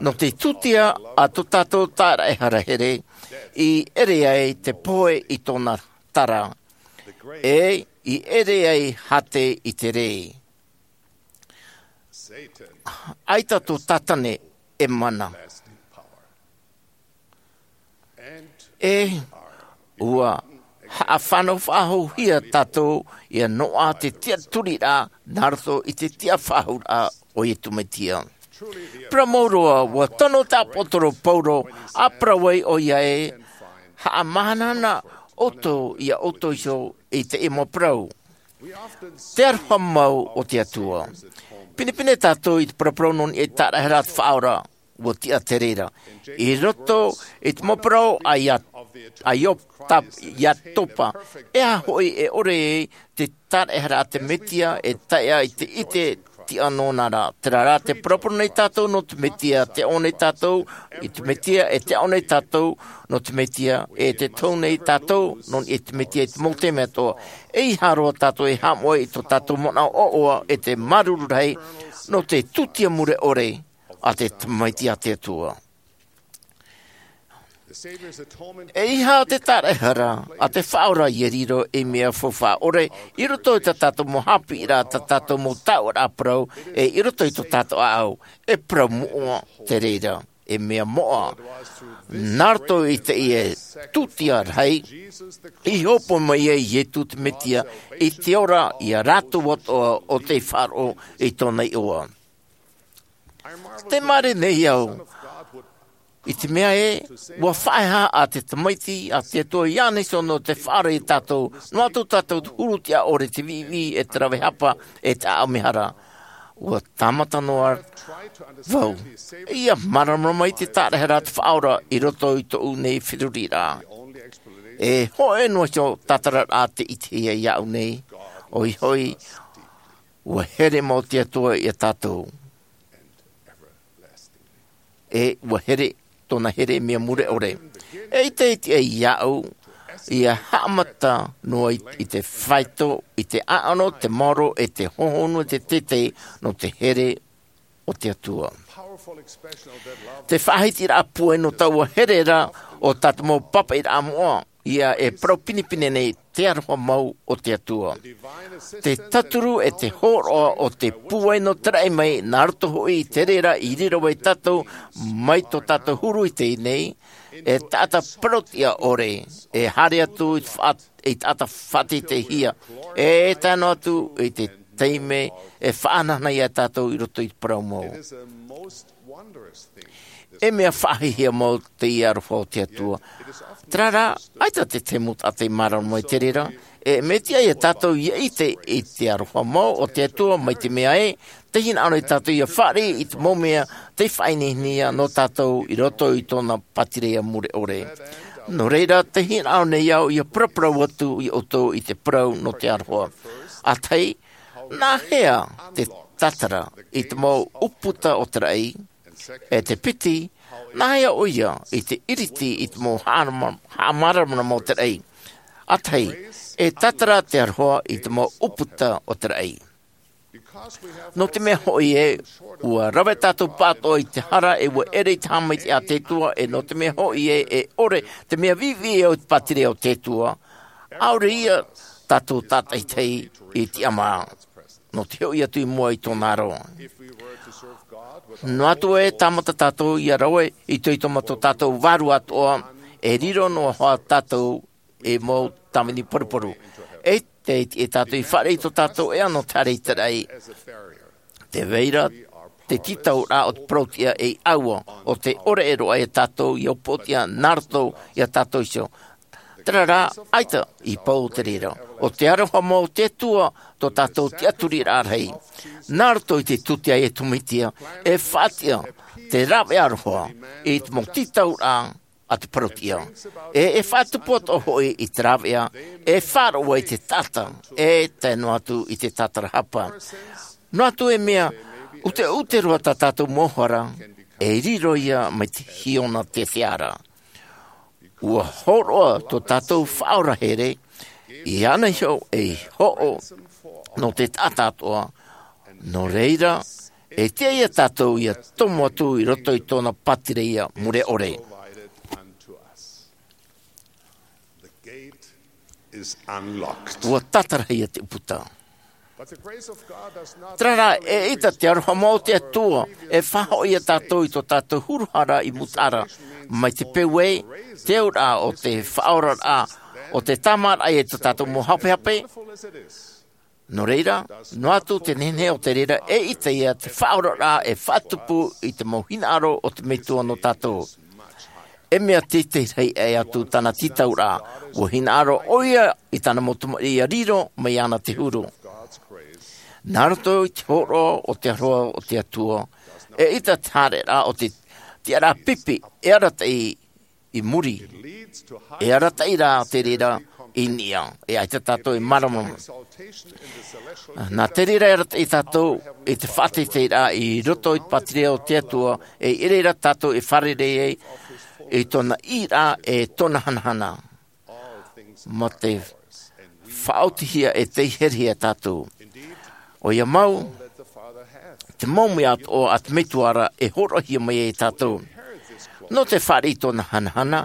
Nō te tūtia a tō tātou tāraʻehara here, i ʻere ai te pohe i tōna tara, e i ʻere ai hāte i te rē. ʻAita tō Tātane e mana. E ʻua haʻafānau faʻahouhia tātou ʻia noaʻa te tiʻaturiraʻa nā roto i te tiʻa faʻahou o Iesu Mesia. Parau mau roa, ʻua tono te ʻāpōsetolo Paulo, ʻa parau ai ʻoia ē, haʻamahanahana ʻoutou iā ʻoutou iho i teie mau parau. Te aroha mau o te Atua. Pinepine tātou i te paraparau nō niʻa i te tāraʻehara a te Faʻaora, ʻua tiʻa te reira. I roto i te mau parau a Ia-, a Iob, Iatopa, e aha hoʻi e ʻore ai te tāraʻehara a te Mesia e tae i te ʻite tiʻa nōna ra. Terā rā, tē paraparau nei tātou nō te Mesia, tē ʻoaʻoa nei tātou i te Mesia, e tē ʻoaʻoa nei tātou nō te Mesia, e tē tohu nei tātou nō niʻa i te Mesia i te mau taime atoʻa. ʻEiaha roa tātou e haʻamoʻe i tō tātou manaʻo ʻoaʻoa, e te māuruuru rahi nō te tūtia mure ʻore a te Tamaiti a te Atua. E ʻeiaha te taraehara a te Faʻaora ia riro ei mea faufaʻa ʻore i roto i tā tātou mau haʻapiʻiraʻa, tā tātou mau taoʻa parau, e i roto i tō tātou ʻāʻau. E parau moʻa te reira, e mea moʻa. Nā roto i teie tūtia rahi i hōpoi mai ai Iesu te Mesia i te ora ia rātou atoʻa o tei faʻaroʻo i tōna iʻoa. Te mare nei au i te mea ē, ʻua faʻaea a te Tamaiti a te Atua iāna iho nō te faʻaara ia tātou, noa atu tātou te huru tiʻa ʻore, te viʻiviʻi, e te rave hapa, e te ʻaʻau mehara. ʻUa tāmata noa vau ia māramarama i te taraehara a te Faʻaora i roto i tōʻu nei feruriraʻa. E hōʻē noa iho tātararaʻa tē ʻitehia iāʻu nei, ʻoia hoʻi, ʻua here mau te Atua ia tātou. E ʻua here, tōna here mea mure ʻore. E ʻite, ʻite ai iāʻu ia haʻamata noa i, i te faito, i te ʻaʻano, te maoro, e te hohonu, e te teitei nō te here o te Atua. Te faʻahitiraʻa pūai nō taua here ra o tā te mau pāpaʻiraʻa moʻa, ia e parau pinepine nei te aroha mau o te Atua. Te tauturu e te hōroʻa o te pūai nō te raʻi mai, nā roto hoʻi i te reira i riro ai tātou mai tō tātou huru i teie nei, e taʻata parau tiʻa ʻore, e haere atu i te faʻa-, i taʻata faʻateiteihia, e tae noa atu i te taime e faʻahanahana ia tātou i roto i te parau mau. E mea faʻahiahia mau teie aroha o te Atua. Terā rā, ʻaita te tahi mau taʻata i mārama i te reira, e mea tiʻa ia tātou ia ʻite i te aroha mau o te Atua, mai te mea ē, tē hinaʻaro nei tātou ia fāriʻi i te mau mea tei faʻaineinehia nō tātou i roto i tōna pātireia mure ʻore. Nō reira, tē hinaʻaro nei au ia paraparau atu ia ʻoutou i te parau nō te aroha. ʻA tahi, nā hea te tātara i te mau ʻūputa o te raʻi? E te piti, nā hea ʻoia i te ʻiriti i te mau haʻamāramarama, haʻamāramarama o te raʻi? ʻA tahi, e tātara te aroha i te mau ʻūputa o te raʻi. Nō te mea hoʻi ē, ʻua rave tātou pāʻatoʻa i te hara, e ʻua ʻere i te haʻamaitaʻi a te Atua, e nō te mea hoʻi ē, e ʻore te mea viʻiviʻi o te pātireia o te Atua, ʻaore ia tātou tātaʻitahi i te tiʻamā nō te hoʻi atu i mua i tōna aro. Noa atu e tāmata tātou ia rave i te itoito mā tō tātou Vārua atoʻa, e riro noa hoʻi tātou ei mau tāvini paruparu. E te, e tātou i fāriʻi i tō tātou ʻēʻa nō te haere i te raʻi. Tē vai ra te tītauraʻa o te parauʻtiʻa ei ʻāua, ʻo tē ʻore roa ia tātou ia upoʻotiʻa nā roto ia tātou iho. Terā rā, ʻaita i pau o te reira. ʻO te aroha mau o te Atua tō tātou tiʻaturiraʻa rahi. Nā roto i te tūtia a Iesu Mesia, e faʻatiʻa te rāveʻa aroha i te mau tītauraʻa a te parauʻtiʻa. E, e faʻatupu atoʻa hoʻi i te rāveʻa, e faʻaroʻo i te taʻata, e tae noa atu i te tātarahapa. Noa atu e mea ʻuteʻute roa tā tātou mau hara, e riro ia mai te hiona teteʻa ra. ʻUa hōroʻa tō tātou Faʻaora here, iāna iho ei hoʻo nō te taʻata atoʻa, nō reira, e tiʻa ia tātou ia tomo atu i roto i tōna pātireia mure ʻore. ʻUa tātarahia te ʻūputa. Terā rā, eʻita te aroha mau o te Atua e faʻahoʻi ia tātou i tō tātou huru hara i mūtaʻa ra, mai te peu ē, te auraʻa o te faʻaoraraʻa, o te tāmāraʻa i tō tātou mau hapehape. Nō reira, noa atu te nehenehe o te reira, eʻita ia te faʻaoraraʻa e faʻatupu i te mau hinaʻaro o te Metua nō tātou. E mea teitei rahi aʻe atu tāna tītauraʻa, ʻua hinaʻaro ʻoia i tāna mau tamariʻi ia riro mai iāna te huru. Nā roto i te hōroʻa o te aroha o te Atua, eʻita te haereraʻa o te tiʻaraʻa pipi e arataʻi i muri, e arataʻi rā te reira i niʻa, e ʻaita tātou e mārama. Nā te reira e arataʻi tātou i te faʻateiteiraʻa i roto i te pātireia o te Atua, e i reira tātou e fārerei ai i tōna ʻīraʻa e tōna hanahana. Mā te faʻaotihia e tei herehia tātou. ʻOia mau, te mau mea atoʻa a te Metua ra e hōroʻahia mai ai tātou. Nō te fāriʻi i tōna hanahana,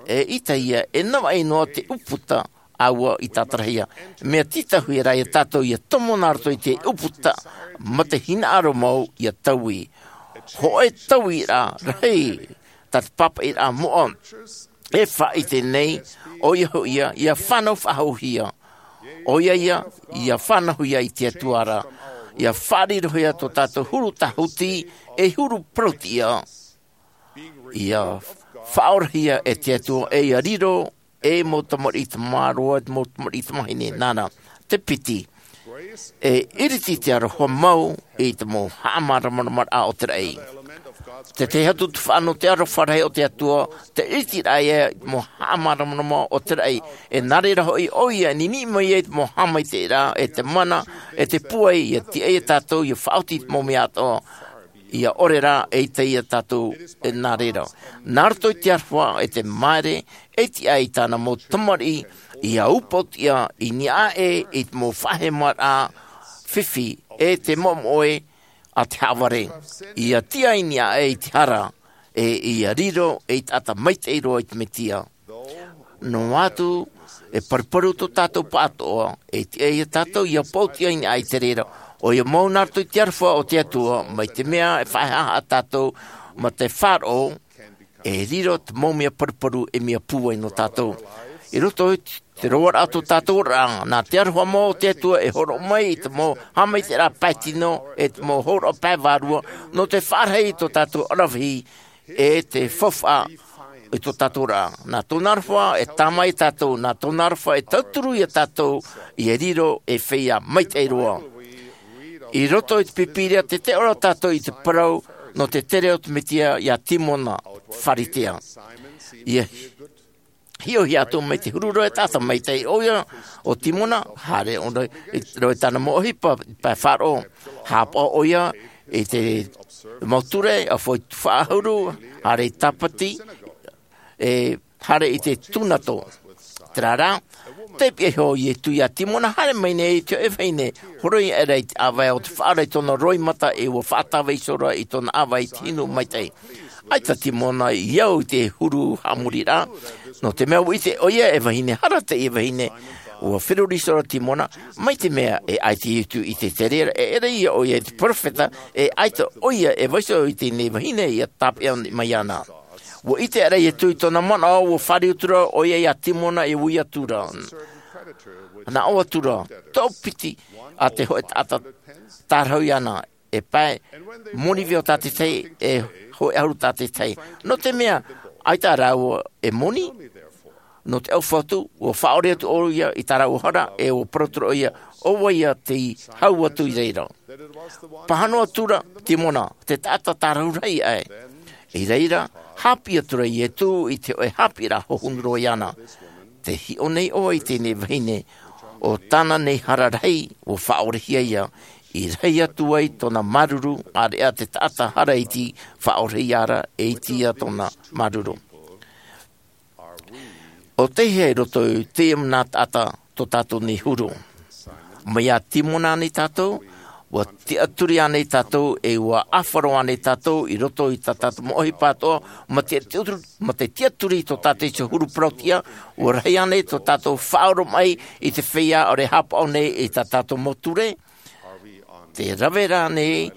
E ʻita ia e navaʻi noa te ʻūputa ʻāua i tātarahia. Mea tītauhia rā iā tātou ia tomo nā roto i te ʻūputa mā te hinaʻaro mau ia taui. Hōʻē taui rā rahi tā te pāpaʻi rā moʻa e faʻaʻite nei, ʻoia hoʻi ia ia fānau faʻahouhia. ʻOia ia ia fānauhia i te Atua ra. Ia faʻarirohia tō tātou huru tāhuti e huru parauʻtiʻa. Ia faʻaorahia e te Atua e ia riro e mau tamariʻi tamāroa, mau tamariʻi tamāhine nāna. Te piti, e iriti te aroha mau i te mau haʻamāramarama o te raʻi. Te tahi atu te faʻano te aroha rahi o te Atua, te iriti rā ia i te mau haʻamāramarama o te raʻi. E nā reira hoʻi ʻoia e niniʻi mai ai te mau haʻamaitaʻi rā e te mana e te pūai ia tiʻa iā tātou ia faʻaoti i te mau mea atoʻa. Ia ʻore rā e ʻita iā tātou e nā reira. Nā roto i te aroha e te māere e tiʻa i tāna mau tamariʻi ia ʻūpautia i niʻa aʻe i te mau faʻahemaraʻa fifi e te moʻemoʻe a te haʻavare. Ia tiʻa i niʻa aʻe i te hara e ia riro ei taʻata maitaʻi roa i te Mesia. Noa atu e paruparu tō tātou pāʻatoʻa e tiʻa iā tātou ia pauʻtia i niʻa i te reira. ʻOia mau nā roto i te aroha o te Atua mai te mea e faʻahaʻa tātou mā te faʻaroʻo e riro te mau mea paruparu e mea pūai nō tātou. I roto i te roaraʻa tō tātou oraraʻa nā te aroha mau o te Atua e hōroʻa mai i te mau haʻamaitaʻiraʻa pae tino e te mau hōroʻa pae vārua nō te faʻarahi i tō tātou aravihi e te faufaʻa i tō tātou oraraʻa. Nā tōna aroha e tāmā iā tātou, nā tōna aroha e tauturu iā tātou ia riro ei feiā maitaʻi roa. I roto i te Pīpīria te tae ʻore tātou i te parau nō te tere o te Mesia iā Timona Pharisea. Ia hiʻohia atu mai te huru roa e taʻata maitaʻi ʻoia ʻo Timona, haere ʻōna i roto i tāna mau ʻohipa i te pae faʻaroʻo. Haʻapaʻo ʻoia i te mau ture, ʻaufau i te tuhaʻa ʻahuru, haere i te tāpati, e haere i te tūnato. Terā rā, taipiʻi iho ʻo Iesu iā Timona, haere mai nei i te hōʻē vahine, horoi aʻera i te ʻāvae o te faʻaora i tōna roimata e ʻua faʻatāvai iho ra i tōna ʻāvae i te hinu maitaʻi. ʻAita Timona i au i te huru haʻamoriraʻa, nō te mea ʻua ʻite ʻoia e vahine hara teie vahine. ʻUa feruri iho ra Timona, mai te mea e ʻaita Iesu i te tere ra, e ʻere ia ʻoia i te peropheta, e ʻaita ʻoia e vaiiho i teie nei vahine ia tāpeʻa mai iāna. ʻUa ʻite aʻera Iesu i tōna manaʻo, ʻua fāriu atu ra ʻoia iā Timona e ui atu ra, nā ʻō atu ra, toʻopiti a te hōʻē taʻata tārahu iāna, e pae moni veo tātaʻitahi, e hōʻē ʻahuru tātaʻitahi. Nō te mea, ʻaita rāua e moni, nō te ʻaufau atu, ʻua faʻaʻore atu ʻoia i tā rāua hara, e ʻua parau atu ra ʻoia, ʻo vai ïa tei hau atu i reira. Pāhono atu ra Timona, te taʻata tārahu rahi aʻe. I reira, haʻapiʻi atu ra Iesu i te hōʻē haʻapiʻiraʻa hohonu roa iāna. Tē hiʻo nei ʻoe i teie nei vahine, ʻo tāna nei hara rahi, ʻua faʻaʻorehia ïa, i rahi atu ai tōna māuruuru, ʻāreʻa te taʻata hara iti, faʻaʻorehia ra, e iti ïa tōna māuruuru. ʻO tei hea i roto i teie manaʻo taʻata tō tātou nei huru? Mai iā Timona ānei tātou, ʻua tiʻaturi ānei tātou, e ʻua ʻāfaro ānei tātou i roto i tā tātou mau ʻohipa atoʻa, mā te tiʻaturi, mā te tiʻaturi i tō tātou iho huru parauʻtiʻa, ʻua rahi ānei tō tātou faʻaoromaʻi i te feiā ʻaore e haʻapaʻo nei i tā tātou mau ture? Tē rave ra ānei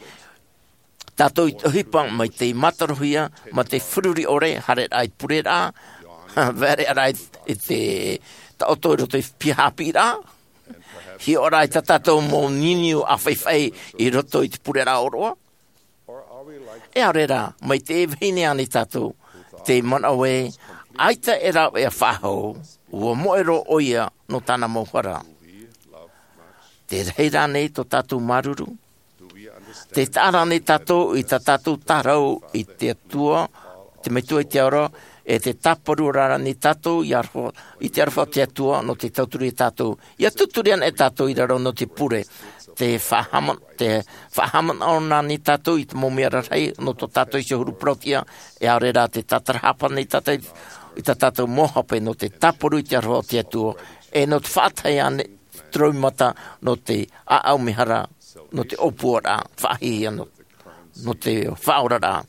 tātou i te ʻohipa mai tei mātarohia, mā te feruri ʻore, haereraʻa i te pureraʻa, haereraʻa i te taʻoto i roto i te piha haʻapiʻiraʻa, hiʻoraʻa i tā tātou mau niuniu ʻāfaʻifaʻi i roto i te pureraʻa ʻōroʻa. E ʻaore rā, mai teie vahine ānei tātou, tē manaʻo ē, ʻaita e rāveʻa faʻahou, ʻua moʻe roa ʻoia nō tāna mau hara. Tē rahi ra ānei tō tātou māuruuru? Tē taʻa ra ānei tātou i tā tātou tārahu i te Atua, te Metua i te Ao Ra, e tē tāparu ra ānei tātou i aroha, i te aroha o te Atua, nō te tauturu iā tātou? ʻIa tauturu anaʻe tātou i raro nō te pure. Tē faʻahāmana, tē faʻahāmanaʻo anaʻe tātou i te mau mea rarahi nō tō tātou iho huru parauʻtiʻa, e ʻaore rā tē tātarahapa anaʻe tātou i tā tātou mau hape nō te tāparu i te aroha o te Atua, e nō te faʻatae anaʻe te roimata nō te ʻāʻau mehara, nō te ʻōpuaraʻa, faʻahiahia nō, nō te faʻaoraraʻa.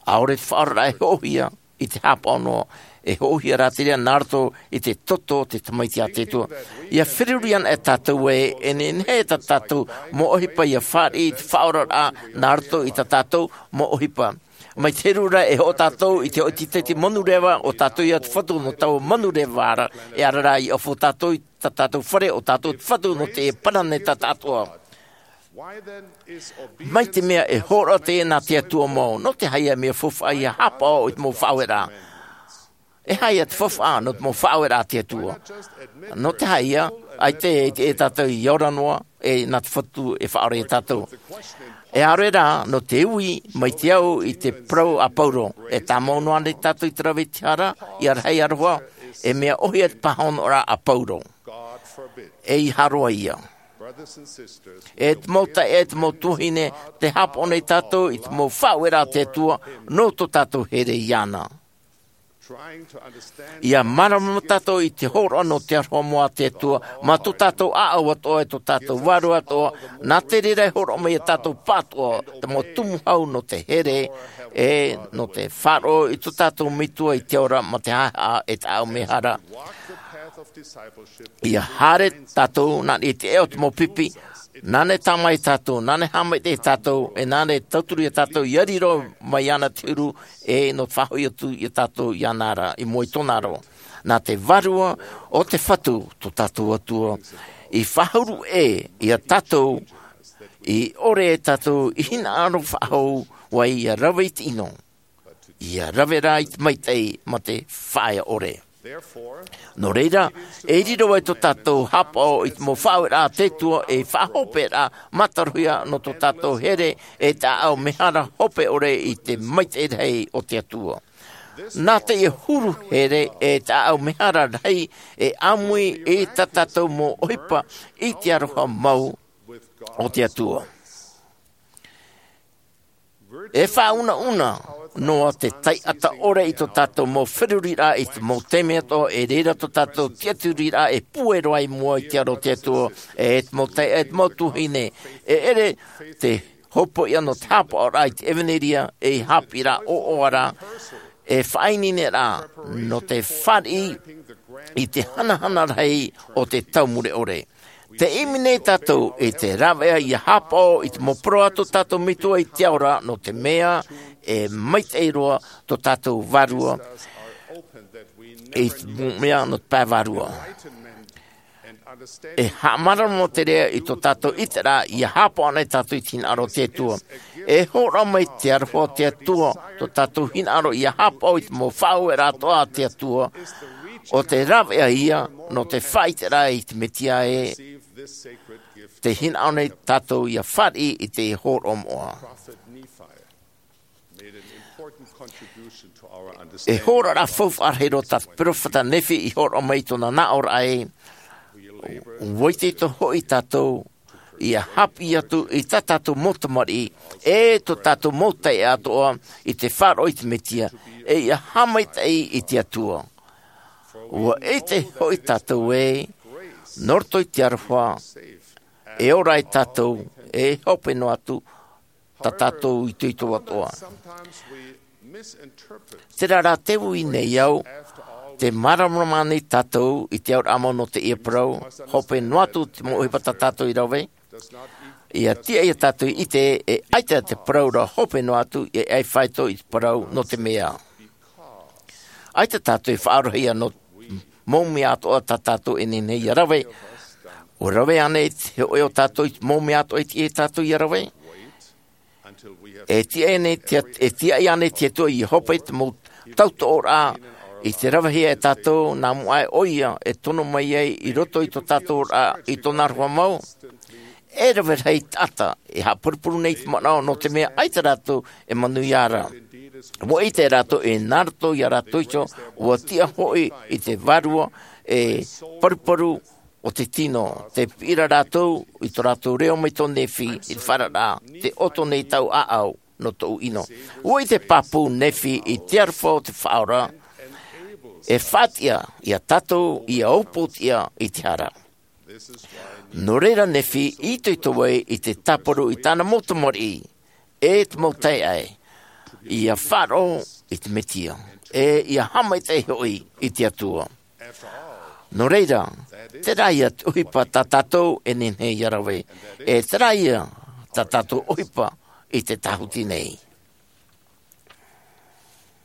ʻAore te faʻaoraraʻa e hoʻohia i te haʻapaʻo noa, E hoʻohia rā te reira nā roto i te toto o te Tamaiti a te Atua. ʻIa feruri ana e tātou ē, e nehenehe tā tātou mau ʻohipa ʻia fāriʻi i te faʻaoraraʻa nā roto i tā tātou mau ʻohipa. Mai te heru ra e hoʻo tātou i te hoʻi tītaʻi manureva, ʻo tātou ia te Fatu nō taua manureva ra, e ara rā ʻia ʻoaʻoa tātou i tā tātou fare, ʻo tātou te Fatu nō te parau nei tā tātou. Mai te mea e hōroʻa teie nā te Atua mau, nō te aha ïa e mea faufaʻa ʻia haʻapaʻo i te mau faʻaueraʻa? E aha ïa te faufaʻa nō te mau faʻaueraʻa a te Atua? Nō te aha ïa, ʻaita e, e tātou ʻia ora noa, e nā te Fatu e faʻaora ia tātou. E ʻaore rā, nō te ui mai te au i te parau a Pauro, e tāmau noa nei tātou i te rave i te hara, ʻia rahi aroha, e mea ʻōhie te pāhonoraʻa a Pauro. ʻEiaha roa ïa. E te mau taeaʻe, e te mau tuahine, tē haʻapaʻo nei tātou i te mau faʻaueraʻa a te Atua, nō tō tātou here iāna. ʻIa māramarama tātou i te hōroʻa nō te aroha mau a te Atua, mā tō tātou ʻāʻau atoʻa, e tō tātou vārua atoʻa, nā te reira e hōroʻa mai ia tātou pāʻatoʻa, te mau tumu hau nō te here, e nō te faʻaroʻo i tō tātou Metua i te ao ra, mā te haʻehaʻa e te ʻāʻau mehara. ʻIa haere tātou, nā niʻa i te ea o te mau pipi, nāna e tāmau ia tātou, nāna e haʻamaitaʻi ia tātou, e nāna e tauturu ia tātou, ʻia riro mai iāna te huru, e nō te faʻahoʻi atu ia tātou iāna ra, i mua i tōna aro. Nā te Vārua o te Fatu, tō tātou Atua, i faʻahuru ʻē ia tātou, i ʻore ia tātou i hinaʻaro faʻahou, ʻua ʻia rave i te ʻino. ʻIa rave rā i te maitaʻi mā te faʻaea ʻore. Nō reira, e riro ai tō tātou haʻapaʻo i te mau faʻaueraʻa a te Atua, e faʻahopeʻa mātāʻohia nō tō tātou here, e te ʻāʻau mehara hope ʻore i te maitaʻi rahi o te Atua. Nā teie huru here, e te ʻāʻau mehara rahi, e ʻāmui i tā tātou mau ʻohipa i te aroha mau o te Atua. E faʻaunauna noa te taʻata ʻore i tō tātou mau feruriraʻa i te mau taime atoʻa, e reira tō tātou tiʻaturiraʻa e pue roa i mua i te aro o te Atua, e te mau taeaʻe, e te mau tuahine, e ʻere te hopoiʻa nō te haʻapaʻoraʻa i te ʻevanelia, e haʻapiʻiraʻa ʻoaʻoa ra, e faʻaineineraʻa nō te fāriʻi i te hanahana rahi o te tau mure ʻore. Tē ʻimi nei tātou i te rāveʻa ʻia haʻapaʻo i te mau parau a tō tātou Metua i te ao ra, nō te mea e maitaʻi roa tō tātou vārua i te mau mea nō te pae vārua. E haʻamāramarama te reira i tō tātou ʻiteraʻa, ʻia haʻapaʻo nei tātou i te hinaʻaro o te Atua. E hōroʻa mai te aroha o te Atua, tō tātou hinaʻaro ʻia haʻapaʻo i te mau faʻaueraʻa atoʻa a te Atua, ʻo te rāveʻa ïa nō te faʻaʻiteraʻa i te Mesia ē, tē hinaʻaro nei tātou ʻia fāriʻi i te hōroʻa moʻa. E hōroʻa faufaʻa rahi roa tā te peropheta Nephi i hōroʻa mai i tōna nāʻōraʻa ē, ʻua ʻite atoʻa hoʻi tātou, ʻia haʻapiʻi atu i tā tātou mau tamariʻi, e tō tātou mau taeaʻe atoʻa i te faʻaroʻo i te Mesia, e ʻia haʻamaitaʻi i te Atua. ʻUa ʻite hoʻi tātou ē, nō roto i te aroha, e ora ai tātou, e hope noa atu, tā tātou itoito atoʻa. Terā rā te ui nei au, tē māramarama nei tātou i te auraʻa mau nō teie parau, hope noa atu te mau ʻohipa tā tātou i rave, ʻia tiʻa ia tātou i ʻite, e ʻaita te parau ra hope noa atu, e ʻaita e faʻaitoito i te parau nō te mea. ʻAita tātou e faʻaroʻo ïa nō mau mea atoʻa tā tātou e nehenehe ïa rave. ʻUa rave ānei te hōʻē o tātou i te mau mea atoʻa i tiʻa ia tātou ʻia rave? E tiʻa ānei te, e tiʻa ānei te Atua ʻia hope i te mau tautoʻoraʻa i te ravehia e tātou, nā mua aʻe ʻoia e tono mai ai i roto i tō tātou oraraʻa, i tōna aroha mau? E rave rahi taʻata e haʻapurupuru nei i te manaʻo, nō te mea ʻaita rātou e manuia ra. ʻUa ʻite rātou ē nā roto ia rātou iho, ʻua tiʻa hoʻi i te Vārua e paruparu o te tino, tē piʻi ra rātou i tō rātou reo mai tō Nephi i te faʻaararaʻa, tē ʻoto nei tāʻu ʻāʻau nō tōʻu ʻino. ʻUa ʻite pāpū Nephi i te aroha o te Faʻaora, e faʻatiʻa ia tātou ʻia aupōtiʻa i te hara. Nō reira Nephi i itoito ai i te tāparu i tāna mau tamariʻi, e te mau taeaʻe, ʻia faʻaroʻo i te Mesia. ʻe ia haʻamaitaʻi hoʻi i te Atua. Nō reira, terā ia te ʻohipa tā tātou e nehenehe ia rave, ʻe terā ia tā tātou ʻohipa i te tāhuti nei.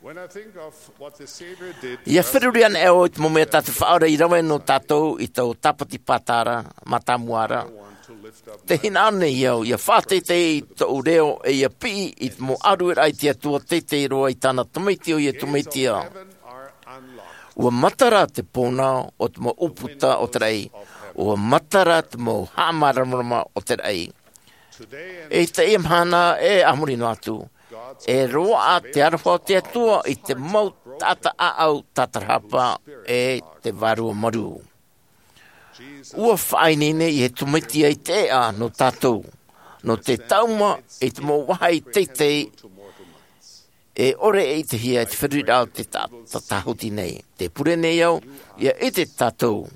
When I think of what the Savior did Ia feruri ana e au i te mau mea tā te Faʻaora i rave nō tātou i tō tāpati pātara mātāmua ra. Te hinaʻaro nei au ia faʻateitei i tōʻu reo ʻe ia piʻi i te mau ʻārueraʻa i te Atua teitei roa i tāna tamaiti ʻo Iesu Mesia. Ua matara te pōna o te mau ʻūputa o te raʻi. Ua matara te mau haʻamāramarama o te raʻi. I teie mahana ʻe a muri noa atu, e roaʻa te aroha o te Atua i te mau taʻata ʻāʻau tātarahapa ʻe te vārua marū. Ua faʻaineine Iesu Mesia i te ʻēʻa nō tātou, nō te taʻuma i te mau vāhi teitei e ʻore e ʻitehia i te feruriraʻa o te ta-, ta-, tāhuti nei. Te pure nei au, ia ʻite tātou,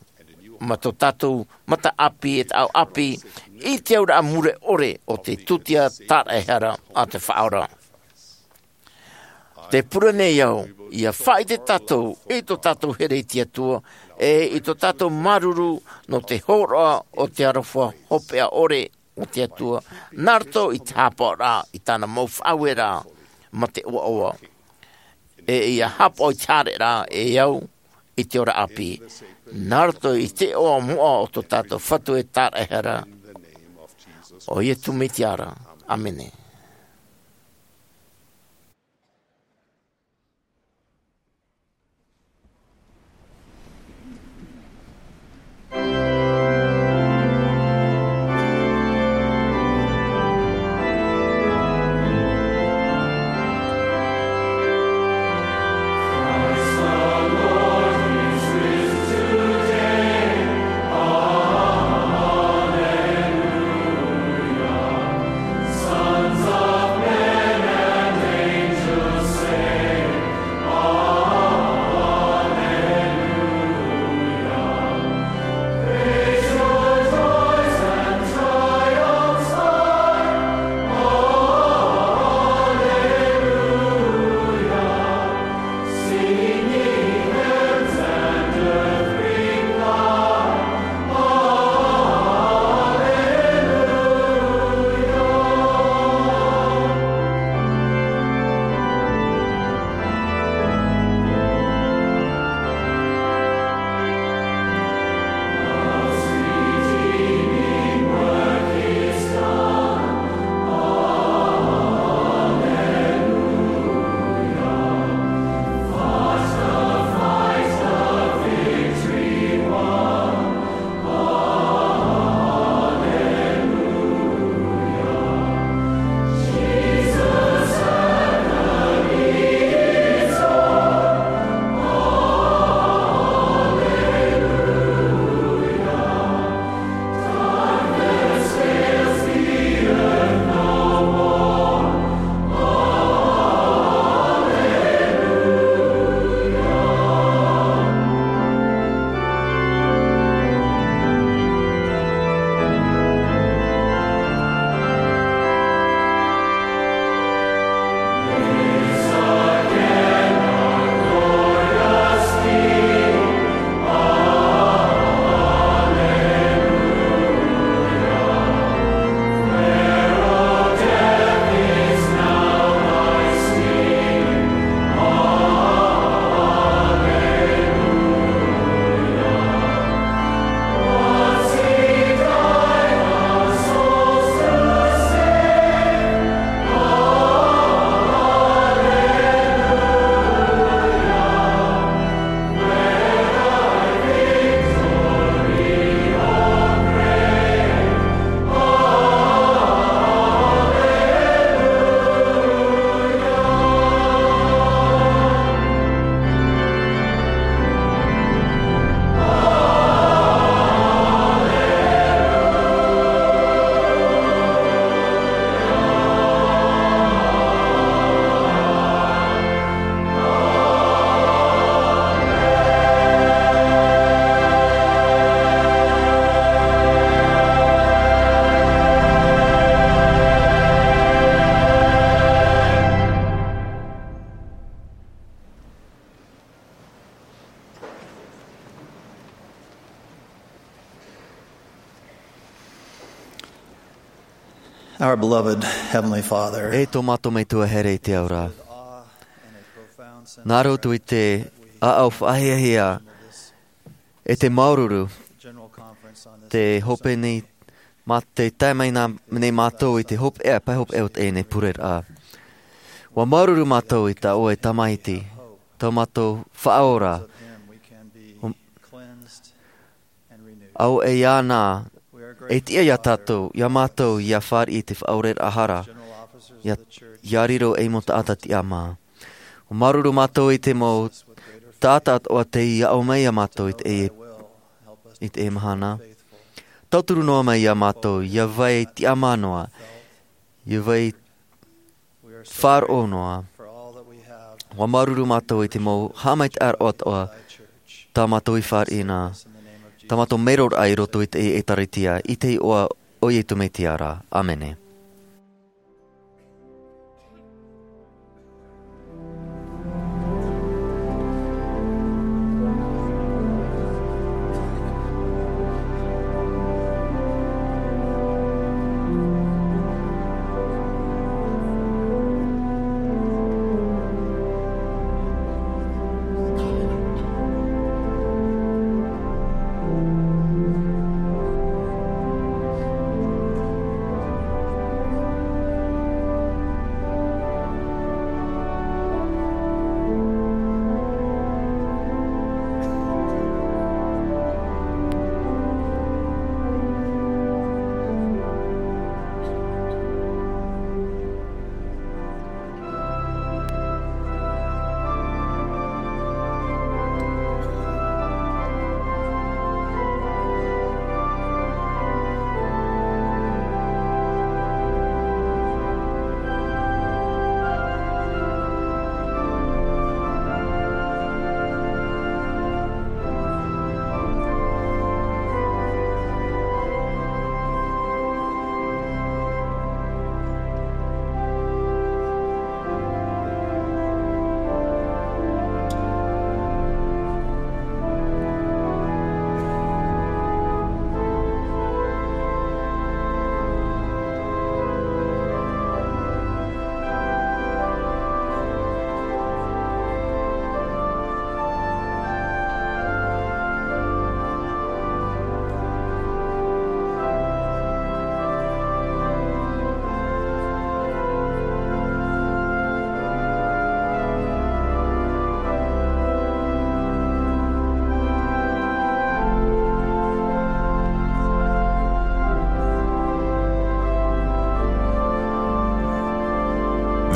ma tō tātou mataʻāpī ʻe taʻau ʻāpī, i te auraʻa mure ʻore o te tūtia tāraʻehara a te Faʻaora. Te pure nei au, ia faʻaʻite tātou, i tō tātou here i te Atua, ʻe i tō tātou māuruuru, nō te hōroʻa o te aroha hopeʻa ʻore, o te Atua, nā roto i te haʻapaʻoraʻa i tāna mau faʻaueraʻa ma te ʻoaʻoa. ʻE ia haʻapaʻo i te haereraʻa e au i te ora ʻāpī. Nā roto i te iʻoa moʻa o tō tātou Fatu ʻe Tāraʻehara, ʻo Iesu Mesia ra. ʻĀmene. Our beloved Heavenly Father, e tō mātou Metua here i te ao ra, nā roto i te ʻāʻau faʻahiahia e te māuruuru, te hope nei, mā te tae mai nei mātou i te hopeʻa, pae hopeʻa o teie nei pureraʻa. ʻUa māuruuru mātou i tā ʻoe Tamaiti, tō mātou Faʻaora. ʻO, ʻo ia nā, e tiʻa ia tātou, ia mātou, ʻia fāriʻi i te faʻaoreraʻa hara, ʻia, ʻia riro ei mau taʻata tiʻamā. ʻUa māuruuru mātou i te mau taʻata atoʻa tei aʻo mai ia mātou i te, i teie mahana. Tauturu noa mai ia mātou, ʻia vai tiʻamā noa, ʻia vai faʻaroʻo noa. ʻUa māuruuru mātou i te mau haʻamaitaʻiraʻa atoʻa tā mātou i fāriʻi na, tā mātou mero ra i roto i teie ʻĒtārētia, i te iʻoa o Iesu Mesia ra. ʻĀmene.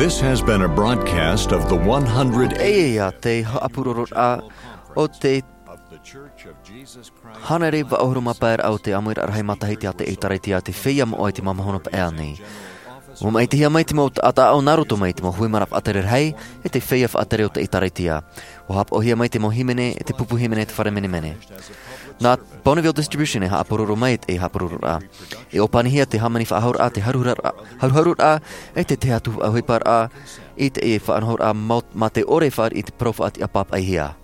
This has been a broadcast of the one hundred. Teie ia te haʻapurororaʻa o te hānere vaʻu ʻahuru mā pae raʻa o te ʻāmuiraʻa rahi matahiti a te ʻĒtārētia, te feiā moʻa i te māmāhono paʻea nei. ʻUa maʻitihia mai te mau taʻata aʻo nā roto mai i te mau hui maraʻa faʻatere rahi, e te feiā faʻatere o te ʻĒtārētia. ʻUa haʻapaʻohia mai te mau hīmene, e te pupu hīmene, te fare menemene. Nā Bonneville Distribution e haʻapuroro mai te haʻapurororaʻa. E ʻōpanihia te hāmani faʻahouraʻa, te haruharuraʻa, haruharuraʻa, e te tahi atu faʻaʻohiparaʻa, i te faʻanahoraʻa mā, mā te ʻore e fāriʻi i te parau faʻatiʻa pāpaʻihia.